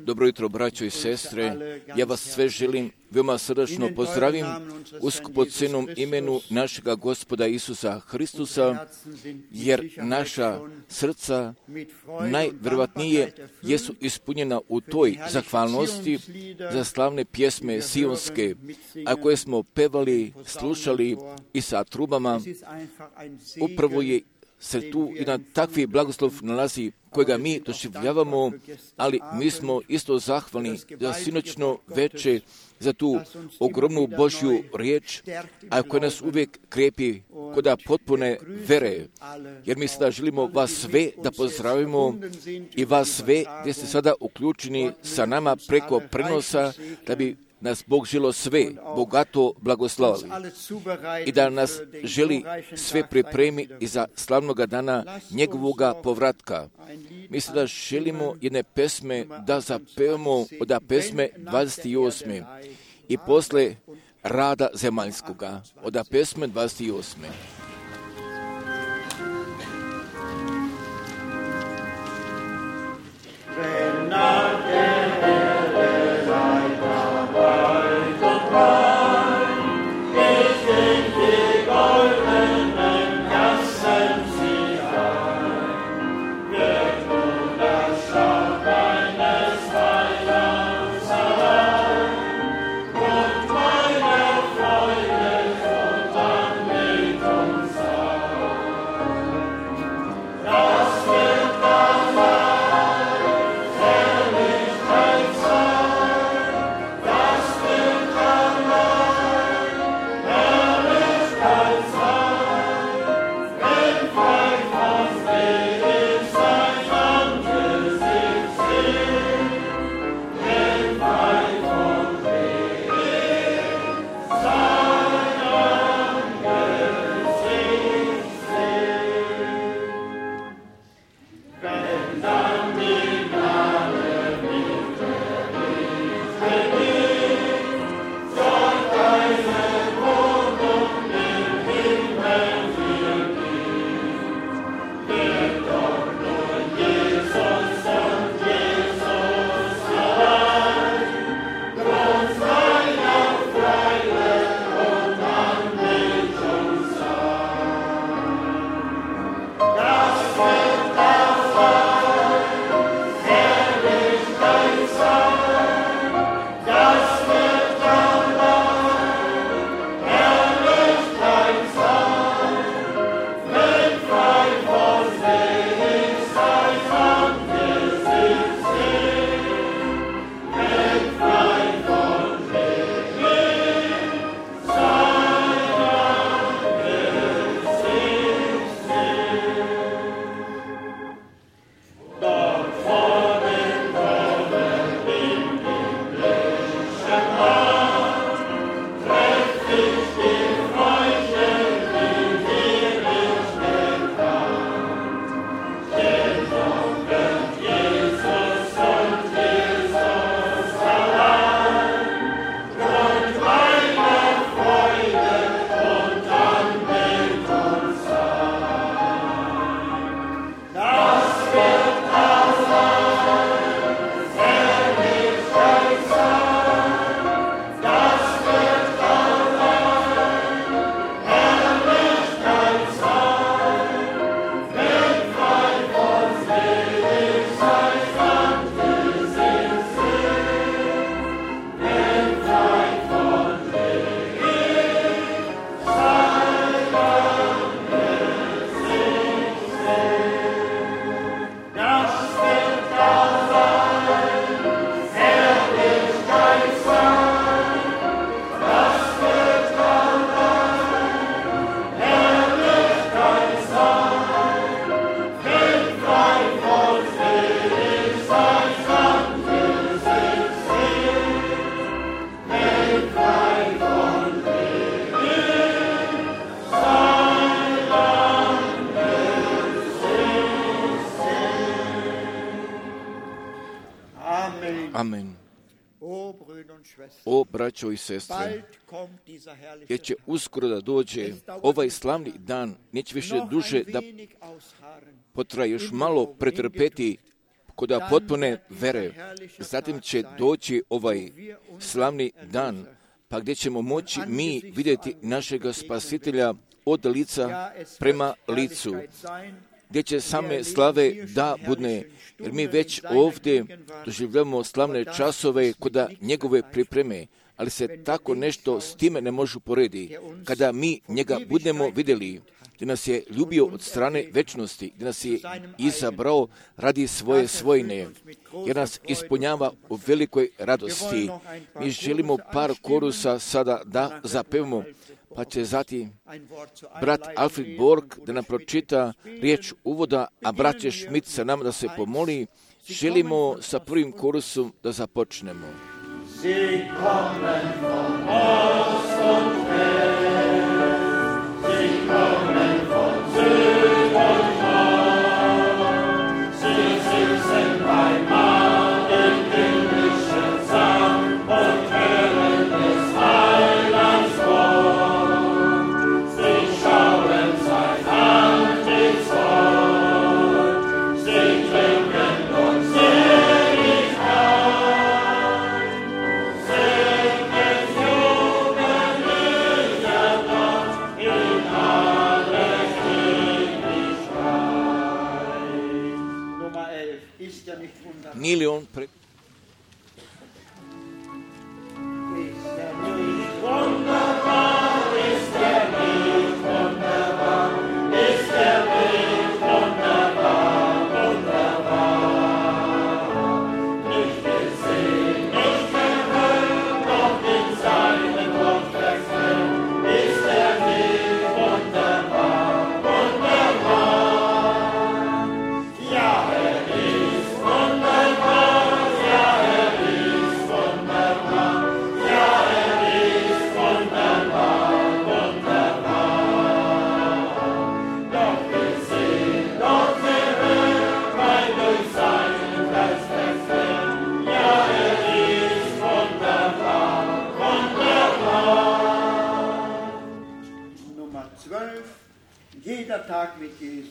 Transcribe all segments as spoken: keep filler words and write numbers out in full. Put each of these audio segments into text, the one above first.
Dobro jutro, braćo i sestre. Ja vas sve želim veoma srdačno pozdravim u skupocjenom imenu našega Gospoda Isusa Hristusa, jer naša srca najvjerovatnije jesu ispunjena u toj zahvalnosti za slavne pjesme sionske, a koje smo pevali, slušali i sa trubama. Upravo je se tu jedan takvi blagoslov nalazi kojega mi doživljavamo, ali mi smo isto zahvalni za sinoćno veče, za tu ogromnu Božju riječ, a koja nas uvijek krepi koda potpune vere. Jer mi sada želimo vas sve da pozdravimo i vas sve gdje ste sada uključeni sa nama preko prenosa, da bi nas Bog želo sve bogato blagoslavili i da nas želi sve pripremi i za slavnoga dana njegovoga povratka. Mi sada želimo jedne pesme da zapevamo od pesme dvadeset osme i posle rada zemaljskoga od pesme dvadeset osme. Amen. O, braćo i sestre, jer će uskoro da dođe ovaj slavni dan, neće više duže da potraje, još malo pretrpeti kod potpune vere. Zatim će doći ovaj slavni dan, pa gdje ćemo moći mi vidjeti našega Spasitelja od lica prema licu, gdje će same slave da budne, jer mi već ovdje doživljavamo slavne časove kod njegove pripreme, ali se tako nešto s time ne može uporediti. Kada mi njega budemo vidjeli, gdje nas je ljubio od strane večnosti, gdje nas je izabrao radi svoje svojine, jer nas ispunjava u velikoj radosti. Mi želimo par korusa sada da zapevamo, pa će zatim brat Alfred Borg da nam pročita riječ uvoda, a brat Schmidt sa nama da se pomoli. Želimo sa prvim korusom da započnemo. Sie kommen von Ost und West, sie kommen von Süd und Nord, sie sitzen beim Mahl im himmlischen Saal und hören des Heilands Wort. Sie schauen sein Antlitz, sie trinken und selig ein. Nije li on pre...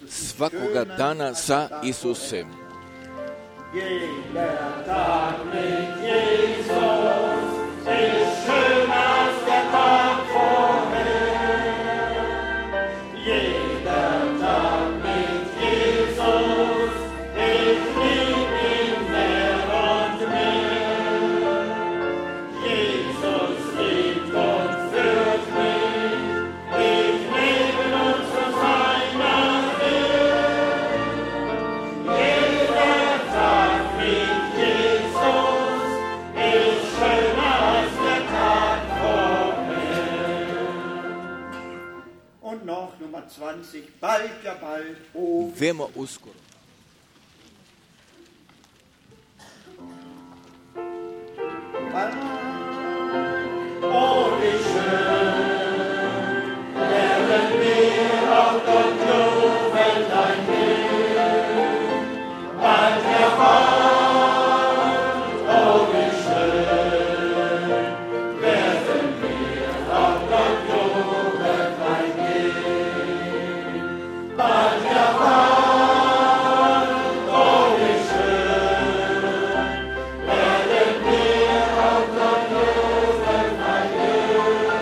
Svakoga dana sa Isusem. Jeder Tag mit Jesus ist schöner als der Tag vorher. Jeder Tag mit Jesus, ich lieb ihn mehr und mehr. Jesus liebt und führt mich, ich lebe nun zu seiner zwanzig, bald, ja bald, oh. Veoma uskoro. Oh, wie schön, wären wir auf Gott loben dein Bild, bald heran. Oh, wie schön, werden wir auf Gott loben dein Bild, bald heran. Oh, wie schön, werden wir auf Gott loben dein Bild,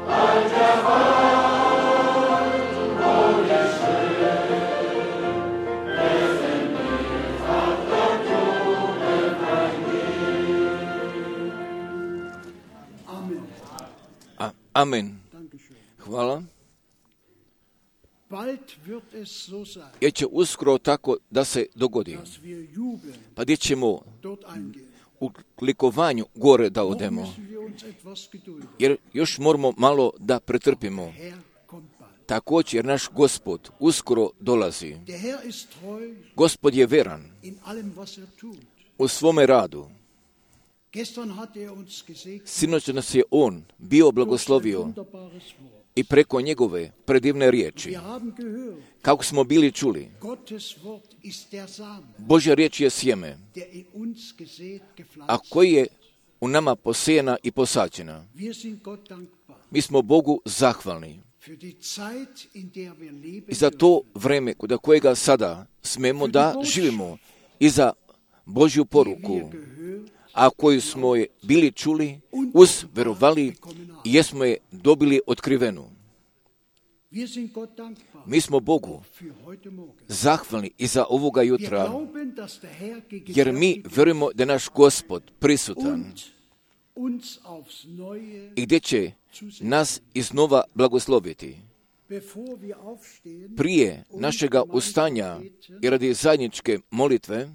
bald heran. Oh, wie schön, werden wir auf Gott loben dein Bild. Amen. A, amen. Dankeschön. Hvala. Bald wird es so sein, Jer će uskoro tako da se dogodi. dass wir jubeln, Pa gdje ćemo dort eingehen. u likovanju gore da Noch odemo. müssen wir uns etwas gedulden. Jer još moramo malo da pretrpimo. Herr kommt bald. Također jer naš Gospod uskoro dolazi. Der Herr ist treu Gospod je veran in allem, was er tut. u svome radu. Gestern hat er uns gesegnet Sinoć nas je On bio durch sein blagoslovio wunderbares Wort. i preko njegove predivne riječi. Wir haben gehört, Kako smo bili čuli, Gottes Wort ist der Samen, Božja riječ je sjeme, der in uns gesät, a gepflanzt. koji je u nama posejena i posađena. Wir sind Gott dankbar Mi smo Bogu zahvalni für die Zeit, in der wir leben i za to vreme kod kojega sada smemo da živimo i za Božju poruku, a koju smo je bili čuli, uzverovali i jesmo je dobili otkrivenu. Mi smo Bogu zahvalni i za ovoga jutra, jer mi vjerujemo da je naš Gospod prisutan i gdje će nas iznova blagosloviti. Prije našega ustania i radi zajedničke molitve,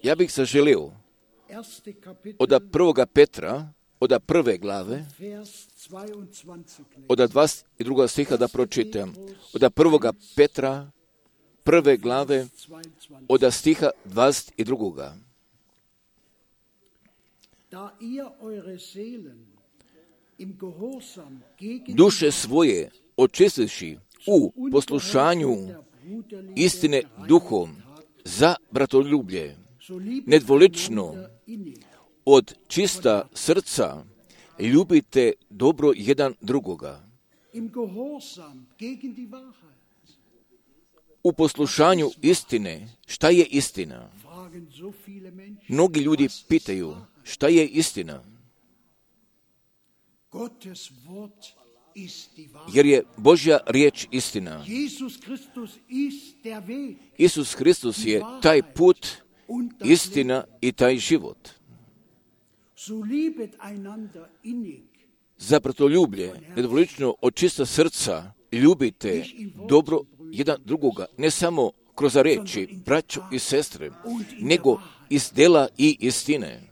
ja bih se želio od prvoga Petra, od prve glave, od dvadeset drugog stiha da pročitam. Od prvoga Petra, prve glave, od stiha dvadeset drugog. Duše svoje očistivši u poslušanju istine duhom za bratoljublje, nedvolično od čista srca ljubite dobro jedan drugoga. U poslušanju istine, šta je istina? Mnogi ljudi pitaju, šta je istina? Jer je Božja riječ istina. Isus Hristus je taj put, istina i taj život. Za bratoljublje, nedvolično od čista srca, ljubite dobro jedan drugoga, ne samo kroz riječi, braćo i sestre, nego iz dela i istine.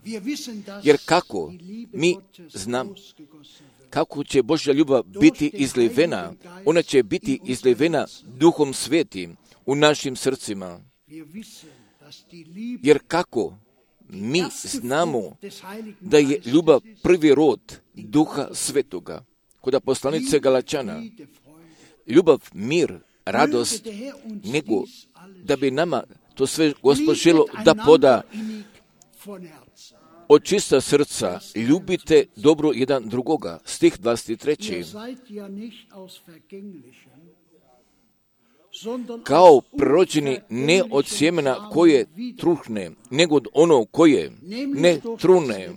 Jer kako mi znam kako će Božja ljubav biti izlivena, ona će biti izlivena Duhom Svetim u našim srcima. Jer kako mi znamo da je ljubav prvi rod Duha Svetoga, kod poslanice Galačana. Ljubav, mir, radost, nego da bi nama to sve Gospod želo da poda od čista srca, ljubite dobro jedan drugoga. Stih dvadeset tri. Kao prorođeni ne od sjemena koje truhne, nego od ono koje ne trune.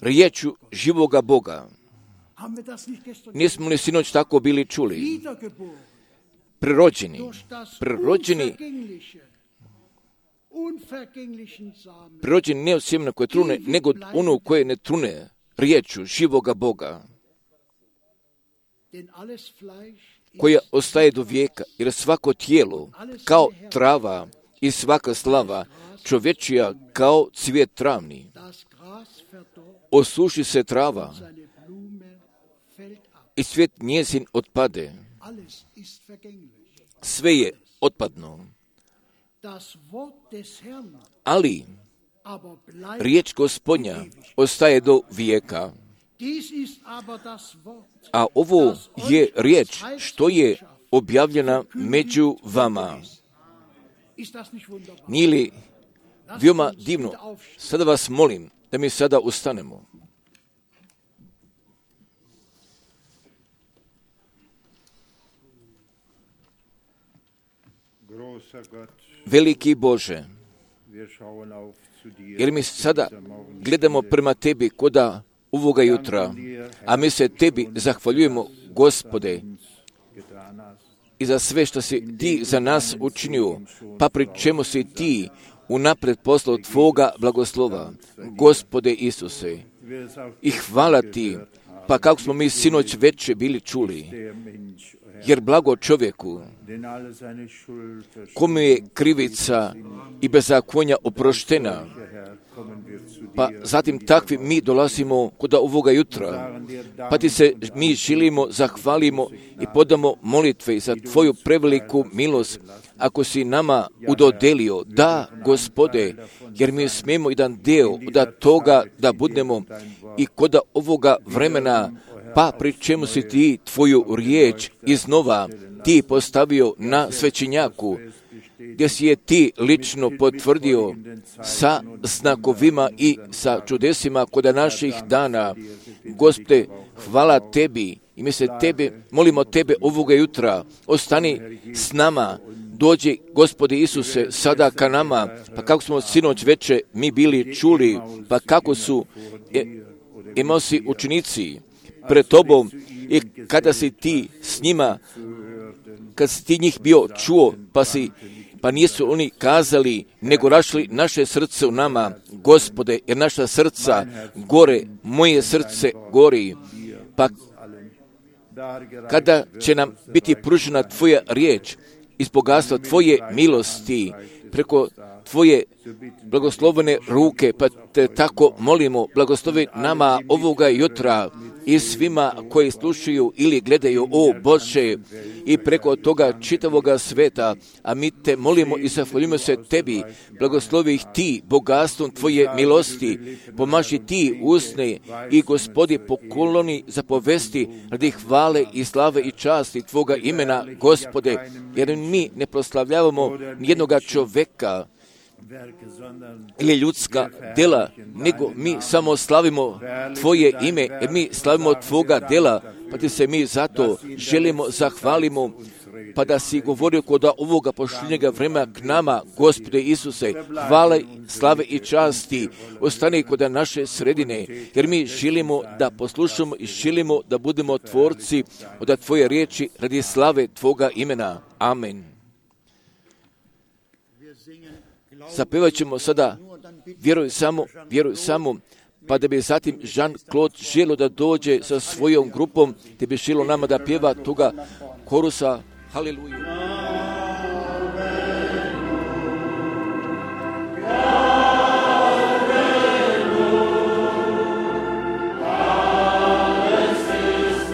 Riječu živoga Boga. Nismo li sinoć tako bili čuli? Prerođeni, prerođeni, prerođeni ne od sjemena koje trune, nego od ono koje ne trune. Riječu živoga Boga, koja ostaje do vijeka, jer svako tijelo kao trava i svaka slava čovječija kao cvijet travni. Osuši se trava i cvijet njezin otpade. Sve je otpadno. Ali riječ Gospodnja ostaje do vijeka. A ovo je riječ što je objavljena među vama. Nije li veoma divno? Sada vas molim da mi sada ustanemo. Veliki Bože, jer mi sada gledamo prema Tebi koda ovoga jutra, a mi se Tebi zahvaljujemo, Gospode, i za sve što si Ti za nas učinio, pa pri čemu si Ti unapred poslao Tvoga blagoslova, Gospode Isuse. I hvala Ti, pa kako smo mi sinoć večer bili čuli, jer blago čovjeku, kome je krivica i bezakonja oproštena, pa zatim takvi mi dolazimo kod ovoga jutra, pa Ti se mi želimo, zahvalimo i podamo molitve za Tvoju preveliku milost, ako si nama udodelio. Da, Gospode, jer mi smijemo jedan dio od toga da budemo i kod ovoga vremena, pa pri čemu si Ti Tvoju riječ iznova Ti postavio na svećenjaku, gdje si je Ti lično potvrdio sa znakovima i sa čudesima kod naših dana. Gospode, hvala Tebi, I mi se tebe, molimo tebe ovoga jutra, ostani s nama, dođi, Gospode Isuse, sada ka nama, pa kako smo sinoć veče mi bili čuli, pa kako su e, emosi učenici pred tobom i kada si ti s njima, kad si ti njih bio čuo, pa si pa nisu oni kazali, nego rašli naše srce u nama, Gospode, jer naša srca gore, moje srce gori. Pa kada će nam biti pružena tvoja riječ iz bogatstva tvoje milosti, preko tvoje blagoslovene ruke, pa te tako molimo, blagoslovi nama ovoga jutra i svima koji slušaju ili gledaju, o Bože, i preko toga čitavoga sveta, a mi te molimo i zahvaljujemo se tebi, blagoslovi ih ti bogatstvom tvoje milosti, pomaži ti usne i Gospodi pokloni zapovesti radi hvale i slave i časti tvoga imena, Gospode, jer mi ne proslavljavamo nijednoga čoveka ili ljudska dela, nego mi samo slavimo tvoje ime, jer mi slavimo tvoga dela, pa ti se mi zato želimo, zahvalimo, pa da si govorio kod ovoga pošljenjega vremena k nama, Gospode Isuse, hvale, slave i časti, ostani kod naše sredine, jer mi želimo da poslušamo i želimo da budemo tvorci od tvoje riječi radi slave tvoga imena. Amen. Zapevat ćemo sada, vjeruj samo, vjeruj samo, pa da bi zatim Jean-Claude želo da dođe sa svojom grupom, te bi želo nama da pjeva toga korusa. Haleluja. Alles ist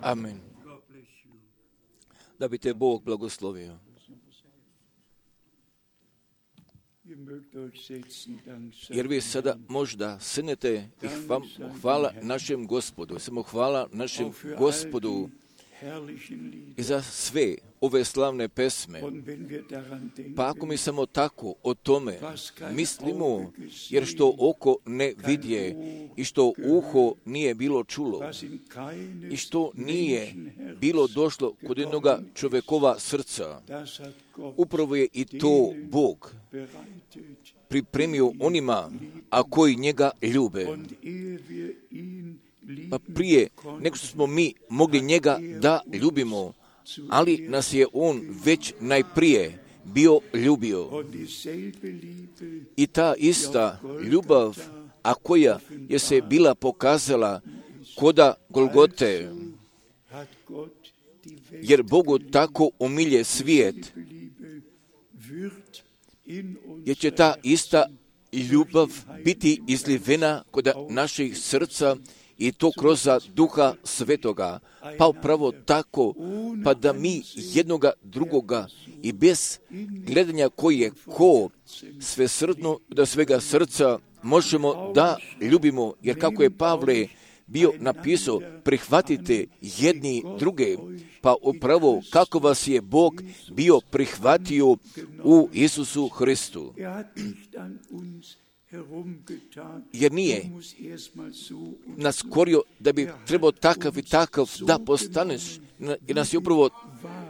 Amen. Da bi te Bog blagoslovio. Jer vi sada možda sjednete i hvala našem Gospodu, samo hvala našem Gospodu i za sve ove slavne pesme. Pa ako mi samo tako o tome mislimo, jer što oko ne vidje i što uho nije bilo čulo i što nije bilo došlo kod jednoga čovjekova srca, upravo je i to Bog pripremio onima, a koji njega ljube. Pa prije nego što smo mi mogli njega da ljubimo, ali nas je on već najprije bio ljubio. I ta ista ljubav, a koja je se bila pokazala koda Golgote, jer Bogu tako umilje svijet, jer će ta ista ljubav biti izlivena kod naših srca i to kroz Duha Svetoga. Pa upravo tako, pa da mi jednoga drugoga i bez gledanja koji je ko, svesrdno do svega srca možemo da ljubimo, jer kako je Pavle bio napisao, prihvatite jedni druge, pa upravo kako vas je Bog bio prihvatio u Isusu Hristu. Jer nije nas korio da bi trebao takav i takav da postaneš, jer nas je upravo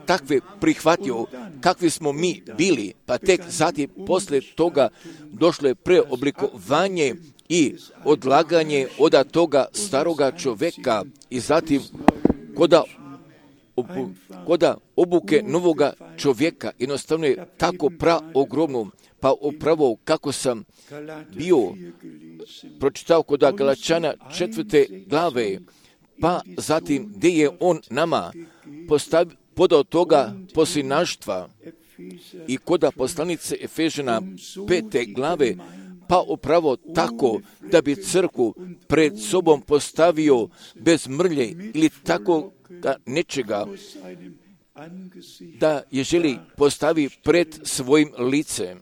takve prihvatio kakvi smo mi bili, pa tek zatim poslije toga došlo je preoblikovanje i odlaganje od toga staroga čovjeka i zatim koda, obu, koda obuke novoga čovjeka. Jednostavno je tako praogromno, pa upravo kako sam bio pročitao kod Galačana četvrte glave, pa zatim gdje je on nama postav, podao toga poslinaštva i koda poslanice Efežana pete glave, pa upravo tako da bi crkvu pred sobom postavio bez mrlje ili tako nečega, da je želi postavi pred svojim licem.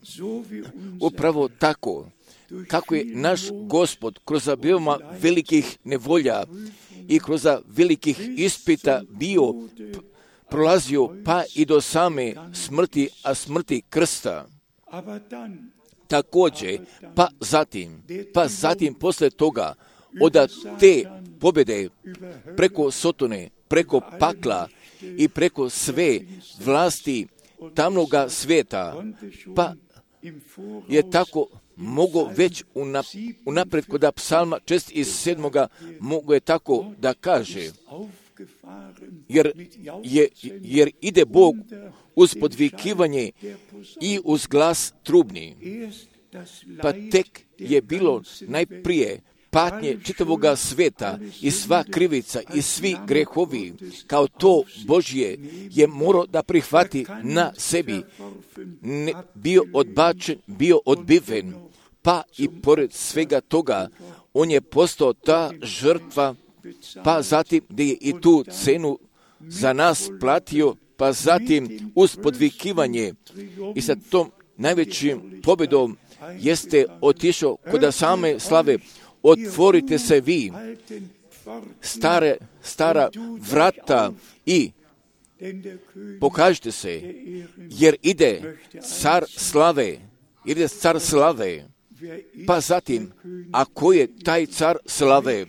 Upravo tako, kako je naš Gospod kroz veoma velikih nevolja i kroz velikih ispita bio prolazio pa i do same smrti, a smrti krsta. Također, pa zatim, pa zatim posle toga, od te pobjede preko Sotone, preko pakla i preko sve vlasti tamnoga svijeta, pa je tako mogo već unapred kod psalma šest i sedmoga mogo je tako da kaže, jer, je, jer ide Bog uz podvikivanje i uz glas trubni. Pa tek je bilo najprije patnje čitavoga sveta i sva krivica i svi grehovi, kao to Božje je morao da prihvati na sebi, ne, bio odbačen, bio odbiven, pa i pored svega toga on je postao ta žrtva, pa zatim gdje je i tu cenu za nas platio, pa zatim uz podvikivanje i sa tom najvećim pobjedom jeste otišao kod same slave. Otvorite se vi, stare, stara vrata i pokažite se, jer ide car slave, ide car slave. Pa zatim, ako je taj car slave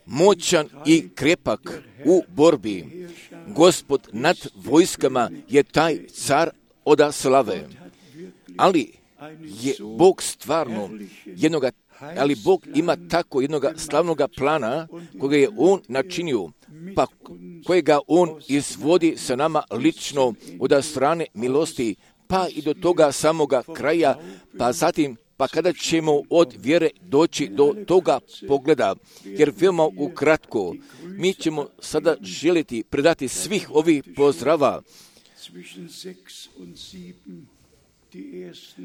moćan i krepak u borbi, Gospod nad vojskama je taj car od slave. Ali je Bog stvarno jednoga, ali Bog ima tako jednoga slavnoga plana koga je On načinio, pa kojega On izvodi sa nama lično od strane milosti, pa i do toga samoga kraja, pa zatim pa kada ćemo od vjere doći do toga pogleda, jer veoma ukratko mi ćemo sada želiti predati svih ovih pozdrava.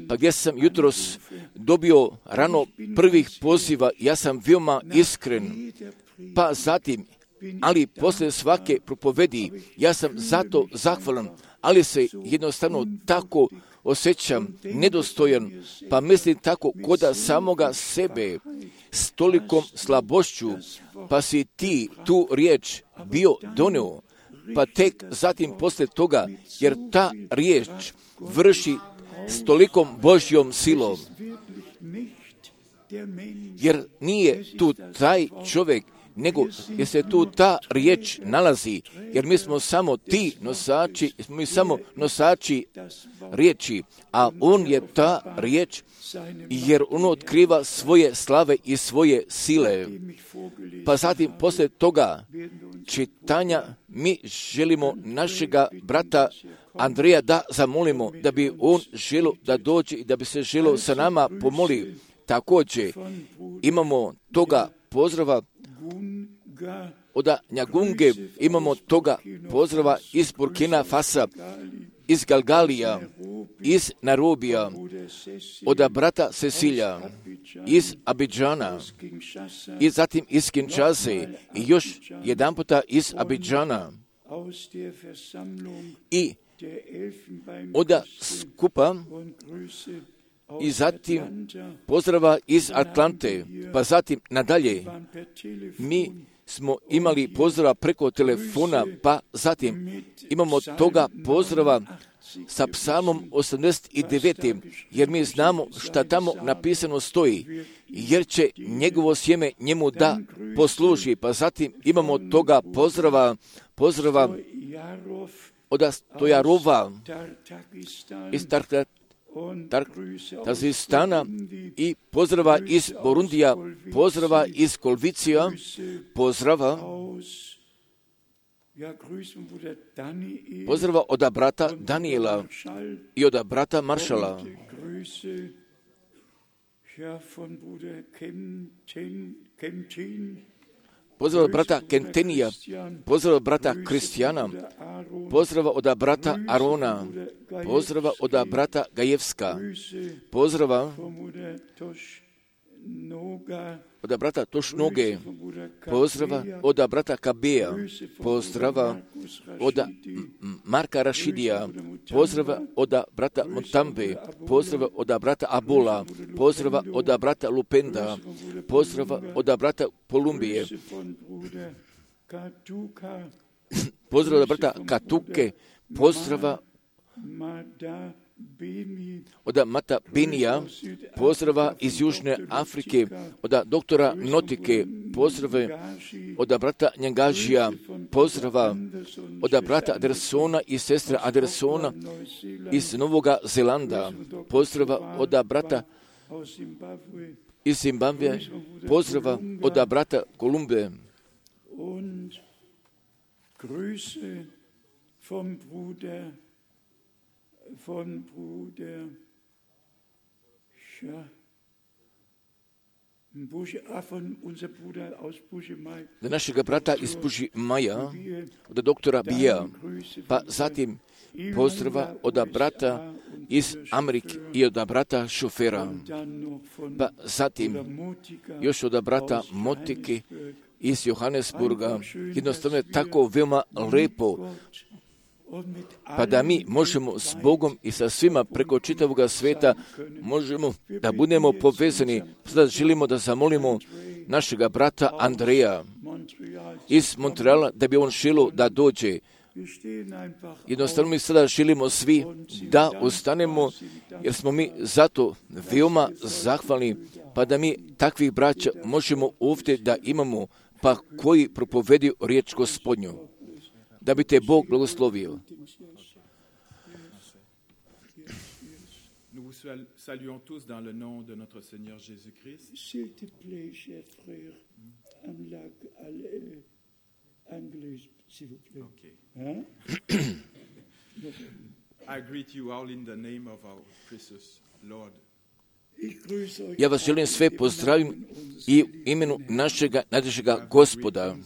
Pa gdje sam jutros dobio rano prvih poziva, ja sam veoma iskren, pa zatim ali posle svake propovedi ja sam zato zahvalan, ali se jednostavno tako osjećam nedostojan, pa mislim tako koda samoga sebe s tolikom slabošću, pa si ti tu riječ bio doneo, pa tek zatim posle toga, jer ta riječ vrši s tolikom Božjom silom, jer nije tu taj čovjek, nego jer se tu ta riječ nalazi, jer mi smo samo ti nosači, mi samo nosači riječi, a on je ta riječ, jer on otkriva svoje slave i svoje sile. Pa zatim poslije toga čitanja mi želimo našega brata Andreja da zamolimo, da bi on želio da dođe i da bi se želio sa nama pomoli. Također imamo toga pozdrava od Njagunge, imamo toga pozdrava iz Burkina Fasa, iz Galgalija, iz Nairobija, od brata Cecilija, iz Abidžana, i zatim iz Kinshase, i još jedan puta iz Abidžana, i od skupa, i zatim pozdrava iz Atlante, pa zatim nadalje. Mi smo imali pozdrava preko telefona, pa zatim imamo toga pozdrava sa psalmom osamdeset devet, jer mi znamo šta tamo napisano stoji, jer će njegovo sjeme njemu da posluži. Pa zatim imamo toga pozdrava, pozdrava od Stojarova iz Tazistana i pozdrava iz Borundija, pozdrava iz Kolvicija, pozdrava pozdrava od brata Daniela i od brata Maršala. Pozdrav od brata Kentenija, pozdrav od brata Kristijana, pozdrava od brata Arona, pozdrava od brata Gajevska, pozdrava od brata Tošnoge, pozdrava od brata Kabeja, pozdrava od Marka Rašidija, pozdrava od brata Montambe, pozdrava od brata Abola, pozdrava od brata Lupenda, pozdrava od brata Kolumbije, pozdrava od brata Katuke, pozdrava od Mata Benija, pozdrava iz Južne Afrike, od doktora Notike, pozdrave od brata Njangažija, pozdrava od brata Adersona i sestre Adersona iz Novoga Zelanda, pozdrava od brata iz Zimbabve, pozdrava od brata Kolumbe. Von Bruder ja, Buše, a von unser Bruder aus Bušemaj. Od našega brata iz Bušemaja, od doktora Bija, pa zatim pozdrava od brata iz Amerike i od brata Šofera, pa zatim još od brata Motike iz Johannesburga. Jednostavno je tako veoma lepo, pa da mi možemo s Bogom i sa svima preko čitavoga sveta možemo da budemo povezani. Sada želimo da zamolimo našega brata Andreja iz Montreala da bi on želio da dođe. Jednostavno mi sada želimo svi da ostanemo, jer smo mi zato veoma zahvalni, pa da mi takvih braća možemo ovdje da imamo, pa koji propovedi riječ Gospodnju. Da bi te Bog blagoslovio. Nous vous saluons tous dans le nom de notre Seigneur Jésus-Christ. S'il te plaît, cher frère, en anglais, s'il vous plaît. Okay. Hein? I greet you all in the name of our precious Lord. Ja vas želim sve pozdravim i u imenu našega najdražega Gospoda.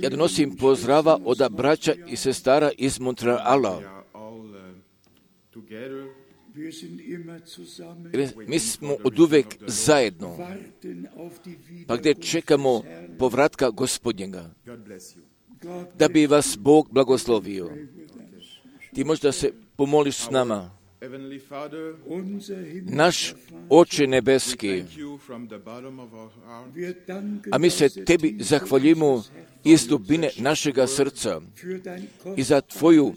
Ja donosim pozdrava od braća i sestara iz Montreala. Mi smo oduvek zajedno, pa gdje čekamo povratka Gospodnjega, da bi vas Bog blagoslovio. Ti možda se pomoliš s nama. Naš Oče nebeski, a mi se Tebi zahvaljujemo iz dubine našega srca i za Tvoju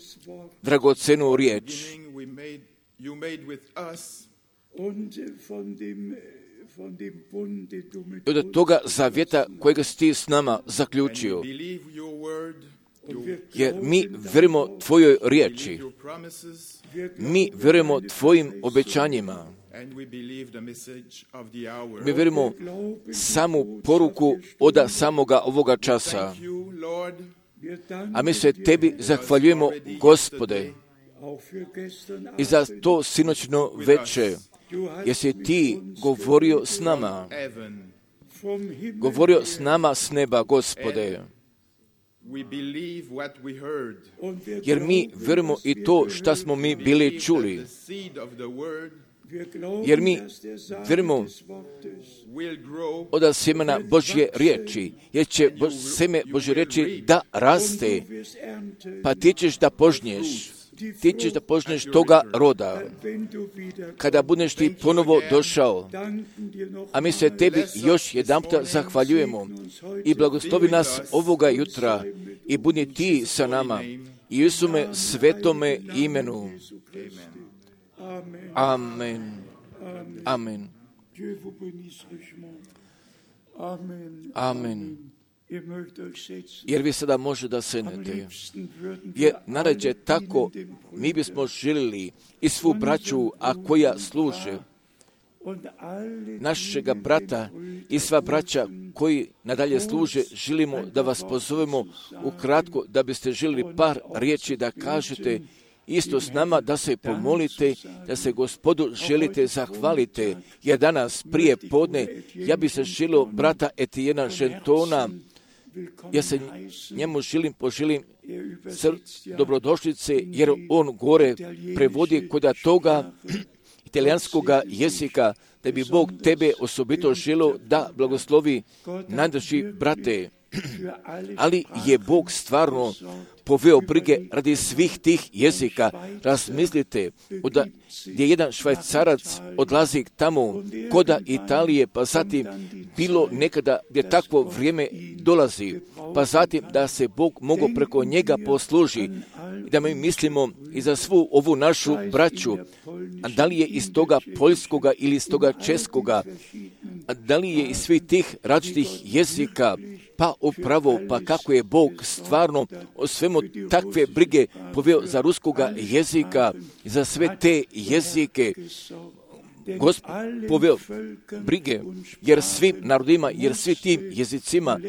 dragocenu riječ. I od toga zavjeta kojega si Ti s nama zaključio. Jer mi vjerujemo Tvojoj riječi. Mi vjerujemo Tvojim obećanjima. Mi vjerujemo samu poruku od samoga ovoga časa. A mi se Tebi zahvaljujemo, Gospode, i za to sinoćno veče, jer si Ti govorio s nama. Govorio s nama s neba, Gospode. Jer mi vjerujemo i to što smo mi bili čuli. Jer mi vjerujemo od sjemena Božje riječi, jer će Bož, sjeme Božje riječi da raste, pa ti ćeš da požnješ, ti ćeš da požnješ toga roda. Kada budeš ti ponovo došao, a mi se Tebi još jedanputa zahvaljujemo i blagoslovi nas ovoga jutra i budi Ti sa nama i Isume svetome imenu. Amen. Amen. Amen. Jer vi sada može da sednete. Jer narađe tako, mi bismo želili i svu braću, a koja služe, našega brata i sva braća koji nadalje služe, želimo da vas pozovemo ukratko, da biste želili par riječi da kažete isto s nama, da se pomolite, da se Gospodu želite zahvalite, jer danas prije podne ja bi se želio brata Etijena Žentona, ja se njemu želim, poželim sr- dobrodošlice, jer on gore prevodi kod toga italijanskoga jezika, da bi Bog tebe osobito želio da blagoslovi najdrži brate. Ali je Bog stvarno poveo brige radi svih tih jezika. Razmislite, da gdje jedan Švajcarac odlazi tamo koda Italije, pa zatim bilo nekada gdje takvo vrijeme dolazi, pa zatim da se Bog mogo preko njega posluži, da mi mislimo i za svu ovu našu braću, a da li je iz toga poljskoga ili iz toga českoga, a da li je iz svih tih različitih jezika, pa upravo, pa kako je Bog stvarno o svemu takve brige poveo za ruskoga jezika, za sve te jezike, Gospod poveo brige, jer svim narodima, jer svi tim jezicima,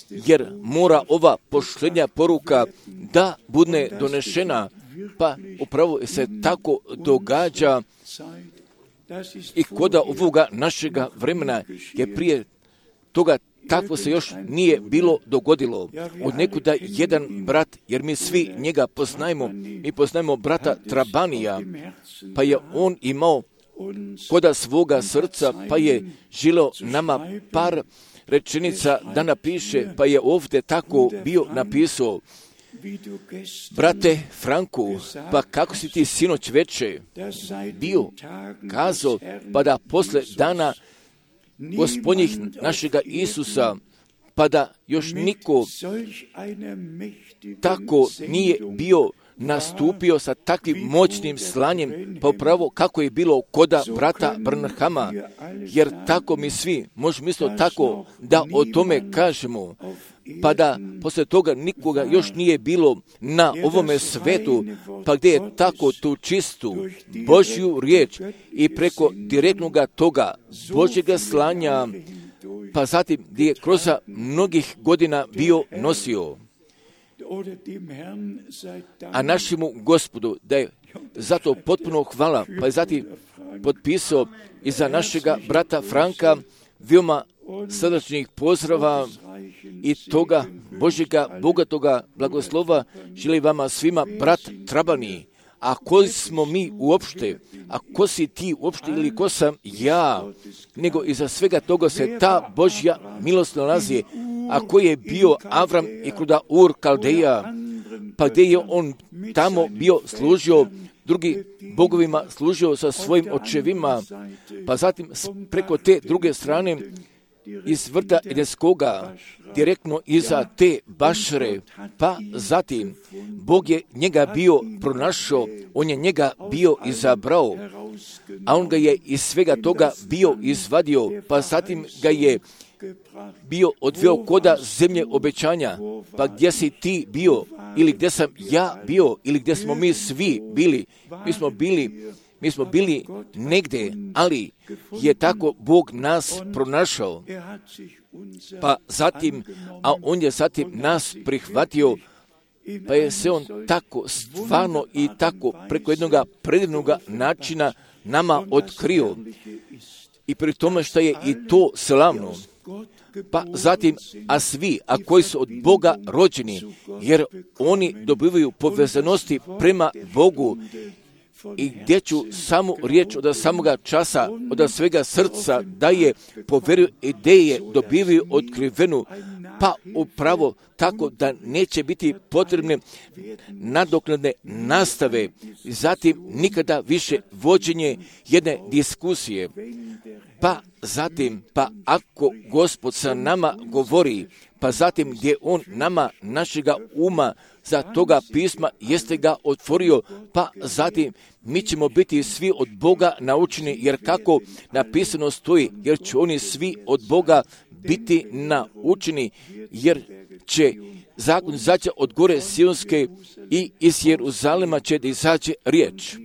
jer mora ova pošljenja poruka da bude donešena, pa upravo se tako događa i koda ovoga našega vremena, je prije toga takvo se još nije bilo dogodilo. Od nekuda jedan brat, jer mi svi njega poznajemo, mi poznajemo brata Trabanija, pa je on imao koda svoga srca, pa je želio nama par rečenica da napiše, pa je ovdje tako bio napisao: brate Franku, pa kako si ti sinoć veče bio kazao, pa da posle dana Gospodnjih našega Isusa, pa da još niko tako nije bio nastupio sa takvim moćnim slanjem, pa upravo kako je bilo koda brata Branhama, jer tako mi svi možemo isto tako da o tome kažemo, pa da posle toga nikoga još nije bilo na ovome svetu, pa gdje je tako tu čistu Božju riječ i preko direktnoga toga Božjega slanja, pa zatim gdje je kroz mnogih godina bio nosio. A našemu Gospodu da je zato potpuno hvala, pa je zatim potpisao i za našega brata Franka veoma srdačnih pozdrava i toga Božjega bogatoga blagoslova želi vama svima brat Trabani, A ko smo mi uopšte? A ko si ti uopšte ili ko sam ja? Nego iza svega toga se ta Božja milost nalazi. A ko je bio Avram i kuda Ur Kaldeja? Pa gdje je on tamo bio služio drugi bogovima, služio sa svojim očevima, pa zatim preko te druge strane iz vrta Edenskoga, direktno iza te bašre, pa zatim Bog je njega bio pronašao, on je njega bio izabrao, a on ga je iz svega toga bio izvadio, pa zatim ga je bio odveo koda zemlje obećanja. Pa gdje si ti bio, ili gdje sam ja bio, ili gdje smo mi svi bili? Mi smo bili, mi smo bili negdje, ali je tako Bog nas pronašao. Pa zatim, a on je zatim nas prihvatio, pa je se on tako stvarno i tako preko jednog predivnog načina nama otkrio. I pri tome što je i to slavno. Pa zatim, a svi, a koji su od Boga rođeni, jer oni dobivaju povezanosti prema Bogu, i gdje ću samu riječ od samoga časa, od svega srca, da je po vjeru ideje dobivaju otkrivenu, pa upravo tako da neće biti potrebne nadoknadne nastave, zatim nikada više vođenje jedne diskusije. Pa zatim, pa ako Gospod sa nama govori, pa zatim gdje on nama našega uma za toga pisma jeste ga otvorio, pa zatim mi ćemo biti svi od Boga naučeni, jer kako napisano stoji, jer će oni svi od Boga biti naučeni, jer će zakon izaći od gore Sionske i iz Jeruzalema će da izaći riječ.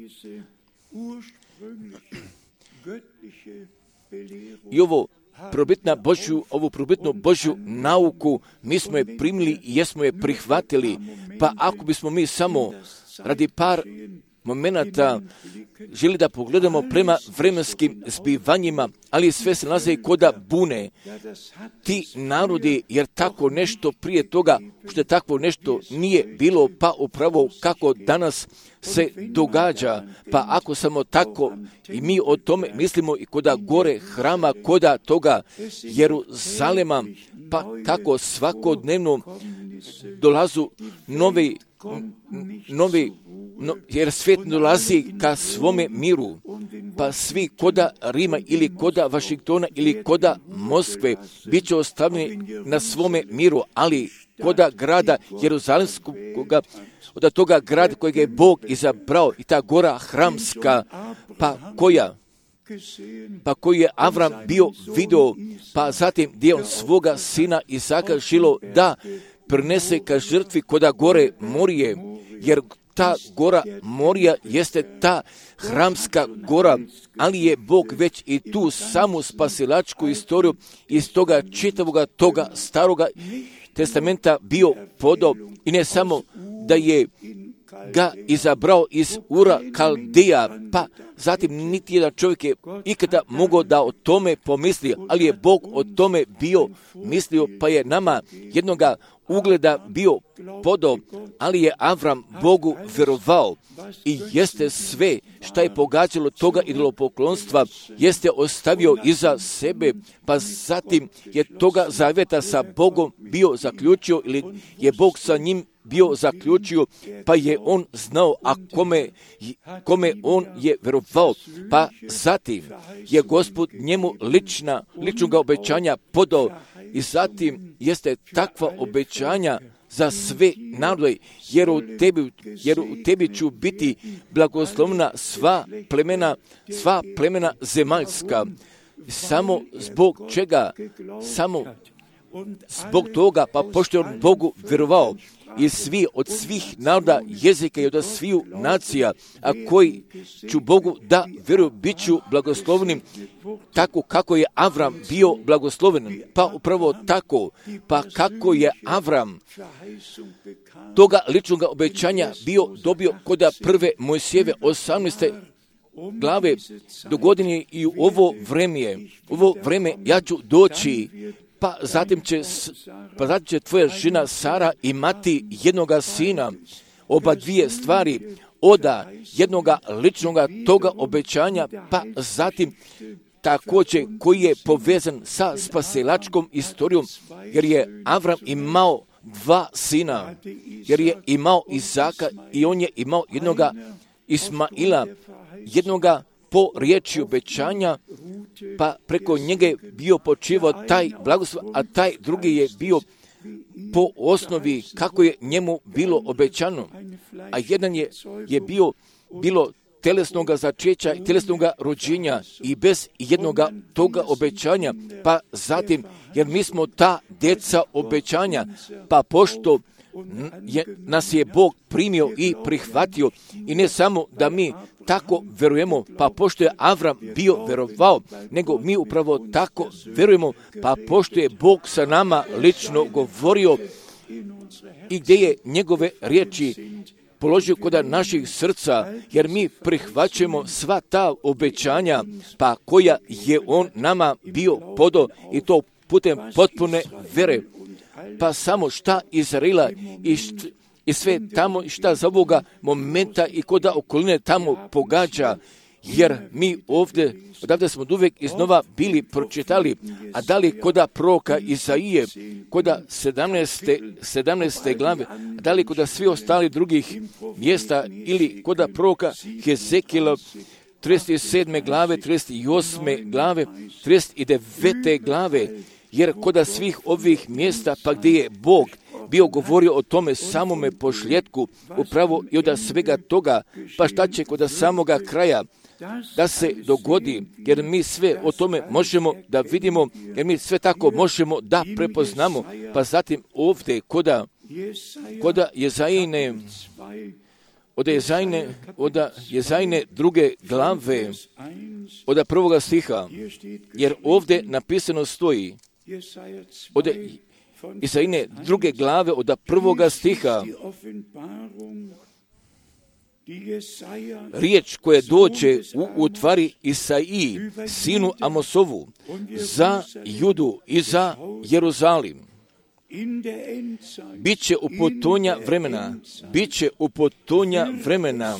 I ovo probitna Božju, ovu probitnu Božju nauku, mi smo je primili i jesmo je prihvatili, pa ako bismo mi samo radi par momenata želi da pogledamo prema vremenskim zbivanjima, ali sve se nalaze koda bune. Ti narodi, jer tako nešto prije toga, što je takvo nešto nije bilo, pa upravo kako danas se događa, pa ako samo tako i mi o tome mislimo i koda gore hrama, koda toga Jeruzalema, pa kako svakodnevno dolazu novi, novi No, jer svijet dolazi ka svome miru, pa svi koda Rima ili koda Vašingtona ili koda Moskve bit će ostavljeni na svome miru, ali koda grada Jeruzalemskog, od toga grada kojeg je Bog izabrao, i ta gora hramska, pa koja pa koji je Avram bio video, pa zatim gdje on svoga sina Isaka žilo da prinese ka žrtvi koda gore Morije, jer ta gora Morija jeste ta hramska gora, ali je Bog već i tu samu spasilačku istoriju iz toga čitavoga toga staroga testamenta bio podao, i ne samo da je ga izabrao iz Ura Kaldeja, pa zatim niti jedan čovjek je ikada mogao da o tome pomisli, ali je Bog o tome bio mislio, pa je nama jednoga ugleda bio podao, ali je Avram Bogu vjerovao i jeste sve šta je pogađalo toga idolopoklonstva, jeste ostavio iza sebe, pa zatim je toga zavjeta sa Bogom bio zaključio, ili je Bog sa njim bio zaključio, pa je on znao, a kome, kome on je vjerovao, pa zatim je Gospod njemu lična, ličnoga obećanja podao, i zatim jeste takva obećanja za sve narode, jer u tebi, jer u tebi ću biti blagoslovna sva plemena, sva plemena zemaljska. Samo zbog čega? Samo zbog toga, pa pošto je on Bogu vjerovao, i svi od svih naroda, jezika i od sviju nacija, a koji ću Bogu da vjeruju, bit ću blagoslovnim, tako kako je Avram bio blagosloven. Pa upravo tako, pa kako je Avram toga ličnog obećanja bio dobio koda prve Mojsijeve osamnaeste glave, do godine i u ovo vreme, ovo vreme ja ću doći, pa zatim će, pa zatim će tvoja žena Sara imati jednoga sina. Oba dvije stvari, oda jednoga ličnoga toga obećanja, pa zatim također koji je povezan sa spasilačkom istorijom, jer je Avram imao dva sina, jer je imao Izaka i on je imao jednoga Ismaila, jednoga po riječi obećanja, pa preko njega je bio počivao taj blagoslov, a taj drugi je bio po osnovi kako je njemu bilo obećano. A jedan je, je bio bilo telesnoga začeća i telesnoga rođenja i bez jednoga toga obećanja, pa zatim, jer mi smo ta djeca obećanja, pa pošto je, nas je Bog primio i prihvatio, i ne samo da mi tako verujemo, pa pošto je Avram bio verovao, nego mi upravo tako verujemo, pa pošto je Bog sa nama lično govorio i gdje je njegove riječi položio kod naših srca, jer mi prihvaćamo sva ta obećanja, pa koja je on nama bio podo, i to putem potpune vere. Pa samo šta Izraela i, št, i sve tamo šta za ovoga momenta i koda okoline tamo pogađa, jer mi ovdje, odavde smo uvijek iznova bili pročitali, a da li koda proroka Izaije, koda sedamnaeste, sedamnaeste glave, a da li koda svi ostali drugih mjesta, ili koda proroka Hezekijela, trideset sedme glave, trideset osme glave, trideset devete glave, jer koda svih ovih mjesta, pa gdje je Bog bio govorio o tome samome pošljetku, upravo i od svega toga, pa šta će koda samoga kraja da se dogodi, jer mi sve o tome možemo da vidimo, jer mi sve tako možemo da prepoznamo, pa zatim ovdje koda, koda Jezajine, od Jezajine, od Jezajine druge glave, od prvoga stiha, jer ovdje napisano stoji, od Jezajine druge glave, od prvoga stiha, riječ koja dođe u utvari Isaiji, sinu Amosovu, za Judu i za Jeruzalim. Biće u potonja vremena, biće u potonja vremena,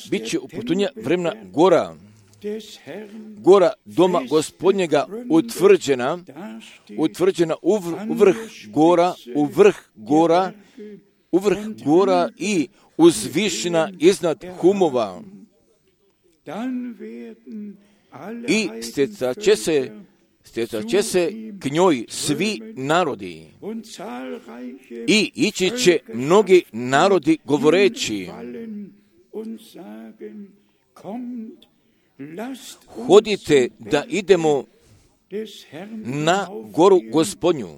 biće u potonja vremena gora, gora doma Gospodnjega utvrđena, utvrđena u vrh gora, u vrh gora, u vrh gora i uzvišena iznad humova. I stjecat će se, stjecat će se k njoj svi narodi. I ići će mnogi narodi govoreći, hodite da idemo na goru Gospodnju,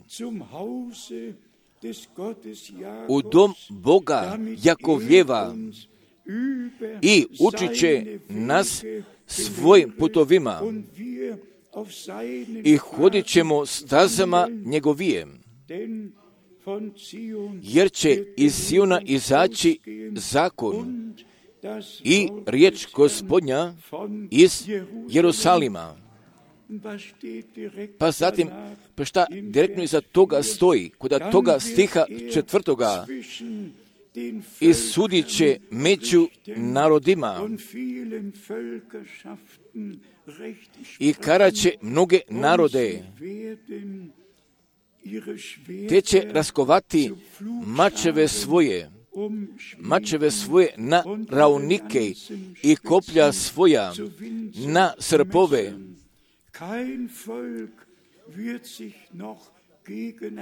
u dom Boga Jakovljeva, i učit će nas svojim putovima i hodit ćemo stazama njegovijem, jer će iz Siona izaći zakon i riječ Gospodnja iz Jerusalima. Pa zatim, pa šta direktno iza toga stoji, kod toga stiha četvrtoga, i sudit će među narodima i karaće mnoge narode, te će raskovati mačeve svoje, mačeve svoje na raunike i koplja svoja na srpove.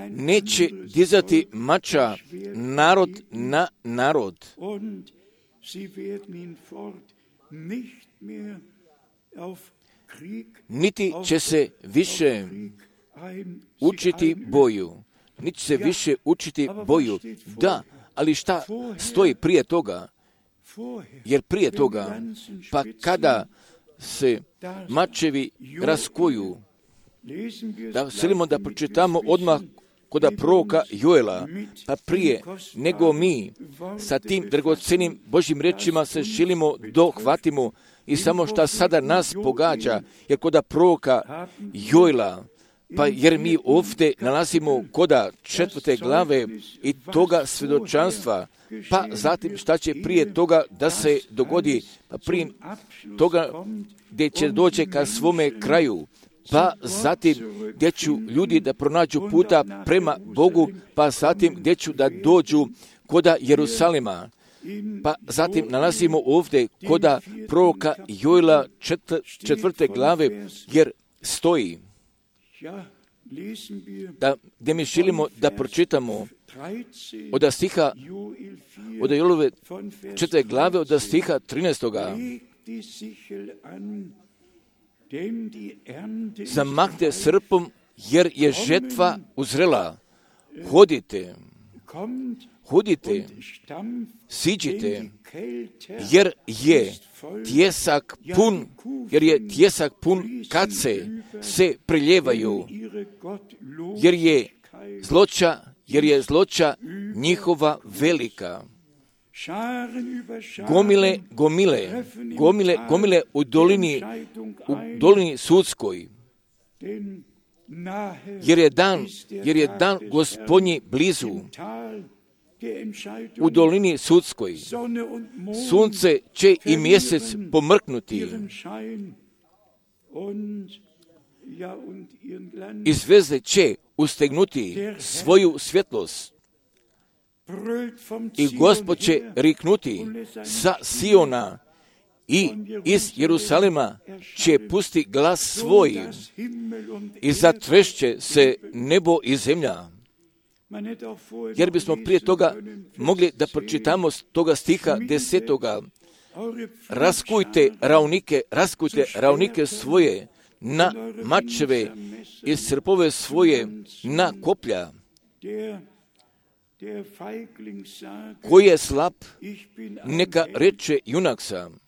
Neće dizati mača narod na narod, niti će se više učiti boju, niti će se više učiti boju. Da, ali šta stoji prije toga? Jer prije toga, pa kada se mačevi raskuju, da želimo da pročitamo odmah kod proroka Joela, pa prije nego mi sa tim dragocenim Božjim rečima se želimo dohvatimo i samo šta sada nas pogađa, jer kod proroka Joela Pa jer mi ovdje nalazimo koda četvrte glave i toga svjedočanstva, pa zatim šta će prije toga da se dogodi, pa prije toga gdje će doći ka svome kraju, pa zatim gdje ću ljudi da pronađu puta prema Bogu, pa zatim gdje ću da dođu koda Jerusalima. Pa zatim nalazimo ovdje koda proroka Joela četvrte glave, jer stoji da, gdje mi želimo da pročitamo od stiha, od Joelove četvrte glave, od stiha trinaestoga. Zamahte srpom, jer je žetva uzrela. Hodite, hodite, siđite, jer je tjesak pun, jer je tjesak pun kace se priljevaju, jer je zloća, jer je zloća njihova velika. Gomile, gomile, gomile, gomile u dolini, u dolini sudskoj, jer je dan, jer je dan Gospodnji blizu. U dolini sudskoj sunce će i mjesec pomrknuti i zvijezde će ustegnuti svoju svjetlost i Gospod će riknuti sa Siona i iz Jerusalima će pusti glas svoj i zatrešće se nebo i zemlja. Jer bismo prije toga mogli da pročitamo s toga stiha desetoga. Raskujte ravnike, raskujte ravnike svoje na mačeve i srpove svoje na koplja. Koji je slab, neka reče junak sam.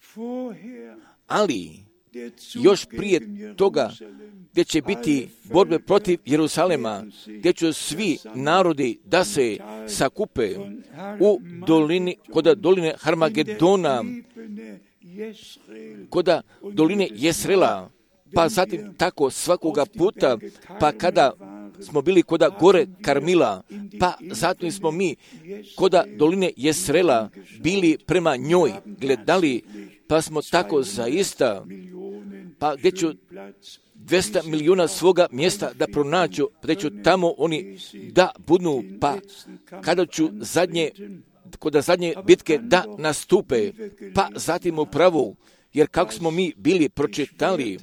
Ali još prije toga gdje će biti borbe protiv Jerusalema, gdje će svi narodi da se sakupe u dolini, koda doline Harmagedona, koda doline Jesrela, pa zatim tako svakoga puta, pa kada smo bili koda gore Karmila, pa zatim smo mi koda doline Jesrela bili prema njoj gledali, pa smo tako zaista, pa gdje ću dvjesto milijuna svoga mjesta da pronađu, gdje ću tamo oni da budu, pa kada ću zadnje, koda zadnje bitke da nastupe, pa zatim upravo, jer kako smo mi bili pročitali,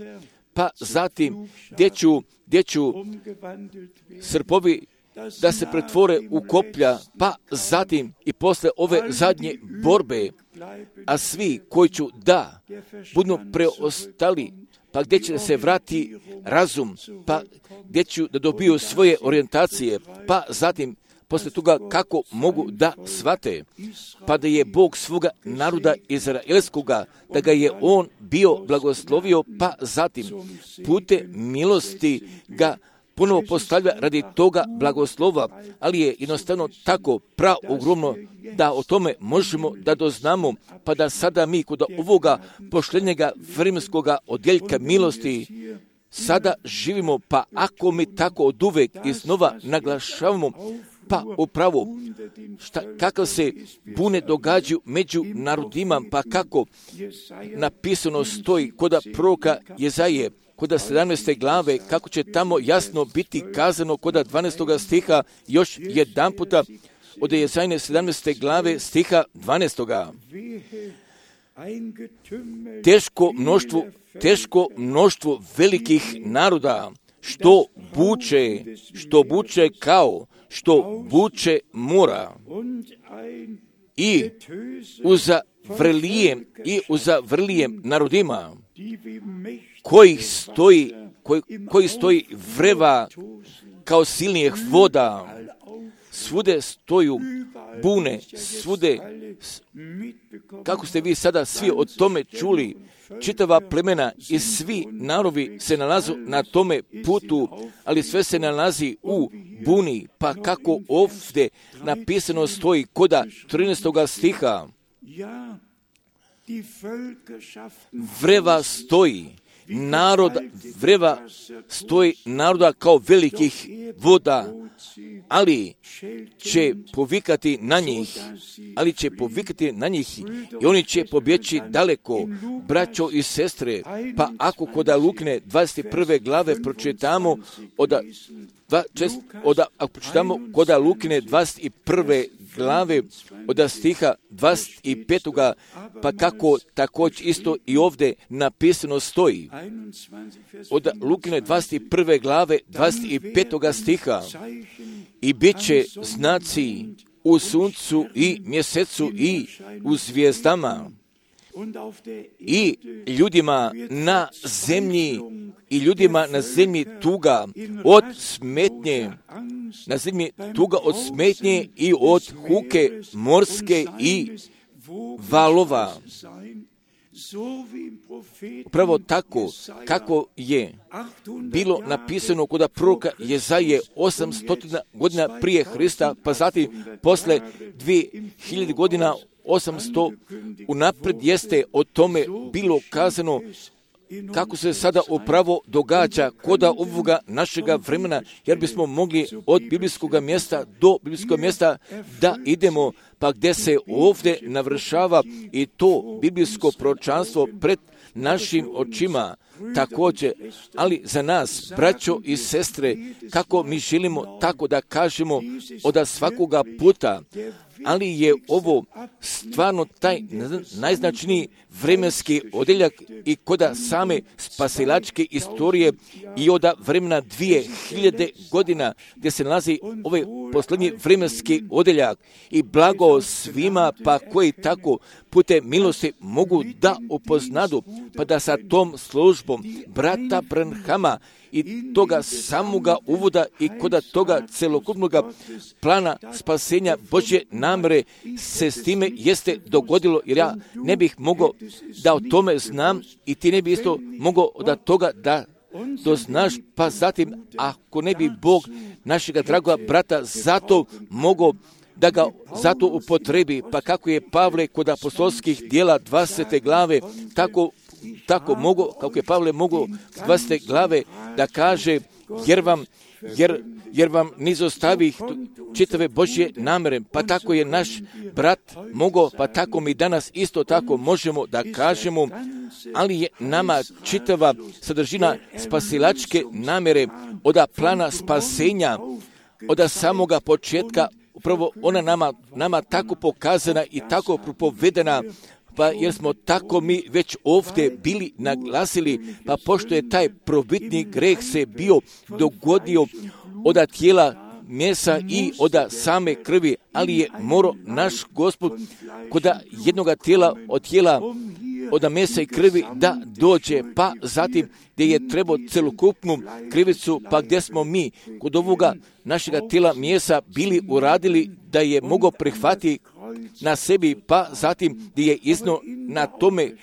pa zatim gdje ću, gdje ću srpovi da se pretvore u koplja, pa zatim i posle ove zadnje borbe, a svi koji ću da budu preostali, pa gdje će se vrati razum, pa gdje ću da dobiju svoje orijentacije, pa zatim posle toga kako mogu da shvate, pa da je Bog svoga naroda izraelskoga, da ga je on bio blagoslovio, pa zatim pute milosti ga ponovo postavlja radi toga blagoslova, ali je jednostavno tako praogromno da o tome možemo da doznamo, pa da sada mi kod ovoga pošljenjega vremenskoga odjeljka milosti sada živimo, pa ako mi tako od uvek iznova naglašavamo, pa upravo šta, kakav se bune događaju među narodima, pa kako napisano stoji koda proroka Jezaje, koda sedamnaeste glave, kako će tamo jasno biti kazano koda dvanaestog stiha, još jedan puta od Jezajne sedamnaeste glave stiha dvanaestog. Teško mnoštvo, teško mnoštvo velikih naroda, što buče, što buče kao, što buče mora i uza vrlijem i uza vrlijem narodima koji stoji, koji, koji stoji vreva kao silnijih voda, svude stoju bune, svude, kako ste vi sada svi o tome čuli, čitava plemena i svi narodi se nalazu na tome putu, ali sve se nalazi u buni, pa kako ovdje napisano stoji koda trinaestog stiha, vreva stoji naroda vreva stoji naroda kao velikih voda, ali će povikati na njih, ali će povikati na njih i oni će pobjeći daleko, braćo i sestre. Pa ako kod Lukine dvadeset prve glave pročitamo od Od, ako pročitamo kod Lukine dvadeset prve glave od stiha dvadeset petog pa kako također isto i ovdje napisano stoji. Od Lukine dvadeset prve glave dvadeset petog stiha i bit će znaci u suncu i mjesecu i u zvijezdama i ljudima na zemlji i ljudima na zemlji tuga od smetnje, na zemlji tuga od smetnje i od huke morske i valova. Upravo tako kako je bilo napisano kod proroka Jezaje osamsto godina prije Hrista, pa zatim posle dvije hiljade godina osamsto unaprijed jeste o tome bilo kazano kako se sada upravo događa koda ovoga našega vremena, jer bismo mogli od biblijskog mjesta do biblijskog mjesta da idemo, pa gdje se ovdje navršava i to biblijsko proročanstvo pred našim očima također, ali za nas, braćo i sestre, kako mi želimo tako da kažemo od svakoga puta, ali je ovo stvarno taj najznačniji vremenski odjeljak i koda same spasilačke istorije i od vremena dvije hiljade godina gdje se nalazi ovaj posljednji vremenski odjeljak i blago svima pa koji tako putem milosti mogu da upoznadu, pa da sa tom službom brata Branhama i toga samoga uvoda i koda toga celokupnog plana spasenja Božje namere se s time jeste dogodilo, jer ja ne bih mogao da o tome znam i ti ne bi isto mogao od toga da doznaš, pa zatim ako ne bi Bog našega dragoga brata zato mogao da ga zato upotrebi, pa kako je Pavle kod apostolskih dijela dvadesete glave tako tako mogu, kako je Pavle mogao dvadesete glave da kaže, jer vam, jer, jer vam nizostavih čitave Božje namere, pa tako je naš brat mogao, pa tako mi danas isto tako možemo da kažemo, ali je nama čitava sadržina spasilačke namere od plana spasenja, od samoga početka, upravo ona nama, nama tako pokazana i tako propovedena, pa jer smo tako mi već ovdje bili naglasili, pa pošto je taj probitni greh se bio dogodio od tijela mesa i od same krvi, ali je morao naš Gospod kod jednoga tijela od tijela od mesa i krvi da dođe, pa zatim gdje je trebao celokupnu krivicu, pa gdje smo mi kod ovoga našega tijela mjesa bili uradili da je mogao prihvatiti na sebi, pa zatim gdje je iznio na tome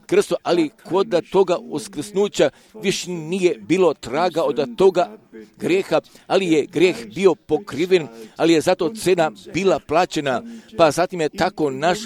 krstu, ali kod toga uskrsnuća više nije bilo traga od toga grijeha, ali je grijeh bio pokriven, ali je zato cena bila plaćena, pa zatim je tako naš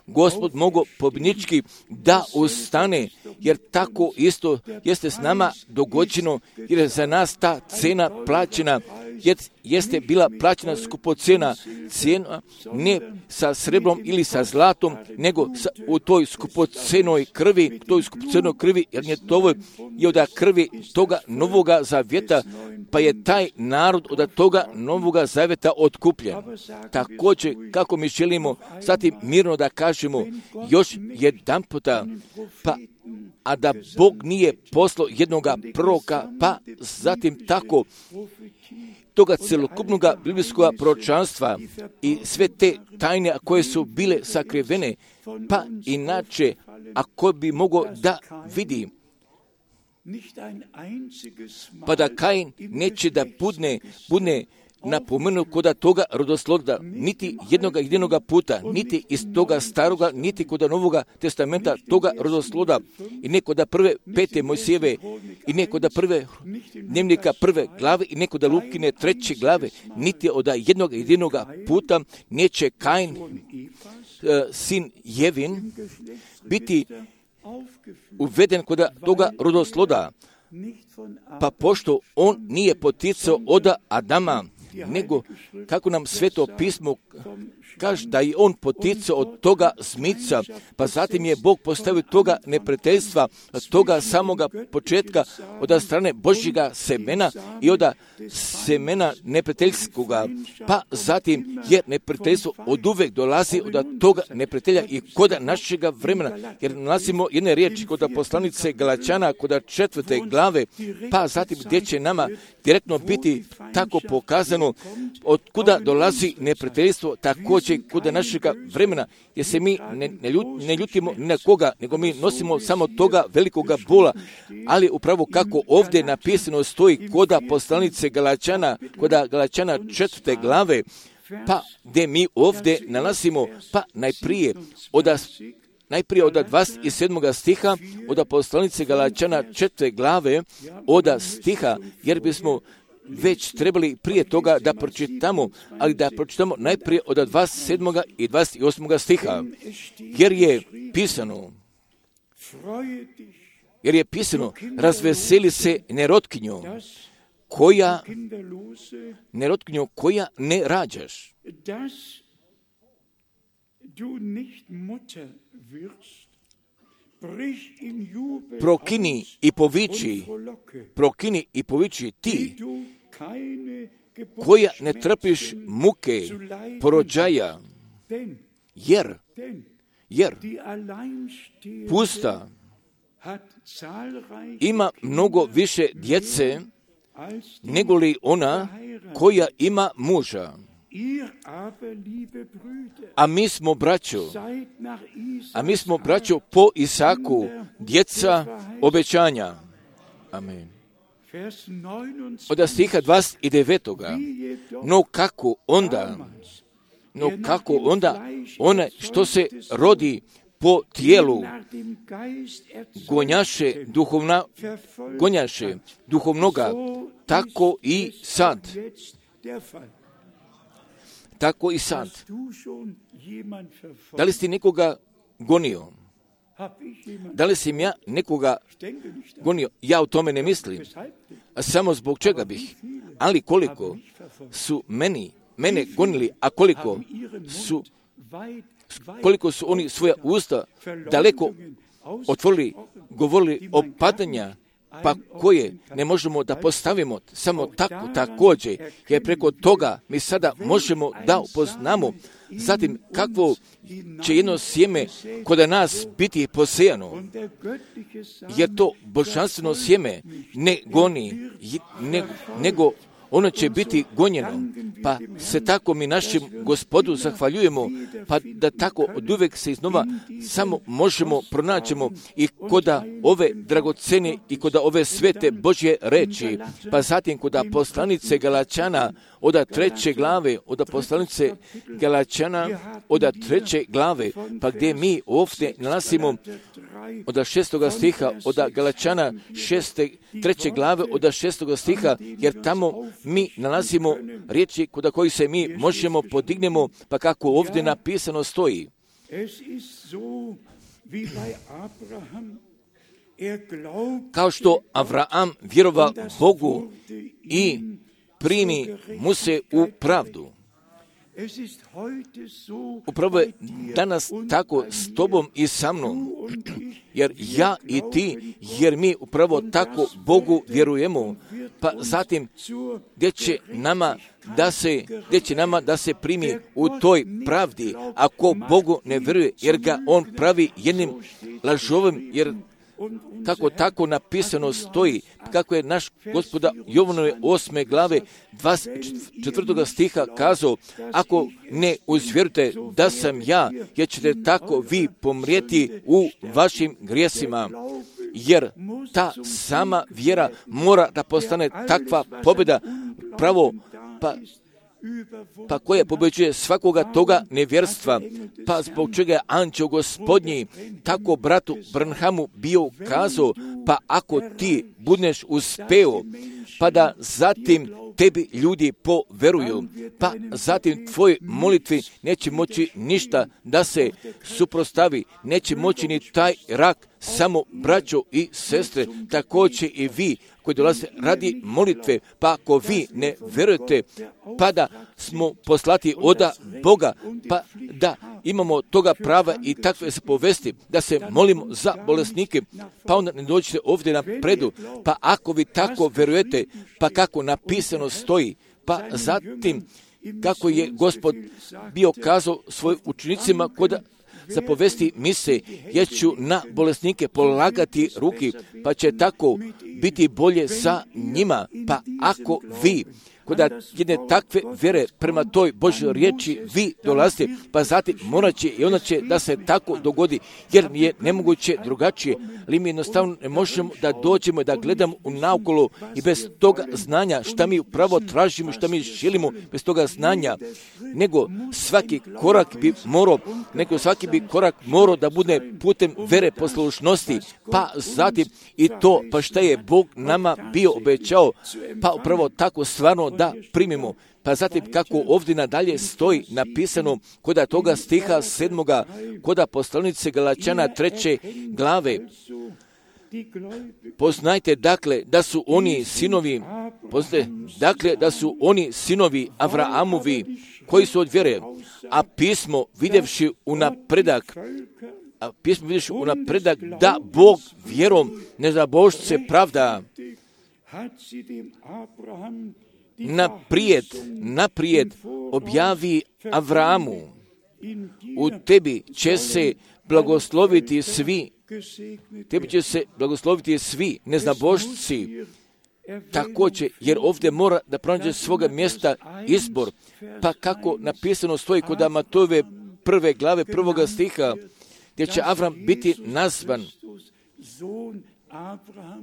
Gospod mogao pobjednički da ustane, jer tako isto jeste s nama dogođeno, jer je za nas ta cena plaćena, jer jeste bila plaćena skupocena, cena ne sa srebrom ili sa zlatom, nego sa, u toj skupocenoj krvi, toj skupocenoj krvi, jer je to i od krvi toga novoga zavjeta, pa je taj narod od toga novoga zavjeta otkupljen. Također, kako mi želimo zatim mirno da kažemo još jedan puta, pa a da Bog nije poslao jednoga proroka, pa zatim tako toga celokupnog biblijskog proročanstva i sve te tajne koje su bile sakrivene, pa inače ako bi mogao da vidi, pa da Kain neće da budne, budne napomenut kod toga rodosloda, niti jednoga jedinoga puta, niti iz toga staroga, niti kod novoga testamenta toga rodosloda, i ne kod prve pete Mojsijeve, i ne kod prve dnevnika prve glave, i ne kod Lukine treće glave, niti od jednog jedinoga puta neće Kain, sin Jevin, biti uveden kod toga rodosloda, pa pošto on nije poticao od Adama, nego kako nam Sveto pismo kaže da je on poticao od toga zmica, pa zatim je Bog postavio toga neprijateljstva, toga samoga početka od strane Božjega semena i od semena neprijateljskoga, pa zatim jer neprijateljstvo od uvek dolazi od toga neprijatelja i kod našega vremena, jer nalazimo jedne riječi kod poslanice Galačana, kod četvrte glave, pa zatim gdje će nama direktno biti tako pokazano od kuda dolazi neprijateljstvo, također kod našega vremena, jer se mi ne, ne, ljut, ne ljutimo ni na koga, nego mi nosimo samo toga velikoga bola, ali upravo kako ovdje napisano stoji kod poslanice Galačana, kod Galačana četvrte glave, pa gdje mi ovdje nalazimo, pa najprije od Najprije od dvadeset sedmog stiha, od poslanice Galačana četvrte glave, od stiha, jer bismo već trebali prije toga da pročitamo, ali da pročitamo najprije od dvadeset sedmog i dvadeset osmog stiha, jer je pisano, jer je pisano, razveseli se nerotkinjo, koja, nerotkinjo, koja ne rađaš. Prokini i poviči, prokini i poviči ti, koja ne trpiš muke porođaja, jer, jer pusta ima mnogo više djece nego li ona koja ima muža. A mi smo braćo, a mi smo braćo po Isaku, djeca obećanja. Amen. Od stiha dvadeset devetog. No kako onda, no kako onda one što se rodi po tijelu gonjaše duhovna, gonjaše duhovnoga, tako i sad. Tako i sad. Da li si nekoga gonio? Da li sam ja nekoga gonio? Ja o tome ne mislim. A samo zbog čega bih? Ali koliko su meni, mene gonili, a koliko su, koliko su oni svoja usta daleko otvorili, govorili o padanja, pa koje ne možemo da postavimo samo tako također, jer preko toga mi sada možemo da upoznamo zatim kakvo će jedno sjeme kod nas biti posejano, jer to božanstveno sjeme ne goni, ne, nego ono će biti gonjeno, pa se tako mi našem Gospodu zahvaljujemo, pa da tako od uvek se iznova samo možemo pronaćemo i koda ove dragocene i koda ove svete Božje reči, pa zatim koda poslanice Galačana od treće glave, od poslanice Galačana od treće glave, pa gdje mi ovdje nalazimo od šestoga stiha, od Galačana šeste, treće glave, od šestoga stiha, jer tamo mi nalazimo riječi kod koji se mi možemo podignemo, pa kako ovdje napisano stoji. Kao što Avraam vjerova Bogu i primi mu se u pravdu. Upravo je danas tako s tobom i sa mnom, jer ja i ti, jer mi upravo tako Bogu vjerujemo, pa zatim gdje će nama da se, gdje će nama da se primi u toj pravdi, ako Bogu ne vjeruje, jer ga on pravi jednim lažovim, jer kako tako napisano stoji, kako je naš Gospoda Jovanove osme glave dvadeset četvrtog stiha kazao, ako ne uzvjerujete da sam ja, jer ćete tako vi pomrijeti u vašim grijesima, jer ta sama vjera mora da postane takva pobjeda, pravo, pa pa koja pobeđuje svakoga toga nevjerstva, pa zbog čega je anđeo Gospodnji tako bratu Branhamu bio kazao, pa ako ti budeš uspeo, pa da zatim tebi ljudi poveruju, pa zatim tvoje molitvi neće moći ništa da se suprostavi, neće moći ni taj rak. Samo braćo i sestre, također i vi koji dolaze radi molitve, pa ako vi ne vjerujete, pa da smo poslati oda Boga, pa da imamo toga prava i takve se povesti, da se molimo za bolesnike, pa onda ne dođete ovdje na predu, pa ako vi tako vjerujete, pa kako napisano stoji, pa zatim kako je Gospod bio kazao svojim učenicima kod zapovesti mise, jer ću na bolesnike polagati ruki, pa će tako biti bolje sa njima. Pa ako vi kod jedne takve vjere prema toj Božoj riječi vi dolazite, pa zatim morat će i ona će da se tako dogodi, jer je nemoguće drugačije, ali mi jednostavno ne možemo da dođemo i da gledamo u naokolo i bez toga znanja šta mi upravo tražimo, šta mi želimo, bez toga znanja, nego svaki korak bi morao, nego svaki bi korak morao da bude putem vere poslušnosti, pa zatim i to, pa šta je Bog nama bio obećao, pa upravo tako stvarno da primimo. Pa zatim kako ovdje nadalje stoji napisano koda toga stiha sedmoga, koda poslanice Galačana treće glave. Poznajte dakle da su oni sinovi, poznajte dakle da su oni sinovi Avraamovi koji su od vjere, a pismo vidjevši u napredak, a pismo vidjevši u napredak da Bog vjerom nezabožce pravda. Naprijed, naprijed objavi Avraamu, u tebi će se blagosloviti svi, tebi će se blagosloviti svi neznabošci, također, jer ovdje mora da pronađe svoga mjesta izbor, pa kako napisano stoji kod Amatojeve prve glave prvoga stiha, gdje će Avram biti nazvan,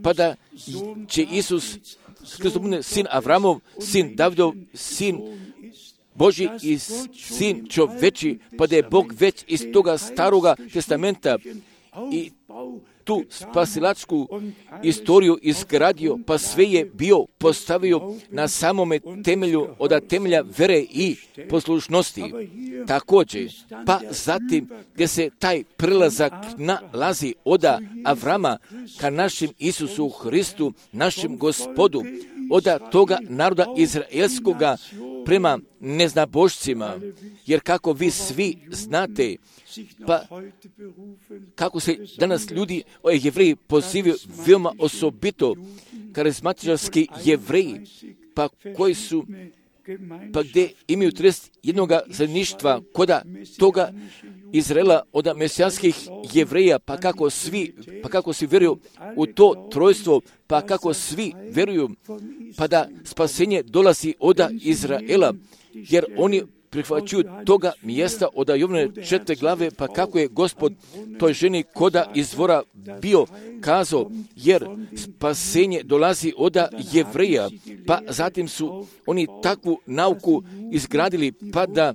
pa da će Isus Hristos bude sin Avramov, sin Davidov, sin Božji i sin čoveči, pa da je Bog već iz toga staroga testamenta i tu spasilačku istoriju izgradio, pa sve je bio postavio na samome temelju od temelja vere i poslušnosti. Također, pa zatim gdje se taj prelazak nalazi od Avrama ka našem Isusu Hristu, našem Gospodu, od toga naroda izraelskoga prema neznabošcima, jer kako vi svi znate, pa kako se danas ljudi, Jevreji, pozivaju veoma osobito karizmatičarski Jevreji, pa koji su, pa gdje imaju trideset jednog zajedništva koda toga Izraela od mesijanskih Jevreja, pa kako svi, pa kako svi vjeruju u to trojstvo, pa kako svi vjeruju, pa da spasenje dolazi od Izraela, jer oni prihvaćuju toga mjesta od Jovane četvrte glave, pa kako je Gospod toj ženi koda izvora bio kazao, jer spasenje dolazi od Jevreja, pa zatim su oni takvu nauku izgradili, pa da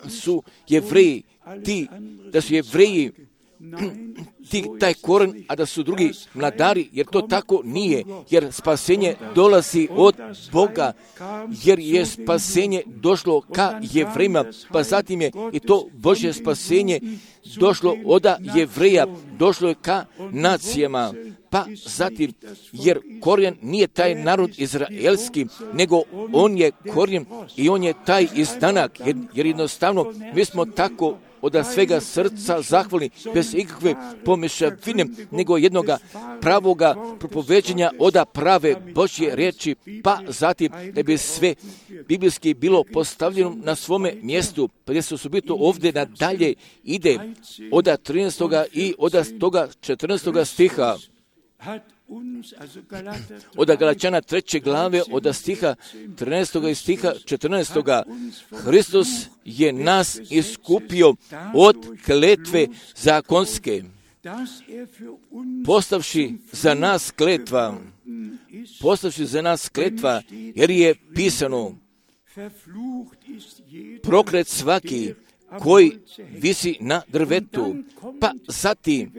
su Jevreji ti, da su Jevreji ti, taj koren, a da su drugi mladari, jer to tako nije, jer spasenje dolazi od Boga, jer je spasenje došlo ka Jevrejima, pa zatim je i to Božje spasenje došlo od Jevreja, došlo je ka nacijama, pa zatim, jer korijen nije taj narod izraelski, nego on je korijen i on je taj izdanak, jer, jer jednostavno mi smo tako od svega srca zahvalni, bez ikakve pomješavine, nego jednoga pravoga propoveđenja od prave Božje riječi, pa zatim da bi sve biblijski bilo postavljeno na svome mjestu, pa gdje se osobito ovdje nadalje ide od trinaestog i od toga četrnaestog stiha, od Galačana treće glave, od stiha trinaestog i stiha četrnaestog. Hristos je nas iskupio od kletve zakonske, postavši za nas kletva, postavši za nas kletva, jer je pisano, proklet svaki koji visi na drvetu, pa zatim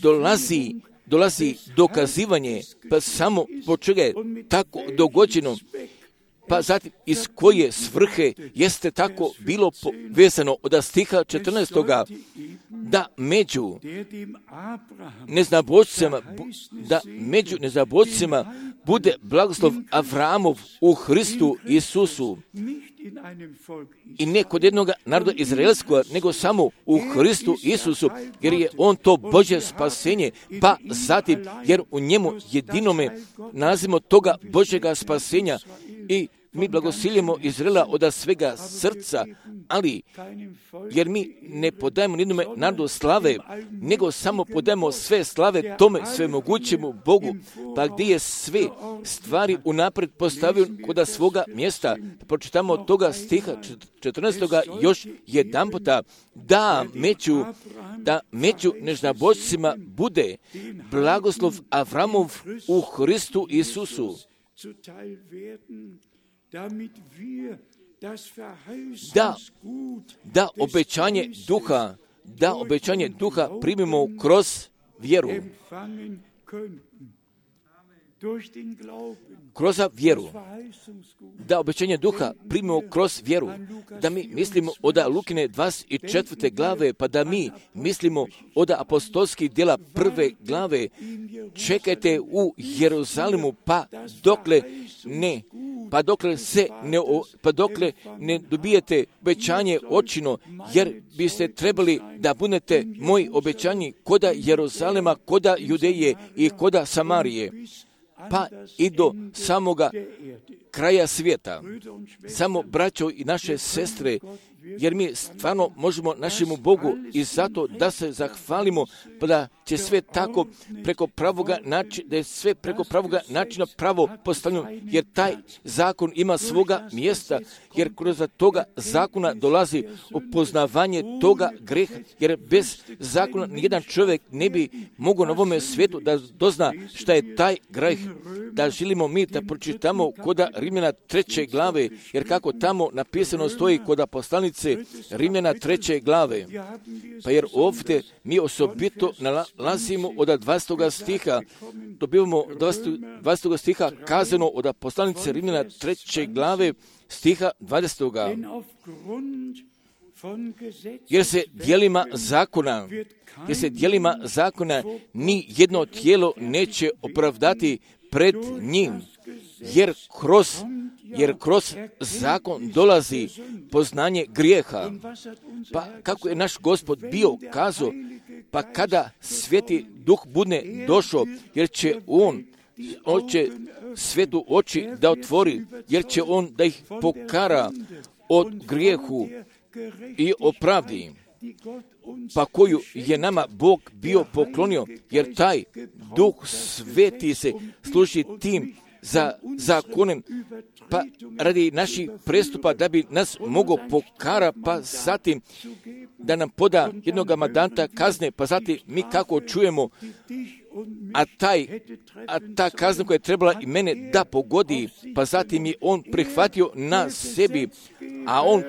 dolazi dolazi dokazivanje, pa samo po čega je tako dogođeno, pa zatim iz koje svrhe jeste tako bilo vezano od stiha četrnaestoga da među neznabošcima, da među neznabošcima bude blagoslov Avramov u Hristu Isusu. I ne kod jednog naroda izraelskog, nego samo u Hristu Isusu, jer je on to Božje spasenje, pa zatim, jer u njemu jedinome nalazimo toga Božjega spasenja i mi blagosiljemo Izraela od svega srca, ali jer mi ne podajemo nijednome narodu slave, nego samo podajemo sve slave tome svemogućemu Bogu, pa gdje je sve stvari unaprijed postavio kod svoga mjesta. Pročitamo od toga stiha četrnaestoga još jedan puta, da među, da među neznabošcima bude blagoslov Avramov u Hristu Isusu. Da, da obećanje duha, da obećanje duha primimo kroz vjeru. Kroz vjeru. Da obećanje duha primimo kroz vjeru. Da mi mislimo od Lukine dvadeset četvrte glave, pa da mi mislimo od apostolskih djela prve glave. Čekajte u Jeruzalemu, pa dokle ne pa dokle se ne, pa dokle ne dobijete obećanje očino, jer biste trebali da budete moji obećanji koda Jeruzalema, koda Judeje i koda Samarije, pa i do samoga kraja svijeta. Samo braćo i naše sestre, jer mi stvarno možemo našemu Bogu i zato da se zahvalimo, pa da će sve tako preko pravoga načina, da je sve preko pravoga načina pravo postavljeno, jer taj zakon ima svoga mjesta, jer kroz toga zakona dolazi upoznavanje toga greha, jer bez zakona nijedan čovjek ne bi mogao na ovome svijetu da dozna šta je taj greh. Da želimo mi da pročitamo koda Rimljana treće glave, jer kako tamo napisano stoji koda poslanice Rimljana treće glave. Pa jer ovdje mi osobito nalazimo od dvadestog stiha, dobivamo dvadestog stiha kazano od poslanice Rimljana treće glave stiha dvadesetog. Jer se djelima zakona, jer se djelima zakona ni jedno tijelo neće opravdati pred njim, jer kroz, jer kroz zakon dolazi poznanje grijeha. Pa kako je naš Gospod bio kazao, pa kada Sveti Duh bude došao, jer će on hoće svetu oči da otvori, jer će on da ih pokara od grijehu i opravdi, pa koju je nama Bog bio poklonio, jer taj Duh Sveti se služi tim za zakonem, pa radi naših prestupa da bi nas mogao pokara, pa zatim da nam poda jednog mandanta kazne, pa zatim mi kako čujemo, a, taj, a ta kazna koja je trebala i mene da pogodi, pa zatim je on prihvatio na sebi, a on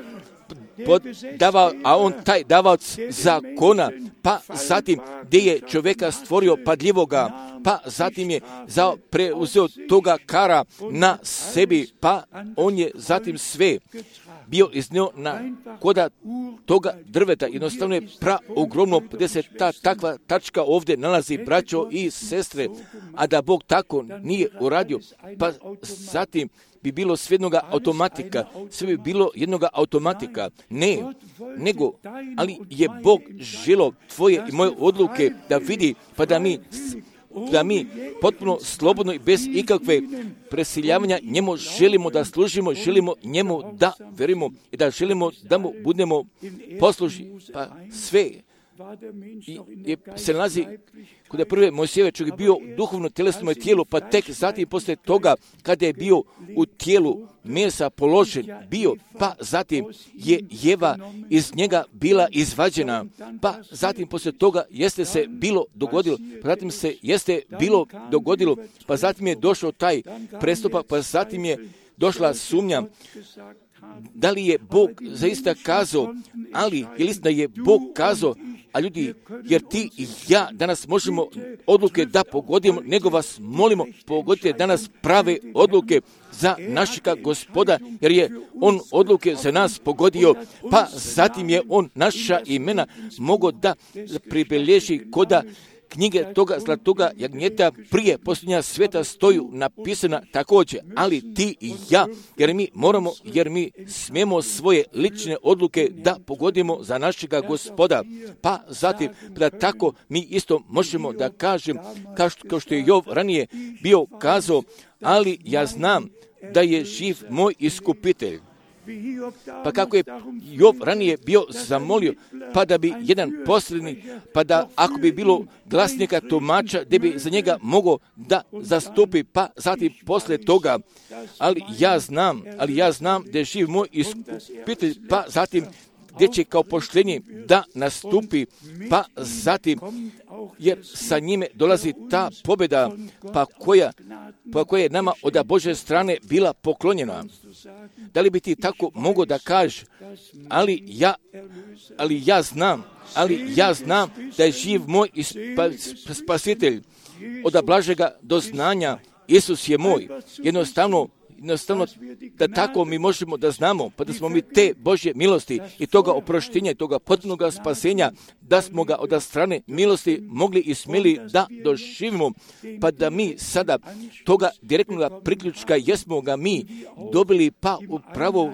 davao, a on taj davac zakona, pa zatim gdje je čovjeka stvorio padljivoga, pa zatim je za preuzeo toga kara na sebi, pa on je zatim sve bio iznio na koda toga drveta. Jednostavno je pra ogromno, gdje se ta takva tačka ovdje nalazi, braćo i sestre, a da Bog tako nije uradio, pa zatim bi bilo sve jednoga automatika, sve bi bilo jednoga automatika. Ne, nego, ali je Bog želo tvoje i moje odluke da vidi, pa da mi da mi potpuno slobodno i bez ikakve presiljavanja njemu želimo da služimo, želimo njemu da verimo i da želimo da mu budemo poslušni. Pa sve i, je, se nalazi kod je prve Mojsijeve čovjek bio duhovno tjelesno tijelo, pa tek zatim poslije toga kada je bio u tijelu mesa položen bio, pa zatim je Jeva iz njega bila izvađena, pa zatim poslije toga jeste se bilo dogodilo, pa zatim se jeste bilo dogodilo, pa zatim je došao taj prestupak, pa zatim je došla sumnja. Da li je Bog zaista kazao, ali je li da je Bog kazao, a ljudi, jer ti i ja danas možemo odluke da pogodimo, nego vas molimo, pogodite danas prave odluke za našega Gospoda, jer je on odluke za nas pogodio, pa zatim je on naša imena mogao da pribeleži koda knjige toga zlatoga jagnjeta prije posljednja sveta stoju napisana također, ali ti i ja, jer mi moramo, jer mi smijemo svoje lične odluke da pogodimo za našega Gospoda. Pa zatim, da tako mi isto možemo da kažem, kao što, kao što je Jov ranije bio kazao, ali ja znam da je živ moj iskupitelj. Pa kako je Jov ranije bio zamolio, pa da bi jedan posljednji, pa da ako bi bilo glasnika tumača, da bi za njega mogao da zastupi, pa zatim poslije toga, ali ja znam, ali ja znam da je živ moj iskupitelj, pa zatim gdje će kao poštenje da nastupi, pa zatim, jer sa njime dolazi ta pobjeda, pa koja, pa koja je nama od Božje strane bila poklonjena. Da li bi ti tako mogao da kažeš, ali ja, ali ja znam, ali ja znam da je živ moj spasitelj, od blažega do znanja, Isus je moj. Jednostavno, jednostavno da tako mi možemo da znamo, pa da smo mi te Božje milosti i toga oproštenja i toga potpunog spasenja, da smo ga od strane milosti mogli i smjeli da doživimo, pa da mi sada toga direktnog priključka jesmo ga mi dobili, pa upravo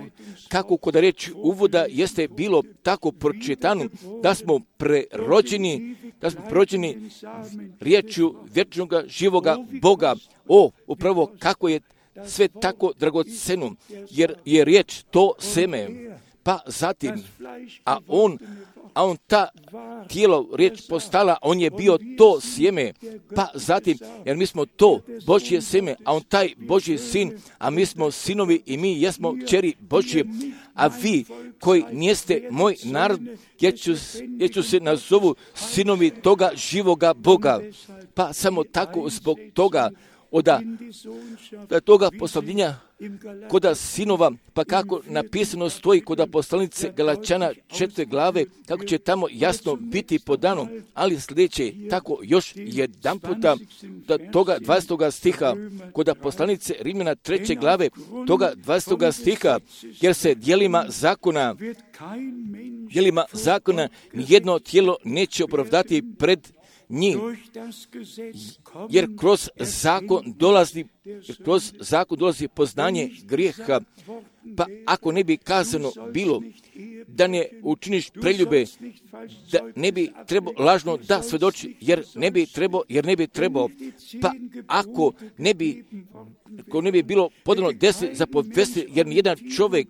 kako kod reći uvoda jeste bilo tako pročitano, da smo prerođeni, da smo prerođeni riječju vječnog živoga Boga. O, upravo kako je sve tako dragoceno, jer je riječ to seme, pa zatim, a on, a on ta tijelo riječ postala, on je bio to sjeme, pa zatim, jer mi smo to Božje seme, a on taj Božji sin, a mi smo sinovi i mi jesmo kćeri Božje, a vi koji nijeste moj narod, jer ću, jer ću se nazovu sinovi toga živoga Boga, pa samo tako zbog toga, Oda, da toga poslavljenja koda sinova, pa kako napisano stoji koda poslanice Galačana četiri glave, kako će tamo jasno biti podano, ali sljedeće tako još jedan puta da toga dvadesetog stiha, koda poslanice Rimljana treće glave, toga dvadesetog stiha, jer se dijelima zakona, dijelima zakona nijedno tijelo neće opravdati pred njih, jer kroz zakon dolazi, kroz zakon dolazi poznanje grijeha, pa ako ne bi kazano bilo da ne učiniš preljube, da ne bi trebao lažno da svjedoči, jer ne bi trebao, jer ne bi trebao, pa ako ne bi, ako ne bi bilo podano deset zapovesti, jer nijedan čovjek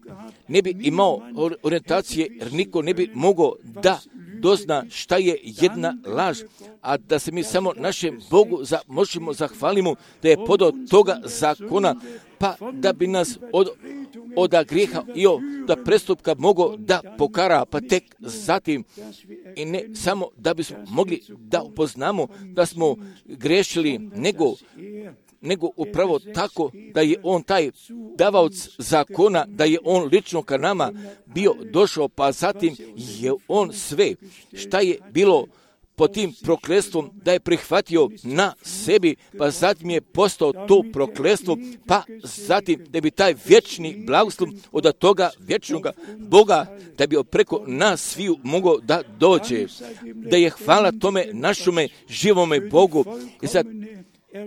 ne bi imao orijentacije, jer niko ne bi mogao da dozna šta je jedna laž, a da se mi samo našem Bogu za, možemo zahvalimo da je podao toga zakona, pa da bi nas od, od grijeha i od prestupka mogao da pokara, pa tek zatim, i ne samo da bismo mogli da upoznamo da smo grešili, nego nego upravo tako da je on taj davaoc zakona, da je on lično ka nama bio došao, pa zatim je on sve šta je bilo pod tim prokletstvom da je prihvatio na sebi, pa zatim je postao to prokletstvo, pa zatim da bi taj vječni blagoslov od toga vječnog Boga, da bi preko nas sviju mogao da dođe, da je hvala tome našome živome Bogu i za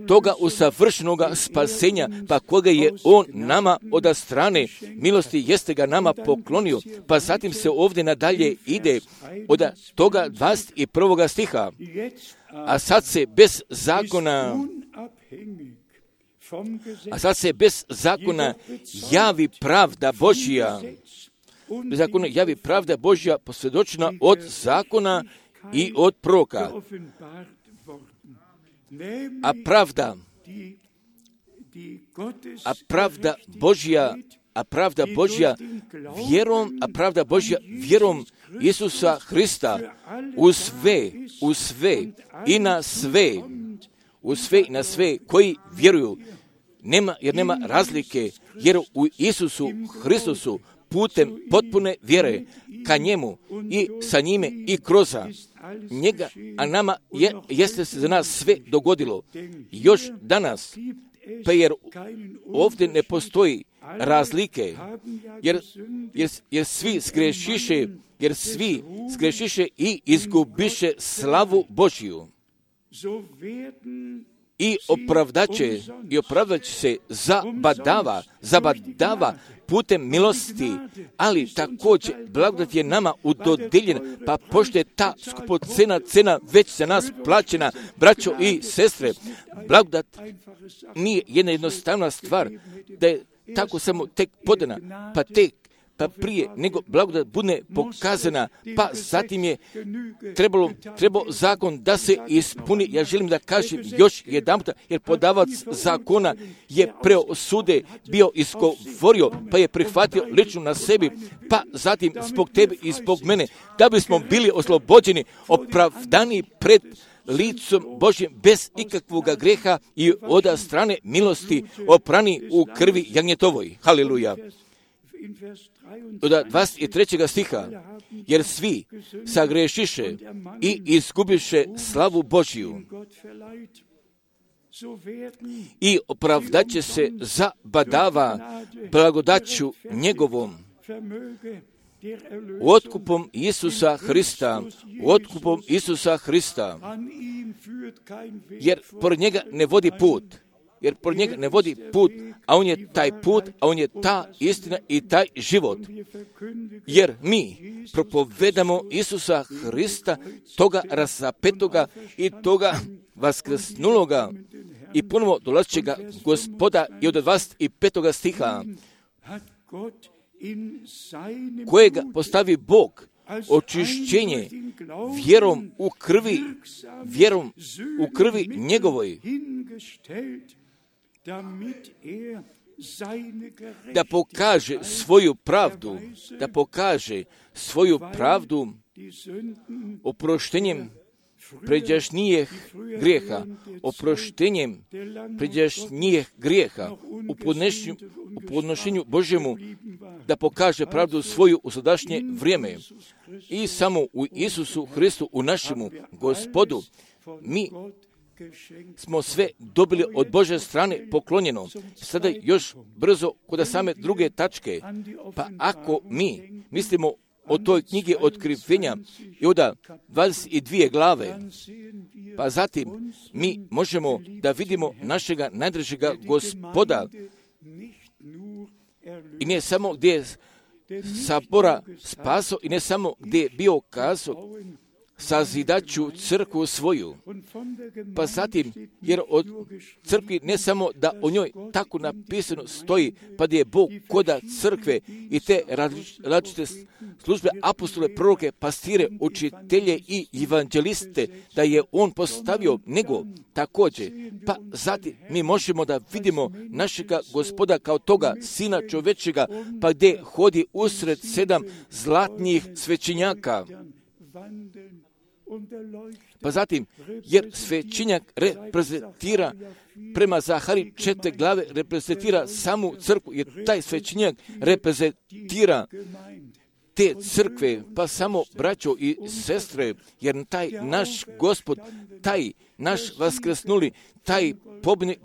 toga usavršenoga spasenja, pa koga je on nama od strane milosti jeste ga nama poklonio, pa zatim se ovdje nadalje ide od toga dvadeset prvog stiha, a sad se bez zakona a sad se bez zakona javi pravda Božja, bez zakona javi pravda Božja posvjedočena od zakona i od proroka. A pravda, a pravda Božja, a pravda Božja vjerom, a pravda Božja vjerom Isusa Hrista u sve, u sve i na sve, u sve i na sve koji vjeruju, nema, jer nema razlike, jer u Isusu Hristusu putem potpune vjere ka njemu i sa njime i kroz njega, a nama je, jeste se za nas sve dogodilo. Još danas, pa jer ovdje ne postoji razlike, jer, jer, jer svi zgrešiše, jer svi zgrešiše i izgubiše slavu Božju. I opravdaće, i opravdaće se zabadava, zabadava putem milosti, ali također blagodat je nama udodijeljena, pa pošto je ta skupocena cena već za nas plaćena, braćo i sestre, blagodat nije jedna jednostavna stvar, da je tako samo tek podana, pa tek pa prije nego blagodat bude pokazana, pa zatim je trebalo, trebao zakon da se ispuni. Ja želim da kažem još jedanput, jer podavac zakona je preosude bio izgovorio, pa je prihvatio lično na sebi, pa zatim zbog tebe i zbog mene, da bismo bili oslobođeni, opravdani pred licom Božjem bez ikakvog greha i od strane milosti oprani u krvi jagnjetovoj. Haleluja. Od dvadeset trećeg stiha, jer svi sagrešiše i izgubiše slavu Božju i opravdaće se zabadava blagodaću njegovom, otkupom Isusa Hrista, otkupom Isusa Hrista, jer pored njega ne vodi put. Jer pored njega ne vodi put, a on je taj put, a on je ta istina i taj život. Jer mi propovedamo Isusa Hrista, toga razapetoga i toga vaskrsnuloga i ponovo dolazećega Gospoda i od dvadeset petog stiha, kojega postavi Bog očišćenje vjerom u krvi, vjerom u krvi njegovoj, da pokaže svoju pravdu, da pokaže svoju pravdu oproštenjem pređašnjih grijeha, oproštenjem pređašnjih grijeha u podnošenju, u podnošenju Božjemu, da pokaže pravdu svoju u sadašnje vrijeme. I samo u Isusu Hristu, u našemu Gospodu, mi smo sve dobili od Božje strane poklonjeno. Sada još brzo kod same druge tačke. Pa ako mi mislimo o toj knjigi otkrivenja i od dvadeset dvije glave, pa zatim mi možemo da vidimo našega najdražega Gospoda i ne samo gdje je sabora spaso i ne samo gdje je bio kazao sazidaću crkvu svoju. Pa zatim, jer od crkvi ne samo da o njoj tako napisano stoji, pa da je Bog koda crkve i te različite službe, apostole, proroke, pastire, učitelje i evanđeliste, da je on postavio, nego također, pa zatim mi možemo da vidimo našega Gospoda kao toga Sina čovečega, pa gdje hodi usred sedam zlatnih svećenjaka. Pa zatim, jer svećenjak reprezentira prema Zahari četiri glave, reprezentira samu crkvu, jer taj svećenjak reprezentira te crkve, pa samo braćo i sestre, jer taj naš Gospod, taj naš vaskrsnuli, taj pobjednik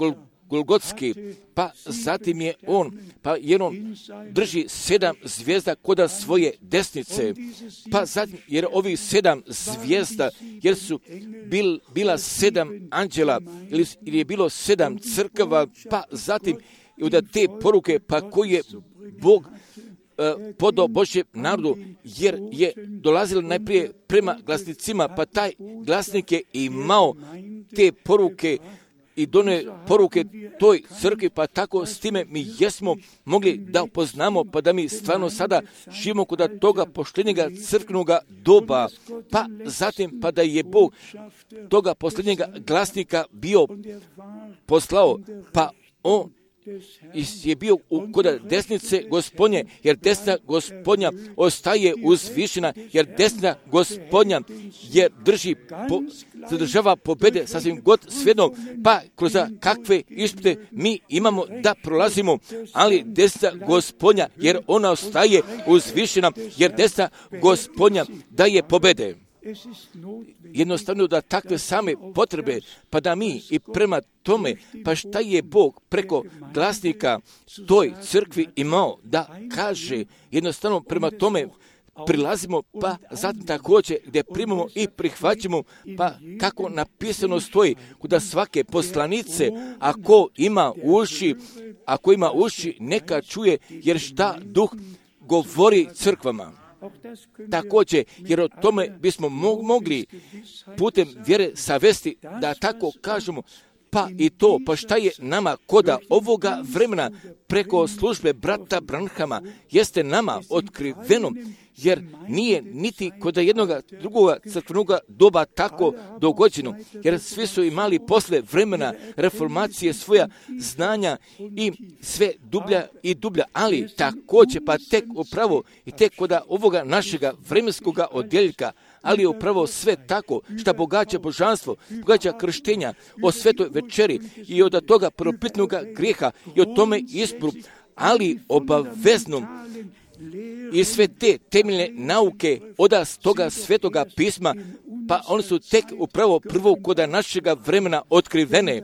Golgotski, pa zatim je on, pa jer on drži sedam zvijezda koda svoje desnice, pa zatim, jer ovih sedam zvijezda, jer su bil, bila sedam anđela, ili, ili je bilo sedam crkava, pa zatim i od te poruke, pa koji je Bog uh, podao Božjem narodu, jer je dolazilo najprije prema glasnicima, pa taj glasnik je imao te poruke i done poruke toj crkvi, pa tako s time mi jesmo mogli da upoznamo, pa da mi stvarno sada živimo kod toga poštenjega crkvenoga doba, pa zatim pa da je Bog toga posljednjega glasnika bio poslao, pa on je bio u, kod desnice Gospodnje, jer desna Gospodnja ostaje uzvišena, jer desna Gospodnja je drži, po, zadržava pobede sasvim god svejedno, pa kroz kakve ispite mi imamo da prolazimo, ali desna Gospodnja, jer ona ostaje uzvišena, jer desna Gospodnja daje pobede. Jednostavno da takve same potrebe, pa da mi i prema tome, pa šta je Bog preko glasnika toj crkvi imao da kaže, jednostavno prema tome prilazimo, pa zatim također gdje primamo i prihvaćamo, pa kako napisano stoji, kuda svake poslanice, ako ima uši, ako ima uši, neka čuje, jer šta duh govori crkvama. Također, jer o tome bismo mogli putem vjere savesti, da tako kažemo, pa i to, pa šta je nama koda ovoga vremena preko službe brata Branhama jeste nama otkriveno, jer nije niti kod jednog drugoga crkvenog doba tako dogođeno, jer svi su imali posle vremena reformacije svoja znanja i sve dublja i dublja, ali također pa tek upravo i tek kod ovoga našega vremenskoga odjeljka, ali je upravo sve tako što bogaća božanstvo, bogaća krštenja o svetoj večeri i od toga propitnog grijeha i o tome izboru, ali obavezno i sve te temeljne nauke od toga svetoga pisma, pa oni su tek upravo prvo koda našega vremena otkrivene,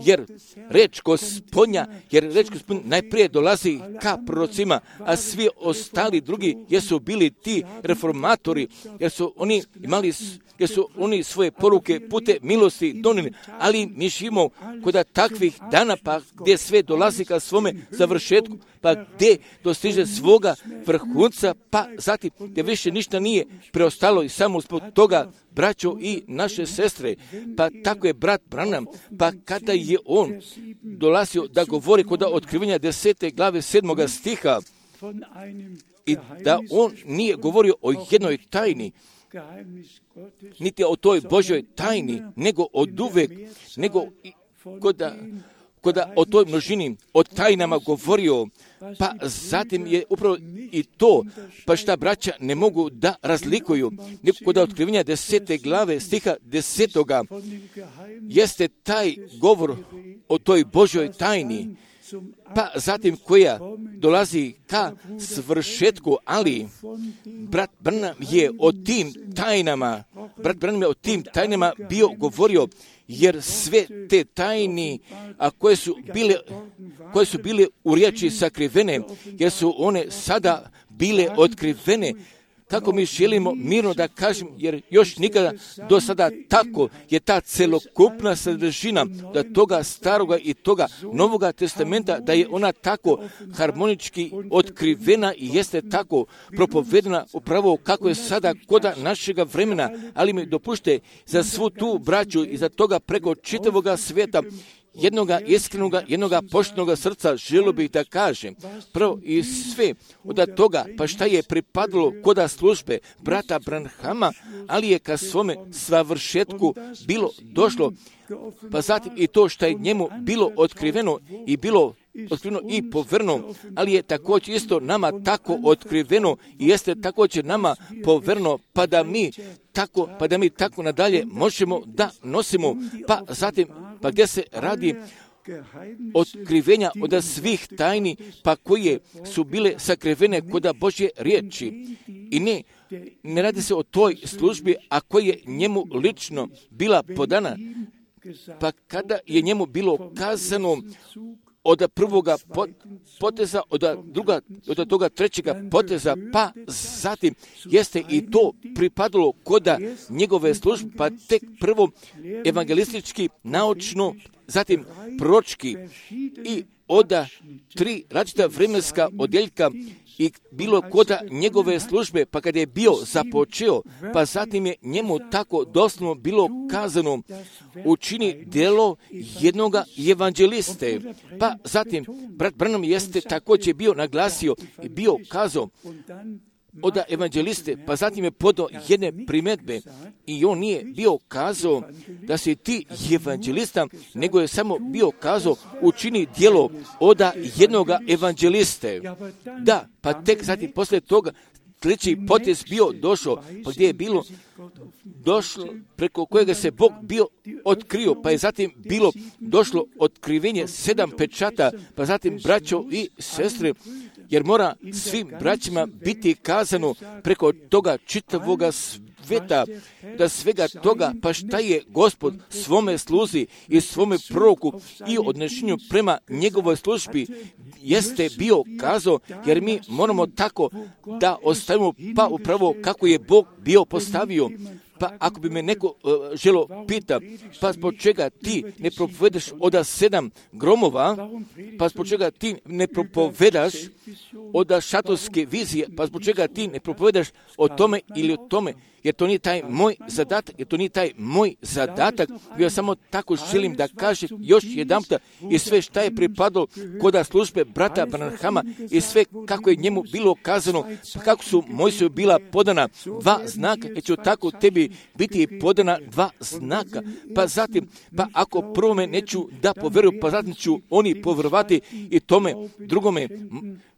jer reč Gospodnja, jer reč Gospodnja najprije dolazi ka prorocima, a svi ostali drugi jesu bili ti reformatori, jer su oni imali, jer su oni svoje poruke pute milosti donijeli, ali mi živimo kod takvih dana, pa gdje sve dolazi ka svome završetku, pa gdje dostiže svoga vrhunca, pa zatim gdje više ništa nije preostalo i samo zbog toga, braćo i naše sestre, pa tako je brat Branham, pa kada je on dolazio da govori kod otkrivenja desete glave sedmoga stiha i da on nije govorio o jednoj tajni, niti o toj Božoj tajni, nego od uvek, nego koda, koda o toj množini, o tajnama govorio, pa zatim je upravo i to, pa šta braća ne mogu da razlikuju, nego kod otkrivenja desete glave stiha desetoga, jeste taj govor o toj Božoj tajni, pa zatim koja dolazi ka svršetku, ali brat Branham je o tim tajnama, brat Branham je o tim tajnama bio govorio, jer sve te tajni, a koje su bile, koje su bile u riječi sakrivene, jer su one sada bile otkrivene, kako mi želimo mirno da kažem, jer još nikada do sada tako je ta celokupna sadržina da toga staroga i toga novoga testamenta, da je ona tako harmonički otkrivena i jeste tako propovedena upravo kako je sada koda našega vremena, ali mi dopušte za svu tu braću i za toga preko čitavoga svijeta, jednoga iskrenoga, jednoga poštenoga srca želio bih da kažem, prvo i sve od toga, pa šta je pripadalo koda službe brata Branhama, ali je ka svome savršetku bilo došlo, pa zatim i to što je njemu bilo otkriveno i bilo otkriveno i poverno, ali je također isto nama tako otkriveno i jeste također nama poverno, pa da mi tako, pa da mi tako nadalje možemo da nosimo, pa zatim, pa gdje se radi otkrivenja od svih tajni, pa koje su bile sakrivene koda Božje riječi. I ne, ne radi se o toj službi, a koja je njemu lično bila podana, pa kada je njemu bilo kazano od prvoga poteza, od druga, od toga trećega poteza, pa zatim jeste i to pripadalo koda njegove službe, pa tek prvo evangelistički, naučno, zatim proročki i od tri različita vremenska odjeljka i bilo koda njegove službe, pa kad je bio započeo, pa zatim je njemu tako doslovno bilo kazano, učini djelo jednoga evanđeliste. Pa zatim, brat Branham jeste također bio naglasio i bio kazao, od evanđeliste, pa zatim je podao jedne primjedbe i on nije bio kazao da si ti evanđelista, nego je samo bio kazao učini djelo oda jednoga evanđeliste. Da, pa tek zatim poslije toga treći potez bio došao, pa gdje je bilo došlo, preko kojega se Bog bio otkrio, pa je zatim bilo došlo otkrivenje sedam pečata, pa zatim braćo i sestre, jer mora svim braćima biti kazano preko toga čitavoga sveta, da svega toga, pa šta je Gospod svome sluzi i svome proroku i odnošenju prema njegovoj službi jeste bio kazao, jer mi moramo tako da ostavimo pa upravo kako je Bog bio postavio. Pa ako bi me neko uh, želo pita, pa zbog čega ti ne propovedaš oda sedam gromova, pa zbog čega ti ne propovedaš oda šatorske vizije, pa zbog čega ti ne propovedaš o tome ili o tome, jer to nije taj moj zadatak, jer to nije taj moj zadatak, ja samo tako želim da kažem još jedanputa i sve šta je pripadalo koda službe brata Branhama i sve kako je njemu bilo kazano, kako su Mojsiju bila podana dva znaka, jer ću tako tebi biti podana dva znaka, pa zatim, pa ako prvome neću da poveruju, pa zatim ću oni povjerovati i tome drugome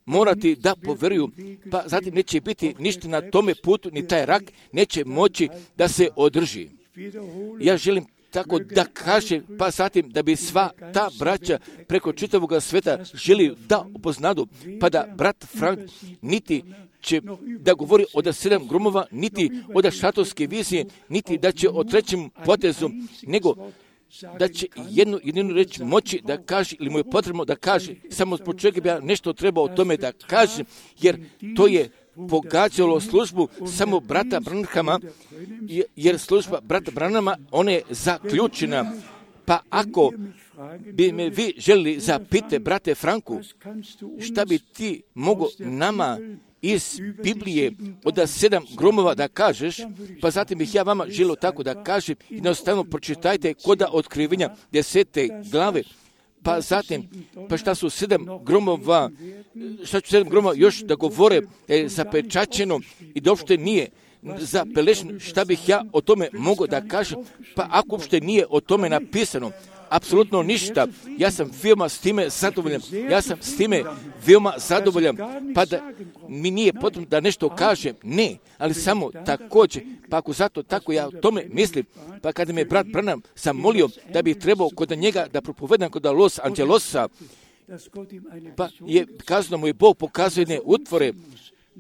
morati da poveruju, pa zatim neće biti ništa na tome putu, ni taj rak neće moći da se održi. Ja želim tako da kaže, pa zatim da bi sva ta braća preko čitavog sveta želi da upoznadu, pa da brat Frank niti će da govori o da sedam gromova, niti o da šatorske vizije, niti da će o trećem potezu, nego da će jednu jedinu reč moći da kaže, ili mu je potrebno da kaže, samo zbog čega bi ja nešto trebao o tome da kaže, jer to je pogađalo službu samo brata Branhama, jer služba brata Branhama, ona je zaključena. Pa ako bi me vi želili zapite, brate Franku, šta bi ti mogo nama iz Biblije od sedam gromova da kažeš, pa zatim bih ja vama želio tako da kažem, jednostavno pročitajte koda otkrivenja desete glave, pa zatim, pa šta su sedam gromova, šta ću sedam gromova još da govore je zapečaćeno i da uopšte nije zapelešeno, šta bih ja o tome mogao da kažem, pa ako uopšte nije o tome napisano, apsolutno ništa. Ja sam veoma s time zadovoljan. Ja sam s time veoma zadovoljan. Pa da mi nije potrebno da nešto kažem. Ne, ali samo također. Pa ako zato tako ja o tome mislim, pa kada me brat Branham sam molio da bi trebao kod njega da propovedam kod Los Angelosa, pa je kazano mu je Bog pokazuje jedne utvore,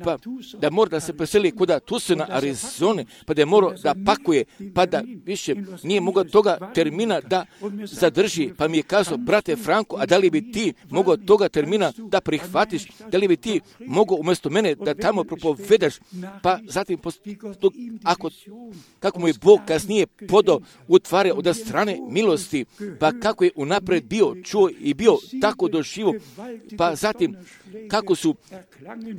pa da mora da se preseli kuda Tucsona, Arizone, pa da je morao da pakuje, pa da više nije mogao toga termina da zadrži, pa mi je kazao, brate Franko, a da li bi ti mogao toga termina da prihvatiš, da li bi ti mogao umjesto mene da tamo propovedaš, pa zatim, ako, kako mu je Bog kasnije podao utvare od strane milosti, pa kako je unapred bio čuo i bio tako doživo, pa zatim, kako su,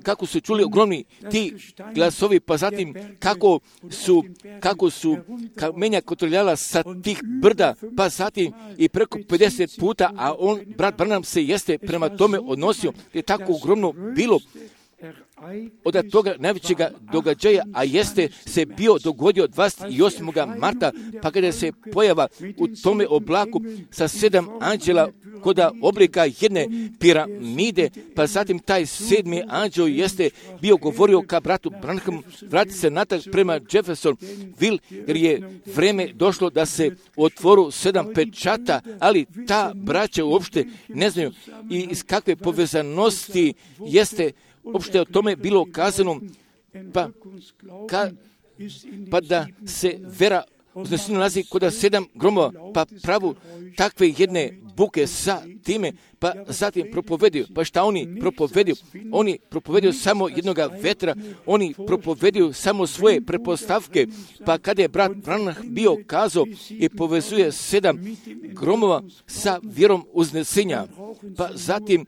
kako su čuli ogromni ti glasovi, pa zatim kako su, kako su kamenja kotrljala sa tih brda, pa zatim i preko pedeset puta, a on, brat Branham se jeste prema tome odnosio, je tako ogromno bilo od toga najvećega događaja, a jeste se bio dogodio dvadeset osmog marta, pa kada se pojava u tome oblaku sa sedam anđela koda oblika jedne piramide, pa zatim taj sedmi anđel jeste bio govorio ka bratu Branham, vrati se natrag prema Jeffersonville, jer je vreme došlo da se otvoru sedam pečata, ali ta braća uopšte ne znaju i iz kakve povezanosti jeste uopšte o tome bilo kazano, pa, ka, pa da se vera uzneseno nalazi kod sedam gromova, pa pravu takve jedne buke sa time, pa zatim propovedio. Pa šta oni propovedio? Oni propovedio samo jednoga vetra, oni propovedio samo svoje prepostavke, pa kada je brat Branham bio kazao i povezuje sedam gromova sa vjerom uznesenja, pa zatim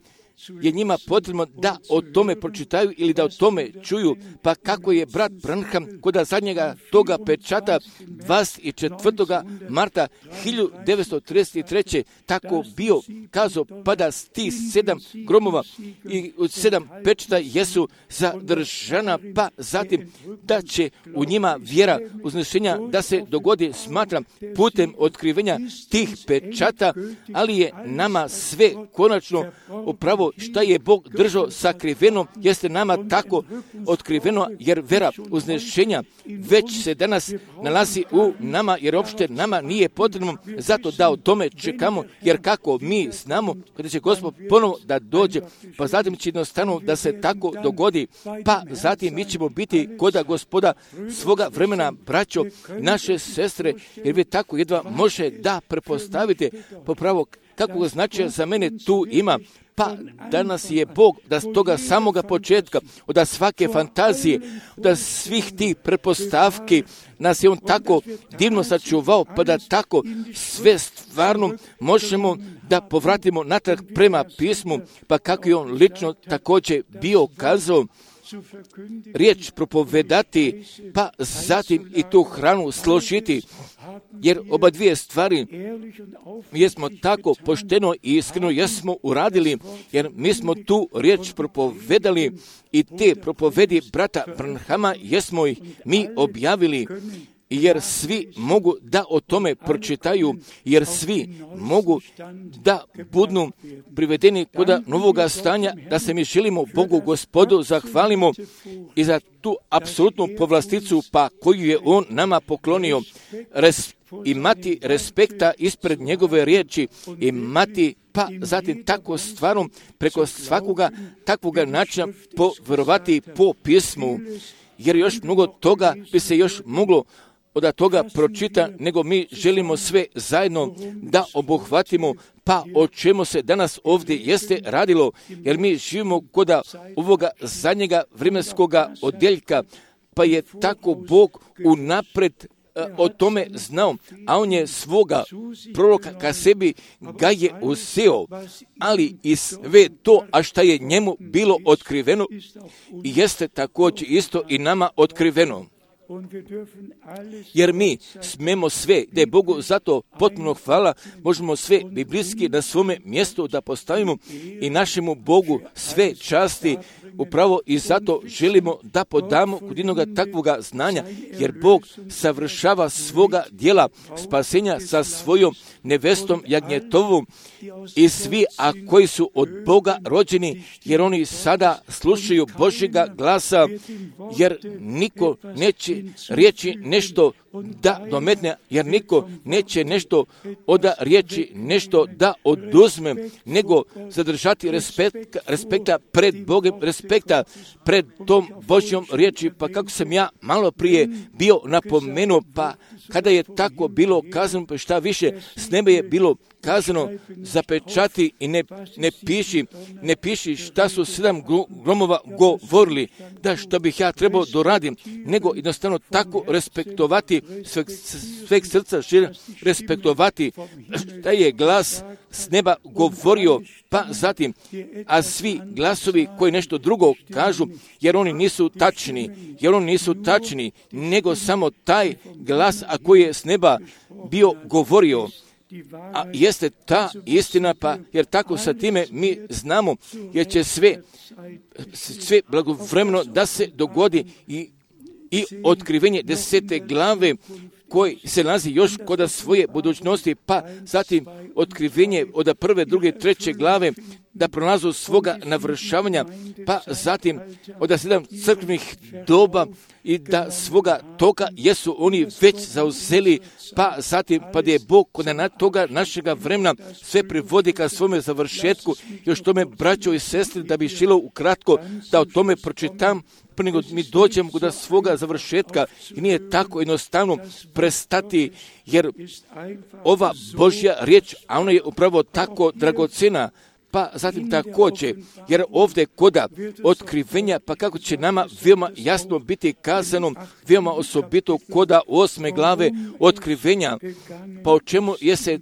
je njima potrebno da o tome pročitaju ili da o tome čuju, pa kako je brat Branham kod zadnjega toga pečata dvadeset četvrtog marta hiljadu devetsto trideset treće tako bio kazao, pa da ti sedam gromova i sedam pečata jesu zadržana, pa zatim da će u njima vjera uznešenja da se dogodi, smatram, putem otkrivenja tih pečata, ali je nama sve konačno upravo šta je Bog držao sakriveno, jeste nama tako otkriveno, jer vera uznešenja već se danas nalazi u nama, jer uopšte nama nije potrebno zato da o tome čekamo, jer kako mi znamo kada će Gospod ponovo da dođe, pa zatim će jednostavno da se tako dogodi, pa zatim mi ćemo biti koda Gospoda svoga vremena, braćo, naše sestre, jer vi tako jedva može da prepostavite popravo kakvog značaja za mene tu ima. Pa danas je Bog da s toga samoga početka, od svake fantazije, od svih tih pretpostavki, nas je On tako divno sačuvao, pa da tako sve stvarno možemo da povratimo natrag prema pismu, pa kako je On lično također bio kazao, riječ propovedati, pa zatim i tu hranu složiti, jer oba dvije stvari jesmo tako pošteno i iskreno jesmo uradili, jer mi smo tu riječ propovedali i te propovedi brata Branhama jesmo ih mi objavili, jer svi mogu da o tome pročitaju, jer svi mogu da budu privedeni kod novoga stanja, da se mi želimo Bogu Gospodu zahvalimo i za tu apsolutnu povlasticu pa koju je On nama poklonio, Res, imati respekta ispred njegove riječi, imati pa zatim tako stvarom preko svakoga takvoga načina povjerovati po pismu, jer još mnogo toga bi se još moglo od toga pročita, nego mi želimo sve zajedno da obuhvatimo, pa o čemu se danas ovdje jeste radilo, jer mi živimo kod ovoga zadnjega vremenskoga odjeljka, pa je tako Bog unapred o tome znao, a On je svoga proroka ka sebi ga je uzeo, ali i sve to, a šta je njemu bilo otkriveno, jeste također isto i nama otkriveno. Jer mi smemo sve, da je Bogu zato potpuno hvala, možemo sve biblijski na svome mjestu da postavimo i našemu Bogu sve časti, upravo i zato želimo da podamo kod jednoga takvoga znanja, jer Bog savršava svoga djela spasenja sa svojom nevestom Jagnjetovom i svi, a koji su od Boga rođeni, jer oni sada slušaju Božjega glasa, jer niko neće riječi nešto da dometne, jer niko neće nešto od riječi nešto da oduzme, nego zadržati respekta, respekta pred Bogom, respekta pred tom Božjom riječi, pa kako sam ja malo prije bio napomenuo, pa kada je tako bilo kazano, pa šta više, s nebe je bilo kazano, zapečati i ne, ne piši, ne piši šta su sedam gromova govorili, da što bih ja trebao doradim, nego jednostavno tako respektovati sveg, sveg srca, respektovati šta je glas s neba govorio, pa zatim, a svi glasovi koji nešto drugo kažu, jer oni nisu tačni, jer oni nisu tačni, nego samo taj glas, a koji je s neba bio govorio, a jeste ta istina, pa jer tako sa time mi znamo, jer će sve, sve blagovremeno da se dogodi i, i otkrivenje desete glave koji se nalazi još kod svoje budućnosti, pa zatim otkrivenje od prve, druge, treće glave da pronalazu svoga navršavanja, pa zatim od sedam crkvenih doba i da svoga toga jesu oni već zauzeli, pa zatim pa da je Bog kod toga našega vremena sve privodi ka svome završetku. Još tome, braćo i sestre, da bi šilo ukratko da o tome pročitam, pa nego mi dođemo do svoga završetka i nije tako jednostavno prestati, jer ova Božja riječ, a ona je upravo tako dragocena, pa zatim također, jer ovdje koda otkrivenja, pa kako će nama veoma jasno biti kazano, veoma osobito koda osme glave otkrivenja, pa o čemu je se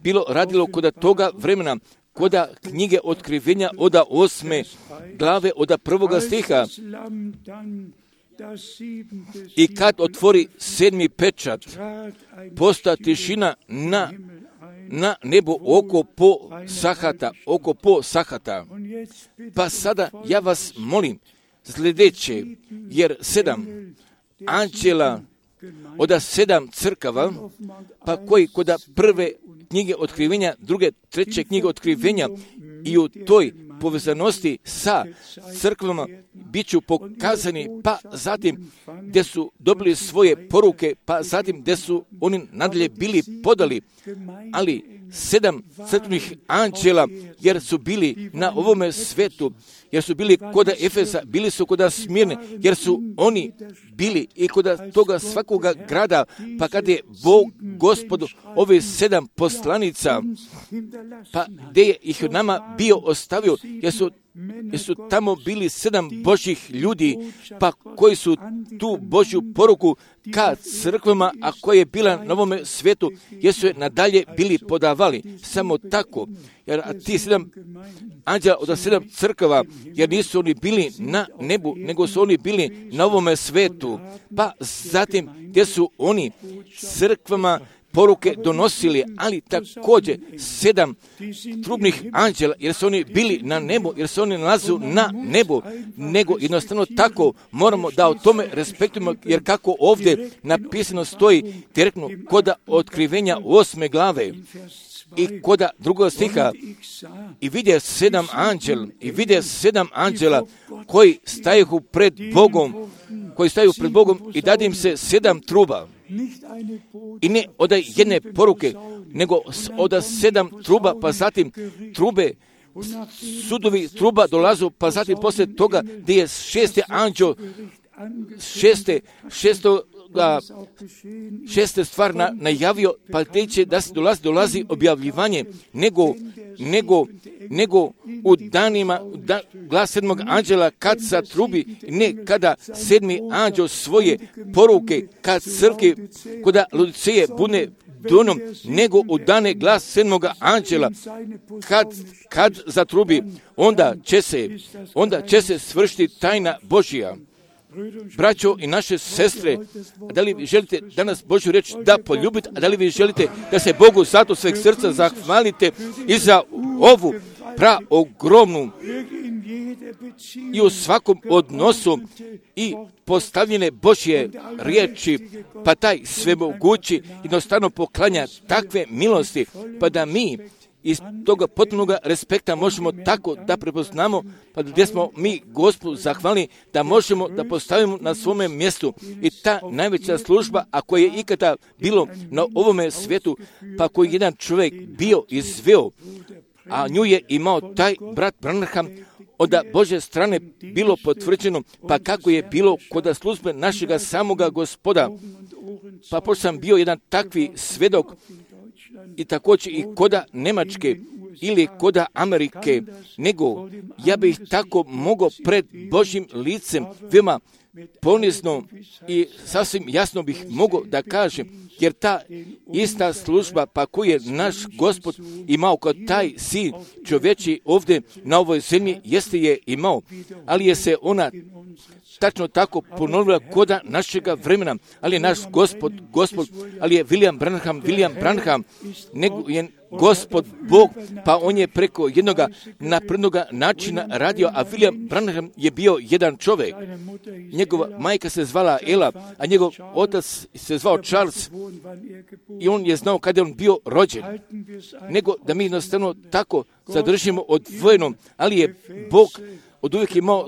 bilo radilo koda toga vremena, koda knjige Otkrivenja oda osme glave, oda prvoga stiha. I kad otvori sedmi pečat, posta tišina na, na nebu oko po sahata, oko po sahata. Pa sada ja vas molim sljedeće, jer sedam anđela oda sedam crkava, pa koji koda prve knjige Otkrivenja, druge, treće knjige Otkrivenja i u toj povezanosti sa crkvama bit ću pokazani, pa zatim gdje su dobili svoje poruke, pa zatim gdje su oni nadalje bili podali, ali sedam crkvenih anđela, jer su bili na ovome svetu, jer su bili koda Efesa, bili su koda Smirne, jer su oni bili i koda toga svakoga grada, pa kad je Bog, Gospodu, ove sedam poslanica, pa gdje je ih nama bio ostavio, jer su, jer su tamo bili sedam Božjih ljudi, pa koji su tu Božju poruku ka crkvama, a koja je bila na ovome svijetu, jer su je nadalje bili podavali. Samo tako, jer ti sedam anđela od sedam crkava, jer nisu oni bili na nebu, nego su oni bili na ovome svijetu. Pa zatim, gdje su oni crkvama poruke donosili, ali također sedam trubnih anđela, jer su oni bili na nebu, jer se oni nalazu na nebu, nego jednostavno tako moramo da o tome respektujemo, jer kako ovdje napisano stoji direktno koda Otkrivenja osme glave i koda drugog stiha, i vidje sedam anđela, i vidje sedam anđela koji staju pred Bogom, koji staju pred Bogom i dade im se sedam truba. I ne od jedne poruke, nego od sedam truba, pa zatim trube, sudovi truba dolazu, pa zatim poslije toga gdje je šesti anđel, šeste, šesto, a, šeste stvar na, najavio, pa teče da se dolazi, dolazi objavljivanje, nego, nego, nego u danima da, glas sedmog anđela kad sa trubi, ne kada sedmi anđel svoje poruke kad crke, koda Laodiceje bude donom, nego u dane glas sedmoga anđela kad, kad zatrubi, onda će se, onda će se svršiti tajna Božja. Braćo i naše sestre, da li vi želite danas Božju riječ da poljubite, a da li vi želite da se Bogu zato sveg srca zahvalite i za ovu pra ogromnu i u svakom odnosu i postavljene Božje riječi, pa taj svemogući jednostavno poklanja takve milosti, pa da mi iz toga potpunog respekta možemo tako da prepoznamo, pa gdje smo mi Gospodu zahvalni, da možemo da postavimo na svome mjestu. I ta najveća služba, ako je ikada bilo na ovome svijetu, pa koji jedan čovjek bio izveo, a nju je imao taj brat Branham, od Božje strane bilo potvrđeno, pa kako je bilo kod službe našega samoga Gospoda. Pa pošto sam bio jedan takvi svjedok, i također i koda Njemačke ili koda Amerike, nego ja bih tako mogao pred Božjim licem veoma ponizno i sasvim jasno bih mogao da kažem, jer ta ista služba pa koju je naš Gospod imao kao taj sin čovječi ovdje na ovoj zemlji, jeste je imao, ali je se ona tačno tako ponovila koda našega vremena, ali je naš Gospod, Gospod, ali je William Branham, William Branham, nego je Gospod Bog, pa on je preko jednoga naprednoga načina radio, a William Branham je bio jedan čovjek. Njegova majka se zvala Ela, a njegov otac se zvao Charles i on je znao kada je on bio rođen. Nego da mi jednostavno tako zadržimo odvojeno, ali je Bog od uvijek imao,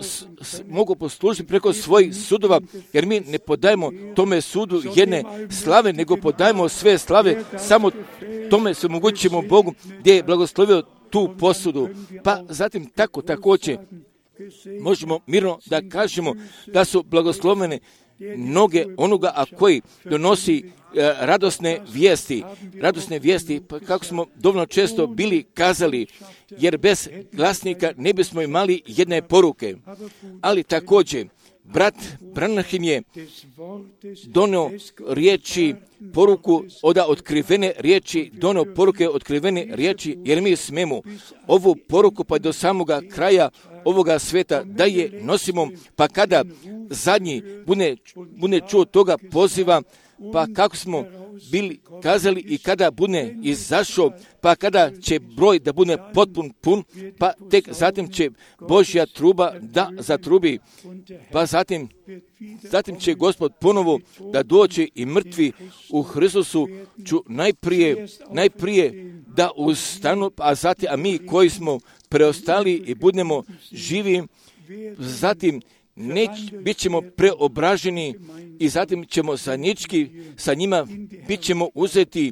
mogu poslužiti preko svojih sudova, jer mi ne podajemo tome sudu jedne slave, nego podajemo sve slave, samo tome se omogućimo Bogu gdje je blagoslovio tu posudu. Pa zatim tako također možemo mirno da kažemo da su blagoslovene noge onoga, a koji donosi e, radosne vijesti, radosne vijesti, pa kako smo dovoljno često bili kazali, jer bez glasnika ne bismo imali jedne poruke. Ali također, brat Branham je donio riječi, poruku od otkrivene riječi, donio poruke otkrivene riječi, jer mi smemo ovu poruku pa do samoga kraja ovoga sveta da je nosimo, pa kada zadnji bude, bude čuo toga poziva, pa kako smo bili kazali i kada bude izašao, pa kada će broj da bude potpun pun, pa tek zatim će Božja truba da zatrubi, pa zatim, zatim će Gospod ponovo da dođe i mrtvi u Hristusu ću najprije, najprije da ustanu, a zatim, a mi koji smo preostali i budemo živi, zatim Neć, bit ćemo preobraženi i zatim ćemo zajednički sa njima bit ćemo uzeti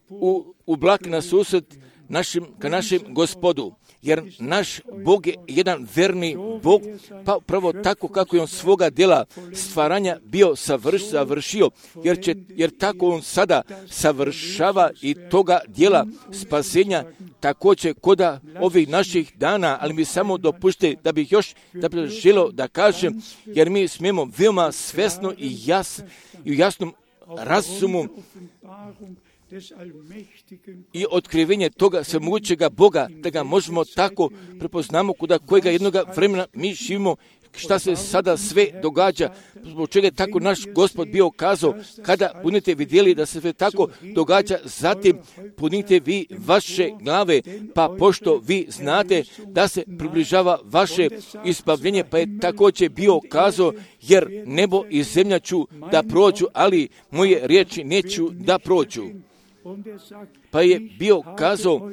u, u blak na susret našim, ka našem Gospodu. Jer naš Bog je jedan verni Bog, pa upravo tako kako je on svoga djela stvaranja bio savrš, savršio, jer, će, jer tako on sada savršava i toga djela spasenja također koda ovih naših dana, ali mi samo dopušte da bih još da bih želio da kažem, jer mi smijemo veoma svesno i, jas, i u jasnom razumu i otkrivenje toga svemogućega Boga, da ga možemo tako prepoznamo kuda kojega jednoga vremena mi živimo, šta se sada sve događa, zbog čega je tako naš Gospod bio kazao, kada budete vidjeli da se sve tako događa, zatim punite vi vaše glave, pa pošto vi znate da se približava vaše isbavljenje, pa je također bio kazao, jer nebo i zemlja ću da prođu, ali moje riječi neću da prođu. Pa je bio kazao,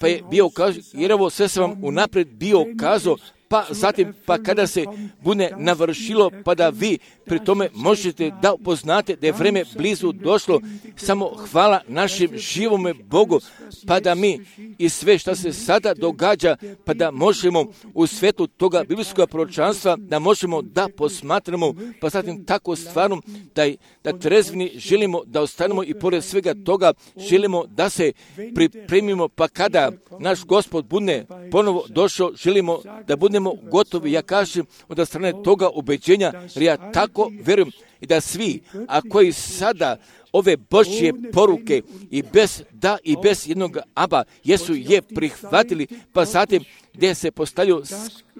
pa je bio kazao, jer ovo sve sam vam unaprijed bio kazao, pa zatim, pa kada se bude navršilo, pa da vi pri tome možete da upoznate da je vreme blizu došlo, samo hvala našem živome Bogu, pa da mi i sve što se sada događa, pa da možemo u svetu toga biblijskog proročanstva, da možemo da posmatramo, pa zatim tako stvarno da, da trezvini želimo da ostanemo i pored svega toga želimo da se pripremimo, pa kada naš Gospod bude ponovo došao, želimo da budemo gotovi, ja kažem, od strane toga ubeđenja, jer ja tako vjerujem i da svi, a koji sada ove Božje poruke i bez da i bez jednog aba jesu je prihvatili, pa zatim gdje se postavljaju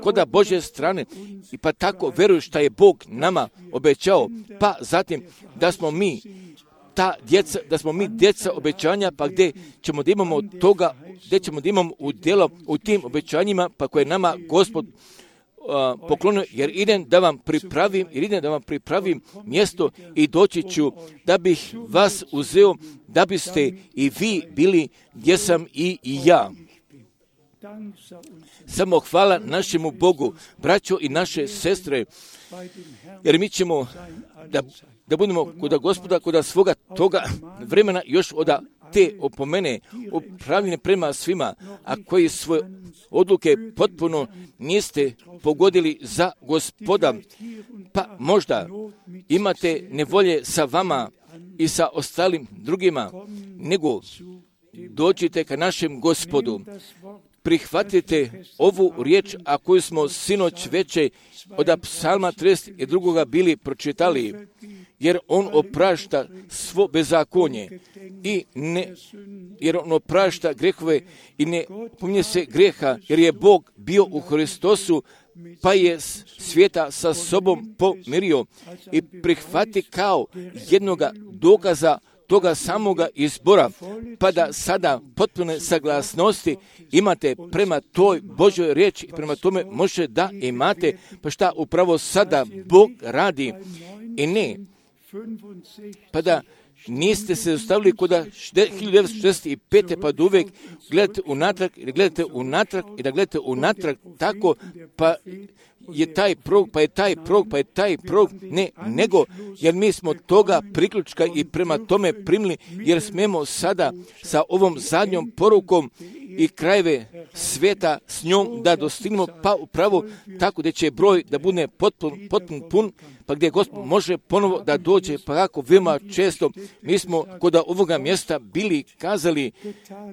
koda Božje strane i pa tako vjeruju što je Bog nama obećao, pa zatim da smo mi ta djeca, da smo mi djeca obećanja, pa gdje ćemo da imamo toga, gdje ćemo da imamo udjelo u tim obećanjima, pa koje nama Gospod uh, poklonio, jer idem da vam pripravim, jer idem da vam pripravim mjesto i doći ću da bih vas uzeo, da biste i vi bili gdje sam i, i ja. Samo hvala našemu Bogu, braćo i naše sestre, jer mi ćemo da da budemo kod Gospoda, kod svoga toga vremena još od te opomene upravljene prema svima, a koji svoje odluke potpuno niste pogodili za Gospoda, pa možda imate nevolje sa vama i sa ostalim drugima, nego dođite ka našem Gospodu. Prihvatite ovu riječ, a koju smo sinoć veče od psalma trideset dva bili pročitali, jer on oprašta svo bezakonje i ne, jer on oprašta grehove i ne pominje se greha, jer je Bog bio u Hristosu, pa je svijeta sa sobom pomirio i prihvati kao jednoga dokaza toga samoga izbora, pa da sada potpune saglasnosti imate prema toj Božoj riječi i prema tome može da imate, pa šta upravo sada Bog radi i ne, pa da niste se ostavili kod hiljadu devetsto šezdeset pete pa da uvijek gledate unatrag i da gledate unatrag i da gledate unatrag tako, pa je taj prog, pa je taj prog, pa je taj prog, ne, nego, jer mi smo toga priključka i prema tome primili, jer smemo sada sa ovom zadnjom porukom i krajeve sveta s njom da dostignemo, pa upravo tako da će broj da bude potpun, potpun pun, pa gdje Gospod može ponovo da dođe, pa kako veoma često mi smo kod ovoga mjesta bili kazali,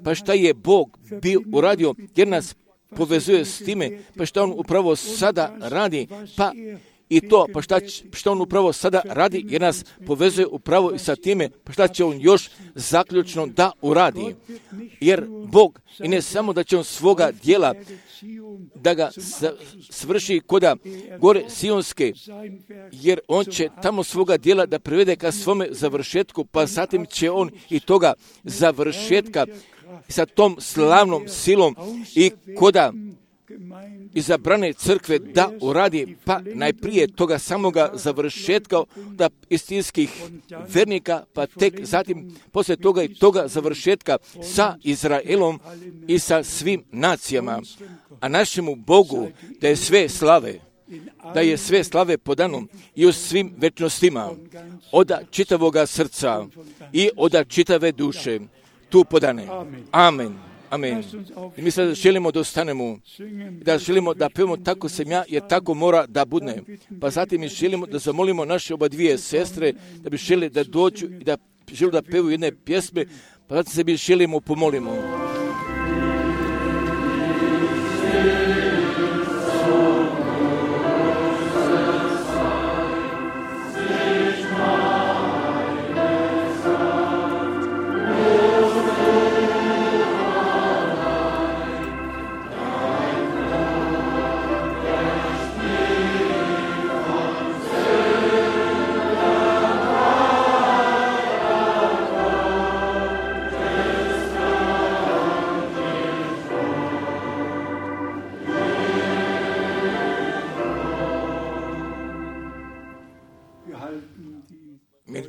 pa šta je Bog bio uradio, jer nas povezuje s time, pa što on upravo sada radi, pa i to, pa šta, šta on upravo sada radi, jer nas povezuje upravo i sa time, pa šta će on još zaključno da uradi. Jer Bog, i ne samo da će on svoga dijela, da ga svrši koda gore Sionske, jer on će tamo svoga dijela da privede ka svome završetku, pa zatim će on i toga završetka sa tom slavnom silom i koda izabrane crkve da uradi, pa najprije toga samoga završetka da istinskih vernika, pa tek zatim poslije toga i toga završetka sa Izraelom i sa svim nacijama. A našemu Bogu da je sve slave, da je sve slave podano i u svim večnostima, od čitavoga srca i od čitave duše tu podane. Amen. Amen. I mi sad želimo da ostanemo, da želimo da pevamo tako sam ja, jer tako mora da bude. Pa zatim mi želimo da zamolimo naše oba dvije sestre, da bi žele da dođu i da žele da pevu jedne pjesme, pa zatim se mi želimo pomolimo.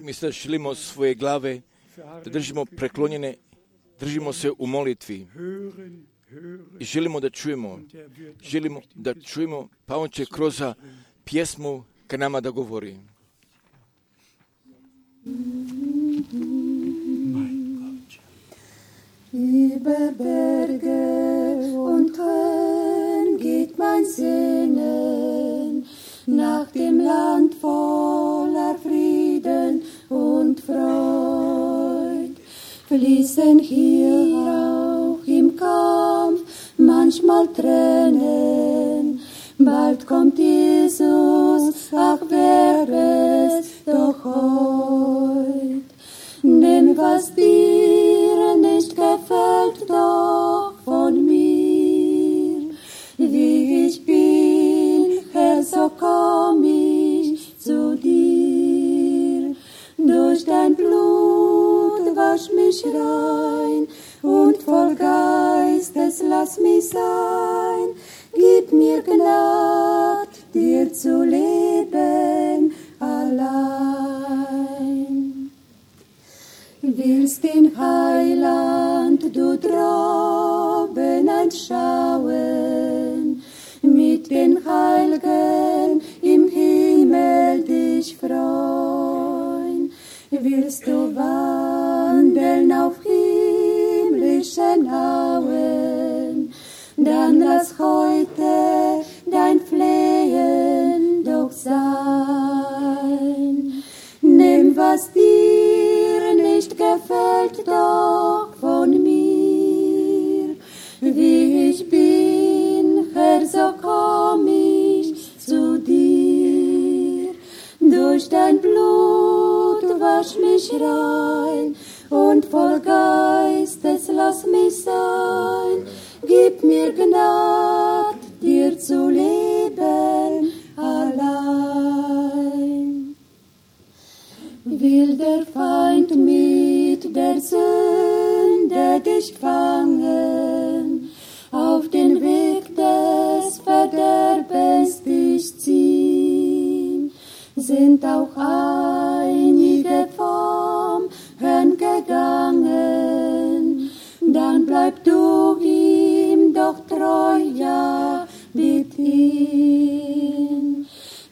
Mi sad želimo svoje glave da držimo preklonjene, držimo se u molitvi i želimo da čujemo, želimo da čujemo, pa on će kroz pjesmu ka nama da govori. Über Berge und Höhen geht mein Sehnen nach dem Land voller Frieden und Freud. Fließen hier auch im Kampf manchmal Tränen. Bald kommt Jesus, ach wäre es doch heut. Denn was dir nicht gefällt, doch von mir, wie ich bin, Herr, so komm ich zu dir. Durch dein Blut wasch mich rein und voll Geistes lass mich sein. Gib mir Gnad, dir zu leben allein. Willst den Heiland du droben anschauen, mit den Heiligen im Himmel dich freuen. Willst du wandeln auf himmlischen Auen, dann lass heute dein Flehen doch sein. Nimm, was dir nicht gefällt, doch von mir. Wie ich bin, Herr, so komm ich zu dir. Durch dein Blut wasch mich rein und voll Geistes lass mich sein. Gib mir Gnad, dir zu leben allein. Will der Feind mit der Sünde dich fangen, auf den Weg des Verderbens dich ziehen, sind auch einige vom Herrn gegangen, dann bleib du ihm doch treu, ja, bitt ihn.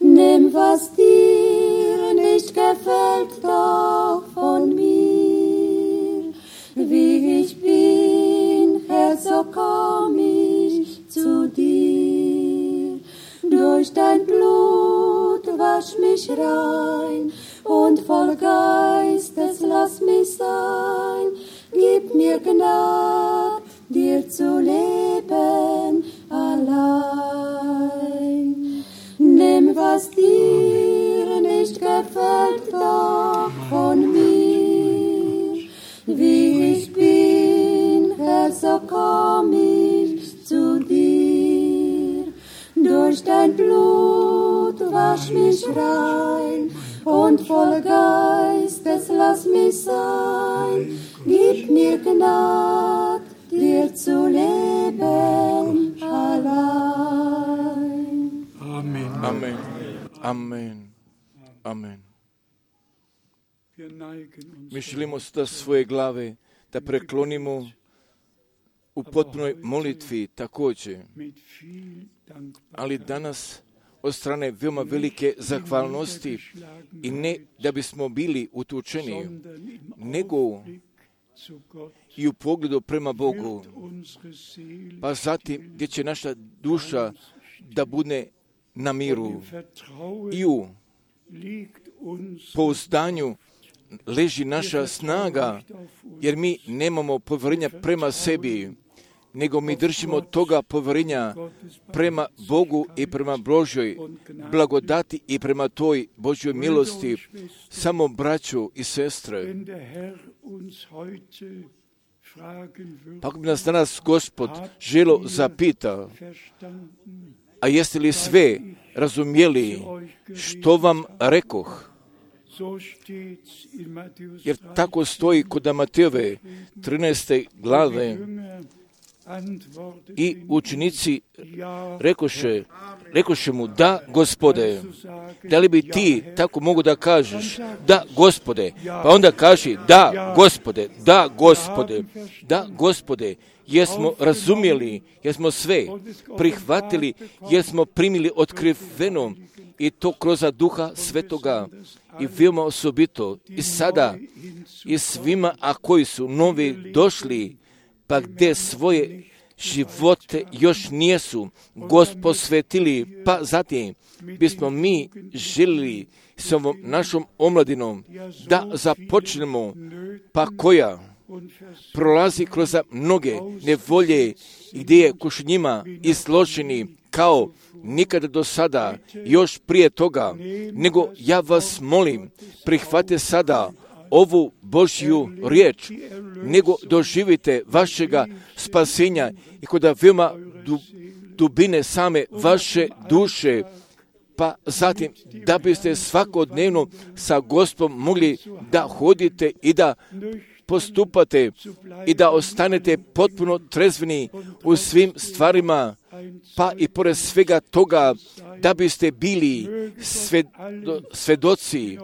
Nimm, was dir nicht gefällt, doch von mir. Wie ich bin, Herr, so komm ich zu dir. Durch dein Blut wasch mich rein und voll Geistes lass mich sein. Gib mir Gnad, dir zu leben allein. Nimm, was was dir nicht gefällt, doch von mir. Wie ich bin, Herr, so komm ich zu dir. Durch dein Blut wasch mich rein und voll Geistes lass mich sein. Gib mir Gnad, dir zu leben allein. Amen. Amen. Amen. Amen. Mi želimo da svoje glave da preklonimo u potpunoj molitvi također, ali danas od strane veoma velike zahvalnosti i ne da bismo bili utučeni, nego i u pogledu prema Bogu, pa zatim gdje će naša duša da bude na miru i u pouzdanju leži naša snaga, jer mi nemamo povjerenja prema sebi, nego mi držimo toga povjerenja prema Bogu i prema Božjoj blagodati i prema toj Božjoj milosti. Samo braćo i sestre, pa ako bi nas danas Gospod želo zapita, a jeste li sve razumjeli što vam rekoh? Jer tako stoji kod Matejove trinaeste glave. I učenici rekoše, rekoše mu, da, Gospode. Da li bi ti tako mogu da kažeš, da, Gospode? Pa onda kaži, da, Gospode, da, Gospode, da, Gospode. Jesmo razumjeli, jesmo sve prihvatili, jesmo primili otkriveno i to kroz Duha Svetoga i veoma osobito i sada i svima, a koji su novi došli, pa gdje svoje živote još nijesu Gospod posvetili, pa zatim bismo mi željeli s ovom našom omladinom da započnemo, pa koja prolazi kroz mnoge nevolje gdje je kuš njima izloženi kao nikada do sada, još prije toga, nego ja vas molim, prihvate sada ovu Božju riječ, nego doživite vašega spasenja i kod veoma dubine same vaše duše, pa zatim da biste svakodnevno sa Gospodom mogli da hodite i da postupate i da ostanete potpuno trezveni u svim stvarima, pa i pored svega toga da biste bili svedo, svedoci,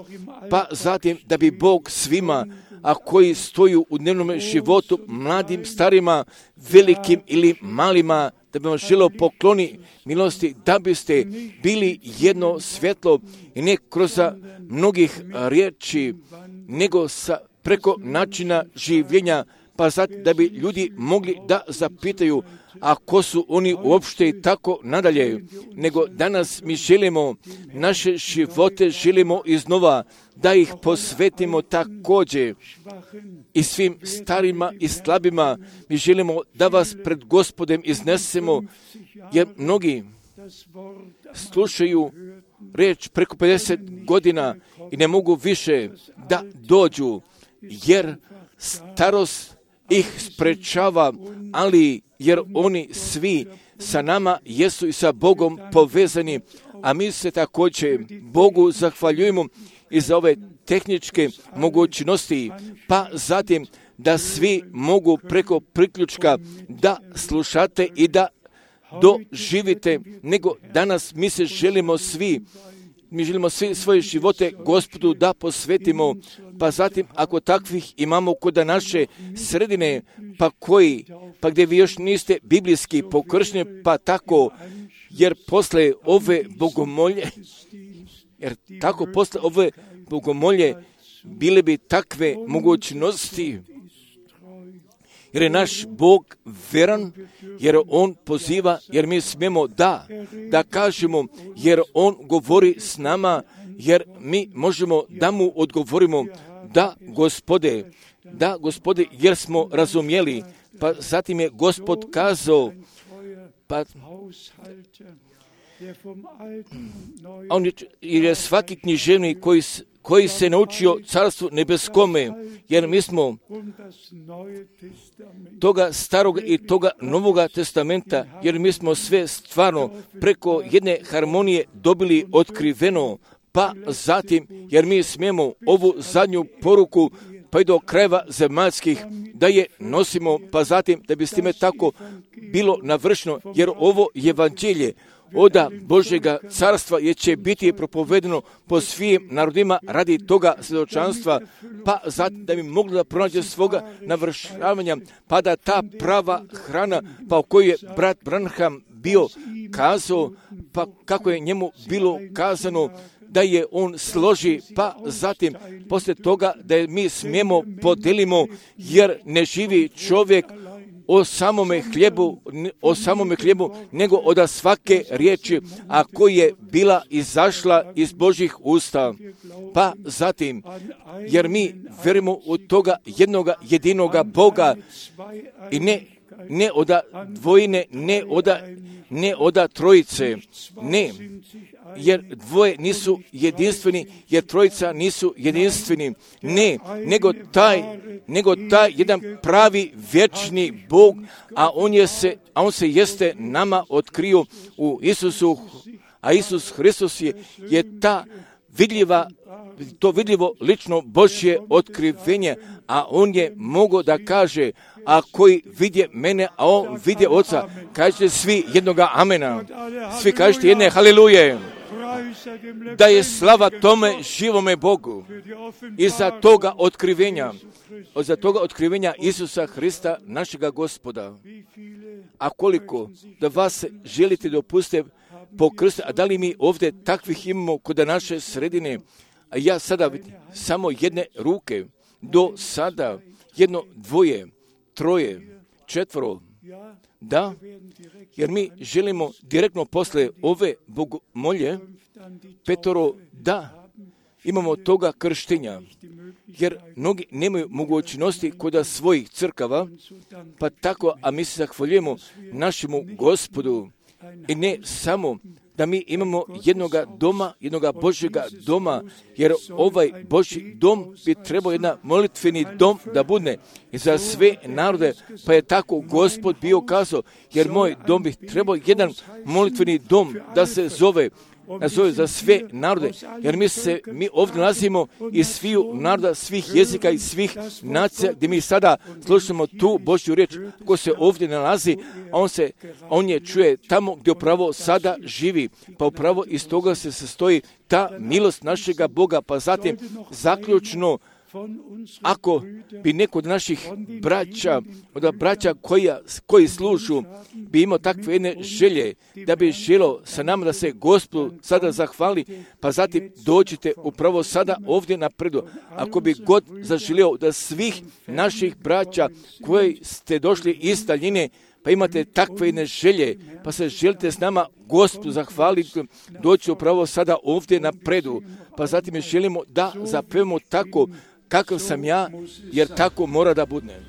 pa zatim da bi Bog svima, a koji stoju u dnevnom životu, mladim, starima, velikim ili malima, da bi vam želio pokloni milosti, da biste bili jedno svjetlo i ne kroz mnogih riječi, nego sa preko načina življenja, pa zatim da bi ljudi mogli da zapitaju, a ko su oni uopšte i tako nadalje, nego danas mi želimo naše živote, želimo iznova da ih posvetimo također i svim starima i slabima. Mi želimo da vas pred Gospodem iznesemo, jer mnogi slušaju riječ preko pedeset godina i ne mogu više da dođu, jer starost ih sprečava, ali jer oni svi sa nama jesu i sa Bogom povezani, a mi se također Bogu zahvaljujemo i za ove tehničke mogućnosti, pa zatim da svi mogu preko priključka da slušate i da doživite, nego danas mi se želimo svi Mi želimo svi svoje živote Gospodu da posvetimo, pa zatim ako takvih imamo kod naše sredine, pa koji, pa gdje vi još niste biblijski pokršteni, pa tako, jer posle ove bogomolje, jer tako posle ove bogomolje bile bi takve mogućnosti, jer je naš Bog veran, jer On poziva, jer mi smijemo da, da kažemo, jer On govori s nama, jer mi možemo da mu odgovorimo, da, Gospode, da, Gospode, jer smo razumjeli. Pa zatim je Gospod kazao, pa A on je, jer je svaki književnik koji, koji se naučio carstvu nebeskome, jer mi smo toga starog i toga novoga testamenta, jer mi smo sve stvarno preko jedne harmonije dobili otkriveno, pa zatim, jer mi smijemo ovu zadnju poruku pa i do krajeva zemaljskih, da je nosimo, pa zatim da bi s time tako bilo navršeno, jer ovo evanđelje oda Božjega carstva je će biti propovedeno po svim narodima radi toga svjedočanstva, pa zatim da bi mogli da pronađe svoga navršavanja, pa da ta prava hrana, pa o kojoj je brat Branham bio kazao, pa kako je njemu bilo kazano, da je on složi, pa zatim poslije toga da je mi smijemo podelimo, jer ne živi čovjek o samome hljebu, o samome hljebu, nego od svake riječi, a koja je bila izašla iz Božjih usta. Pa zatim, jer mi vjerujemo u toga jednoga jedinoga Boga i ne, ne oda dvojine, ne oda, ne oda trojice, ne, jer dvoje nisu jedinstveni, jer trojica nisu jedinstveni, ne, nego taj, nego taj jedan pravi vječni Bog, a on je se, a on se jeste nama otkrio u Isusu, a Isus Hristos je, je ta vidljiva, to vidljivo lično Božje otkrivenje, a on je mogao da kaže, a koji vidje mene, a on vidje Oca, kažete svi jednoga amena, svi kažete jedne haliluje, da je slava tome živome Bogu i za toga otkrivenja, za toga otkrivenja Isusa Hrista, našega Gospoda. A koliko da vas želite dopustiti po krstu, a da li mi ovdje takvih imamo kod naše sredine, a ja sada vidim samo jedne ruke, do sada jedno, dvoje, troje, četvoro, da, jer mi želimo direktno posle ove bogomolje, petoro, da, imamo toga krštenja, jer mnogi nemaju mogućnosti kod svojih crkava, pa tako, a mi se zahvaljujemo našemu Gospodu, i ne samo da mi imamo jednoga doma, jednoga Božjega doma, jer ovaj Božji dom bi trebao jedan molitveni dom da bude i za sve narode, pa je tako Gospod bio kazao, jer moj dom bi trebao jedan molitveni dom da se zove, nazove za sve narode, jer mi se, mi ovdje nalazimo iz sviju naroda, svih jezika i svih nacija, gdje mi sada slušamo tu Božju riječ, ko se ovdje nalazi, a on se, on je čuje tamo gdje upravo sada živi, pa upravo iz toga se sastoji ta milost našega Boga, pa zatim zaključno, ako bi neko od naših braća, od braća koja, koji služu, bi imao takve jedne želje, da bi želo sa nama da se Gospodu sada zahvali, pa zatim dođite upravo sada ovdje napredu. Ako bi God zaželio da svih naših braća koji ste došli iz daljine, pa imate takve jedne želje, pa se želite s nama Gospodu zahvaliti, doći upravo sada ovdje napredu, pa zatim mi želimo da zapevamo tako kakav sam ja, jer tako mora da bude.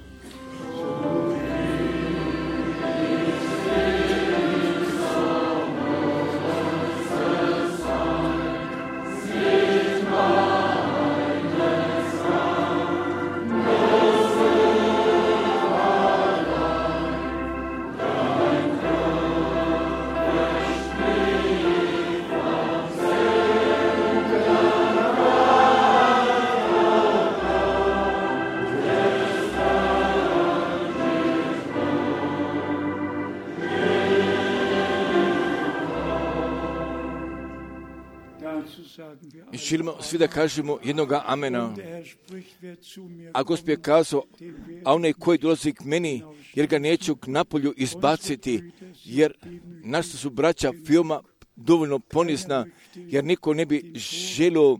I želimo svi da kažemo jednoga amena. A Gospod je kazao, a onaj koji dolazi k meni, jer ga neću k napolju izbaciti, jer naša su braća veoma dovoljno ponizna, jer niko ne bi želio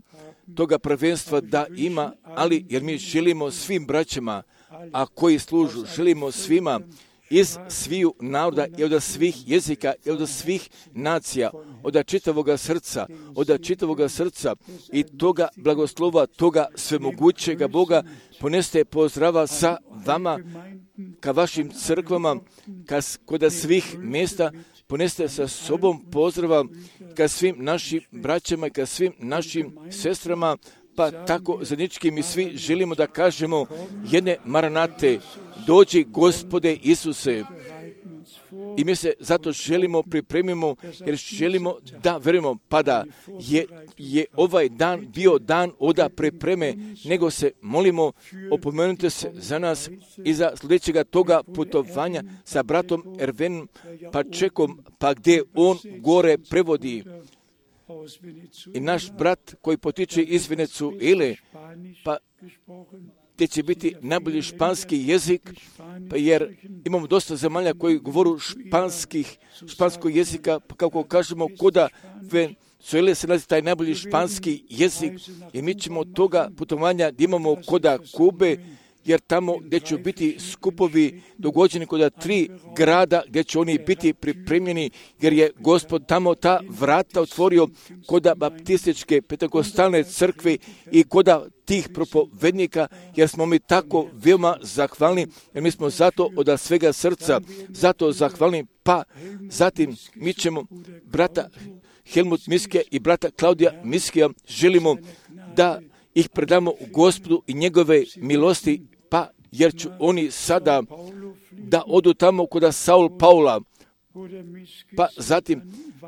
toga prvenstva da ima, ali jer mi želimo svim braćama, a koji služu, želimo svima, iz sviju naroda i od svih jezika i od svih nacija, od čitavoga srca, od čitavoga srca i toga blagoslova, toga svemogućega Boga poneste pozdrava sa vama, ka vašim crkvama, ka, kod svih mjesta poneste sa sobom pozdrava ka svim našim braćama i ka svim našim sestrama, pa tako zajednički mi svi želimo da kažemo jedne maranate, dođi Gospode Isuse. I mi se zato želimo, pripremimo, jer želimo da verujemo, pa da je, je ovaj dan bio dan oda pripreme, nego se molimo, opomenute se za nas i za sljedećega toga putovanja sa bratom Ervenom Pačekom, pa gdje on gore prevodi. I naš brat koji potiče iz Venezuele, pa gdje će biti najbolji španski jezik, pa jer imamo dosta zemalja koji govoru španskih, španskog jezika, pa kako kažemo, koda Venezuele se nalazi taj najbolji španski jezik, i mi ćemo od toga putovanja da imamo koda Kube, jer tamo gdje će biti skupovi dogođeni koda tri grada gdje će oni biti pripremljeni, jer je Gospod tamo ta vrata otvorio koda baptističke pentekostalne crkve i koda tih propovednika, jer smo mi tako veoma zahvalni, jer mi smo zato od svega srca zato zahvalni. Pa zatim mi ćemo brata Helmut Miske i brata Klaudija Miskija želimo da ih predamo u Gospodu i njegove milosti, pa jer ću oni sada da odu tamo kod Saul Paula, pa zatim,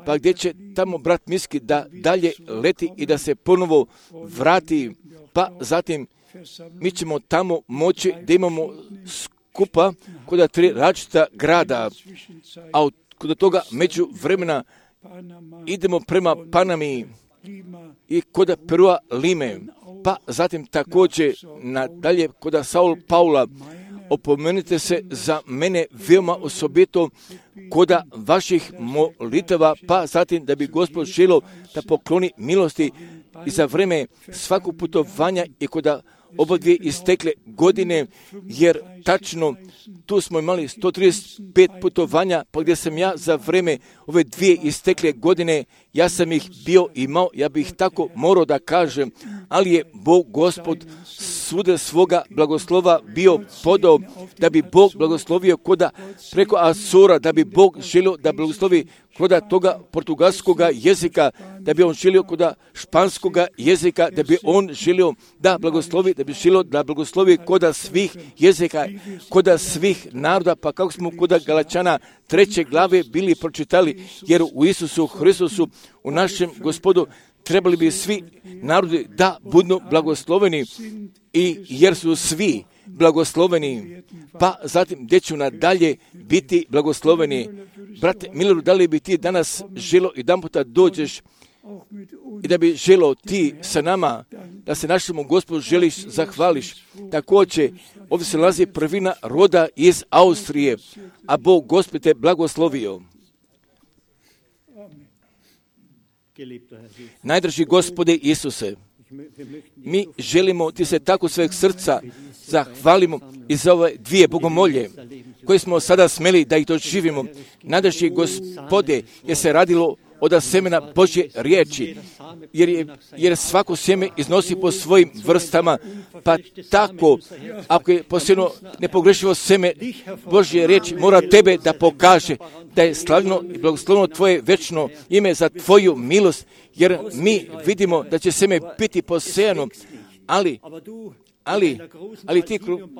pa gdje će tamo brat Miski da dalje leti i da se ponovo vrati, pa zatim mi ćemo tamo moći da imamo skupa kod tri različita grada, a kod toga među vremena idemo prema Panami i kod Perua Lime, pa zatim također nadalje kod Saul Paula. Opomenite se za mene veoma osobito koda vaših molitava, pa zatim da bi Gospod želio da pokloni milosti i za vreme svakog putovanja i koda oba dvije istekle godine, jer tačno tu smo imali sto trideset pet putovanja, pa gdje sam ja za vreme ove dvije istekle godine, ja sam ih bio imao, ja bih tako morao da kažem, ali je Bog Gospod svude svoga blagoslova bio podao, da bi Bog blagoslovio koda preko Asura, da bi Bog želio da blagoslovi koda toga portugalskoga jezika, da bi on želio koda španskoga jezika, da bi on želio da blagoslovi, da bi želio da blagoslovi koda svih jezika, koda svih naroda, pa kako smo koda Galačana treće glave bili pročitali, jer u Isusu Hristusu, u našem Gospodu, trebali bi svi narodi da budu blagosloveni, i jer su svi blagosloveni, pa zatim gdje ću nadalje biti blagosloveni. Brate Mileru, da li bi ti danas želo i jedan puta dođeš i da bi želo ti sa nama, da se našemu Gospodu želiš, zahvališ. Također, ovdje se nalazi prvina roda iz Austrije, a Bog Gospod te blagoslovio. Najdraži Gospode Isuse, mi želimo ti se tako sveg srca zahvalimo i za ove dvije bogomolje koje smo sada smeli da ih doživimo. Najdraži Gospode, je se radilo od semena Božje riječi, jer, je, jer svako sjeme iznosi po svojim vrstama, pa tako, ako je posebno nepogrešivo seme Božje riječi, mora tebe da pokaže da je slavno i blagoslovno tvoje večno ime za tvoju milost, jer mi vidimo da će seme biti posejano, ali Ali, ali ti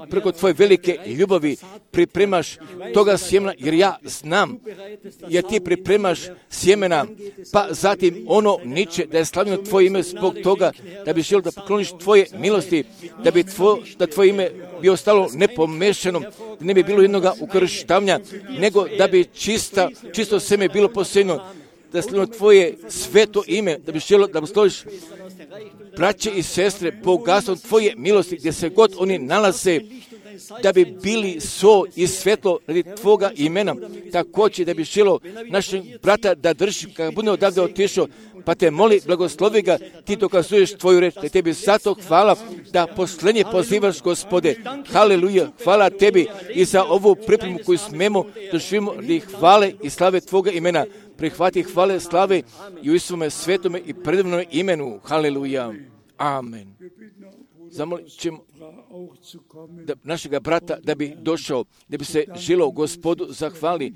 preko tvoje velike ljubavi pripremaš toga sjemena, jer ja znam, jer ti pripremaš sjemena, pa zatim ono niče, da je slavljeno tvoje ime zbog toga, da bi želio da pokloniš tvoje milosti, da bi tvo, da tvoje ime bi ostalo nepomešano, da ne bi bilo jednoga ukrštavanja, nego da bi čista, čisto sjeme bilo posejeno, da je slavljeno tvoje sveto ime, da bi želio da posloviš braće i sestre, bogatstvom tvoje milosti, gdje se god oni nalaze, da bi bili so i svetlo radi tvoga imena. Također da bi želo našeg brata da drži, kada bude odavde otišao, pa te moli, blagoslovi ga, ti dokazuješ tvoju reč, da tebi zato hvala da poslednje pozivaš, Gospode. Haleluja, hvala tebi i za ovu pripremu koju smemo doživimo radi hvale i slave tvoga imena. Prihvati hvale, slave i u Isuvome svetome i predivnome imenu. Haleluja. Amen. Zamolit ćemo da našega brata da bi došao, da bi se žilo Gospodu zahvali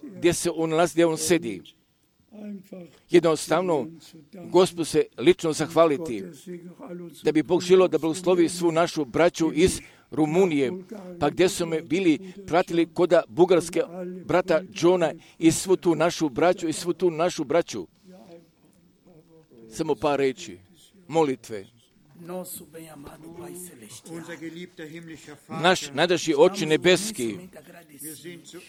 gdje se on nalazi, gdje on sedi. Jednostavno, Gospodu se lično zahvaliti, da bi Bog želio da blagoslovi svu našu braću iz Rumunije, pa gdje su me bili pratili koda bugarske brata Johna i svu tu našu braću i svu tu našu braću. Samo par reći, molitve. Naš najdraži Oče nebeski,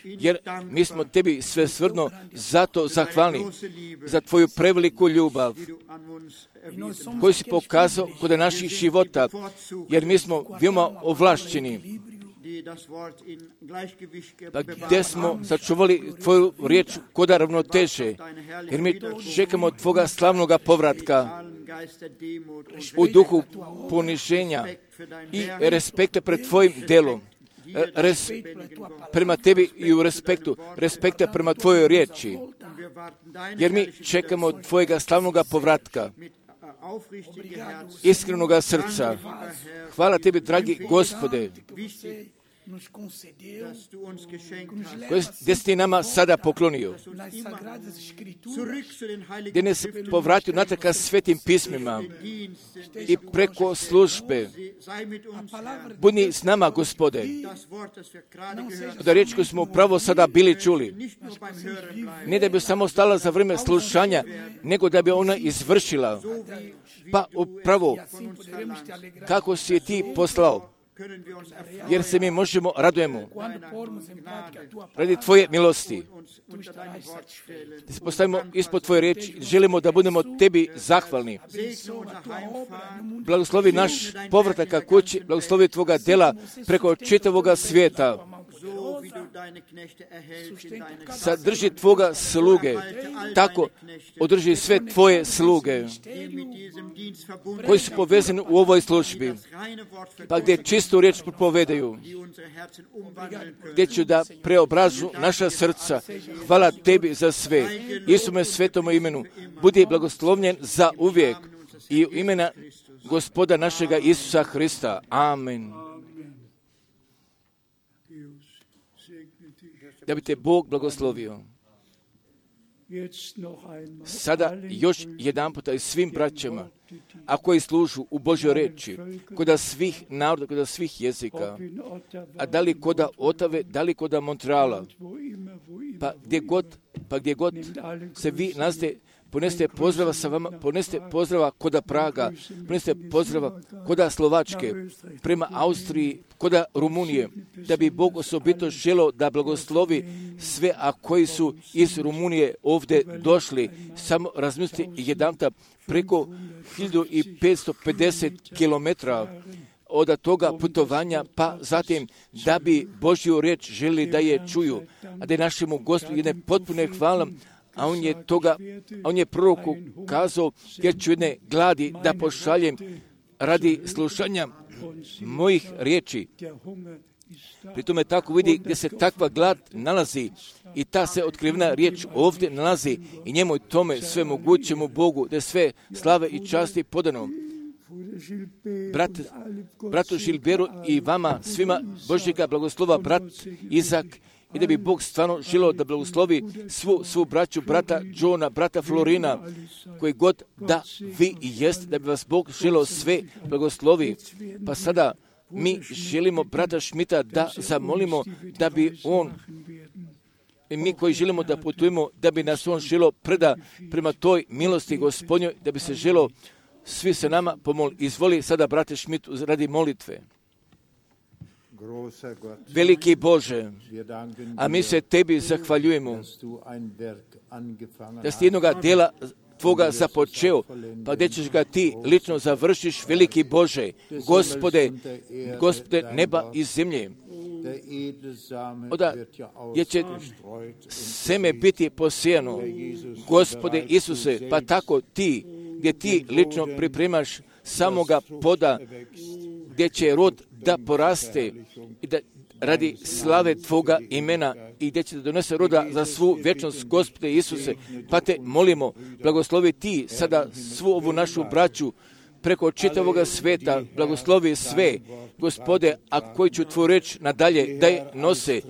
jer mi smo tebi svesrdno zato zahvalni za tvoju preveliku ljubav koju si pokazao kod naših života, jer mi smo veoma ovlašćeni, pa gdje smo sačuvali tvoju riječ kod ravnoteže, jer mi čekamo tvoga slavnoga povratka u duhu poniženja i respekta pred tvojim delom, Res, prema tebi i u respektu, respekta prema tvojoj riječi, jer mi čekamo tvojega slavnoga povratka, iskrenoga srca. Hvala tebi, dragi Gospode, koji gdje si ti nama sada poklonio, gdje nas povratio natrag ka svetim pismima i preko službe. Budi s nama, Gospode, da riječ koju smo upravo sada bili čuli, ne da bi samo stala za vrijeme slušanja, nego da bi ona izvršila, pa upravo kako si je ti poslao, jer se mi možemo radujemo radi tvoje milosti. Da se postavimo ispod tvoje riječi, želimo da budemo tebi zahvalni. Blagoslovi naš povratak ka kući, blagoslovi tvoga dela preko čitavoga svijeta. Sadrži tvoga sluge, tako održi sve tvoje sluge koji su povezani u ovoj službi, pa gdje čistu riječ propovedaju, gdje ću da preobražu naša srca. Hvala tebi za sve. Isume svetom imenu, budi blagoslovljen za uvijek i u imena Gospoda našega Isusa Hrista. Amen. Da bi te Bog blagoslovio. Sada još jedan puta i svim braćama, a koji služu u Božoj reči, koda svih naroda, koda svih jezika, a da li koda Otave, da li koda Montreala, pa gdje god, pa gdje god se vi nalazite, poneste pozdrava sa vama, poneste pozdrava koda Praga, poneste pozdrava koda Slovačke, prema Austriji, koda Rumunije, da bi Bog osobito želio da blagoslovi sve, a koji su iz Rumunije ovdje došli. Samo razmislite jedanputa preko hiljadu petsto pedeset kilometara od toga putovanja, pa zatim da bi Božju riječ želi da je čuju, a da je našemu Gospodu jedne potpune hvala. A on je toga, a on je proroku kazao, jer ću jedne gladi da pošaljem radi slušanja mojih riječi. Pri tome tako vidi gdje se takva glad nalazi i ta se otkrivena riječ ovdje nalazi i njemu i tome sve mogućemu Bogu, da je sve slave i časti podano. Brat, bratu Žilberu i vama svima Božjega blagoslova, brat Izak, i da bi Bog stvarno želio da blagoslovi svu, svu braću, brata Johna, brata Florina, koji god da vi i jeste, da bi vas Bog želio sve blagoslovi. Pa sada mi želimo brata Šmita da zamolimo da bi on, i mi koji želimo da putujemo, da bi nas on želio preda prema toj milosti Gospodnjoj, da bi se želio svi se nama pomoli. Izvoli sada, brate Šmit, radi molitve. Veliki Bože, a mi se tebi zahvaljujemo da si jednoga dela tvoga započeo, pa gdje ćeš ga ti lično završiš, veliki Bože, Gospode, Gospode neba i zemlje. Oda gdje će seme biti posijano, Gospode Isuse, pa tako ti, gdje ti lično pripremaš samoga poda, gdje će rod da poraste i da radi slave tvoga imena i gdje će da donese roda za svu vječnost, Gospode Isuse, pa te molimo, blagoslovi ti sada svu ovu našu braću, preko čitavoga sveta, blagoslovi sve, Gospode, a koji ću tvoju reč nadalje da je nose,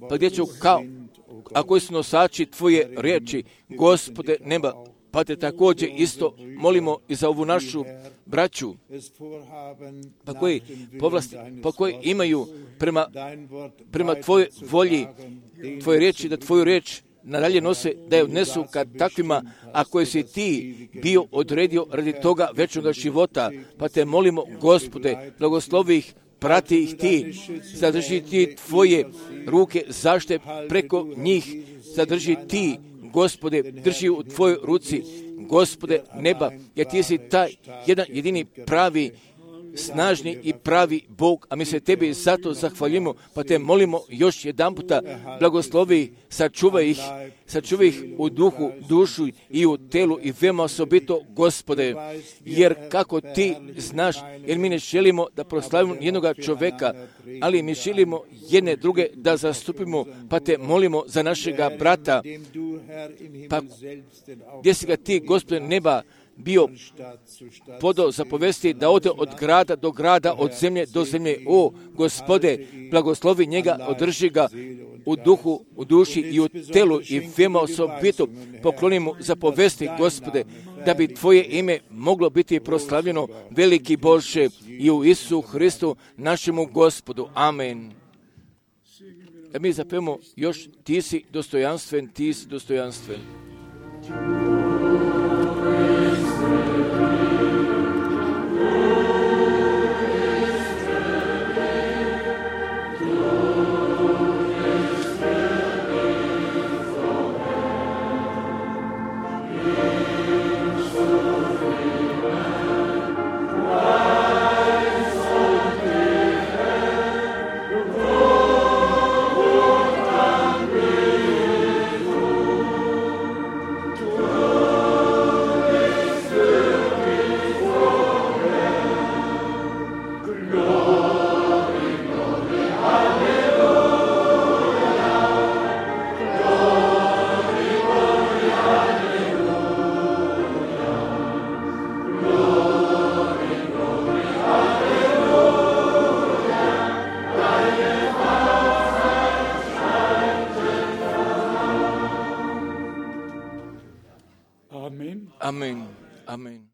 pa gdje ću kao, a koji su nosači tvoje riječi, Gospode neba, pa te također isto molimo i za ovu našu braću, pa koji povlasti, pa koji imaju prema, prema tvojoj volji, tvoje riječi, da tvoju riječ nadalje nose, da je odnesu kad takvima, a koje si ti bio odredio radi toga večnoga života, pa te molimo, Gospode, blagoslovi ih, prati ih ti, zadrži ti tvoje ruke zašte preko njih, zadrži ti, Gospode, drži u tvojoj ruci, Gospode neba, jer ti si taj jedan jedini pravi, snažni i pravi Bog, a mi se tebi zato zahvaljujemo, pa te molimo još jedan puta, blagoslovi, sačuvaj ih, sačuvaj ih u duhu, dušu i u telu i veoma osobito, Gospode, jer kako ti znaš, jer mi ne želimo da proslavimo jednoga čoveka, ali mi želimo jedne druge da zastupimo, pa te molimo za našega brata, pa gdje si ga ti, Gospode neba, bio podao zapovesti da ode od grada do grada, od zemlje do zemlje. O, Gospode, blagoslovi njega, održi ga u duhu, u duši i u telu i veoma osobito poklonimo zapovesti, Gospode, da bi tvoje ime moglo biti proslavljeno, veliki Bože, i u Isusu Hristu, našemu Gospodu. Amen. Da mi zapevamo još, ti si dostojanstven, ti si dostojanstven. Amen. Amen.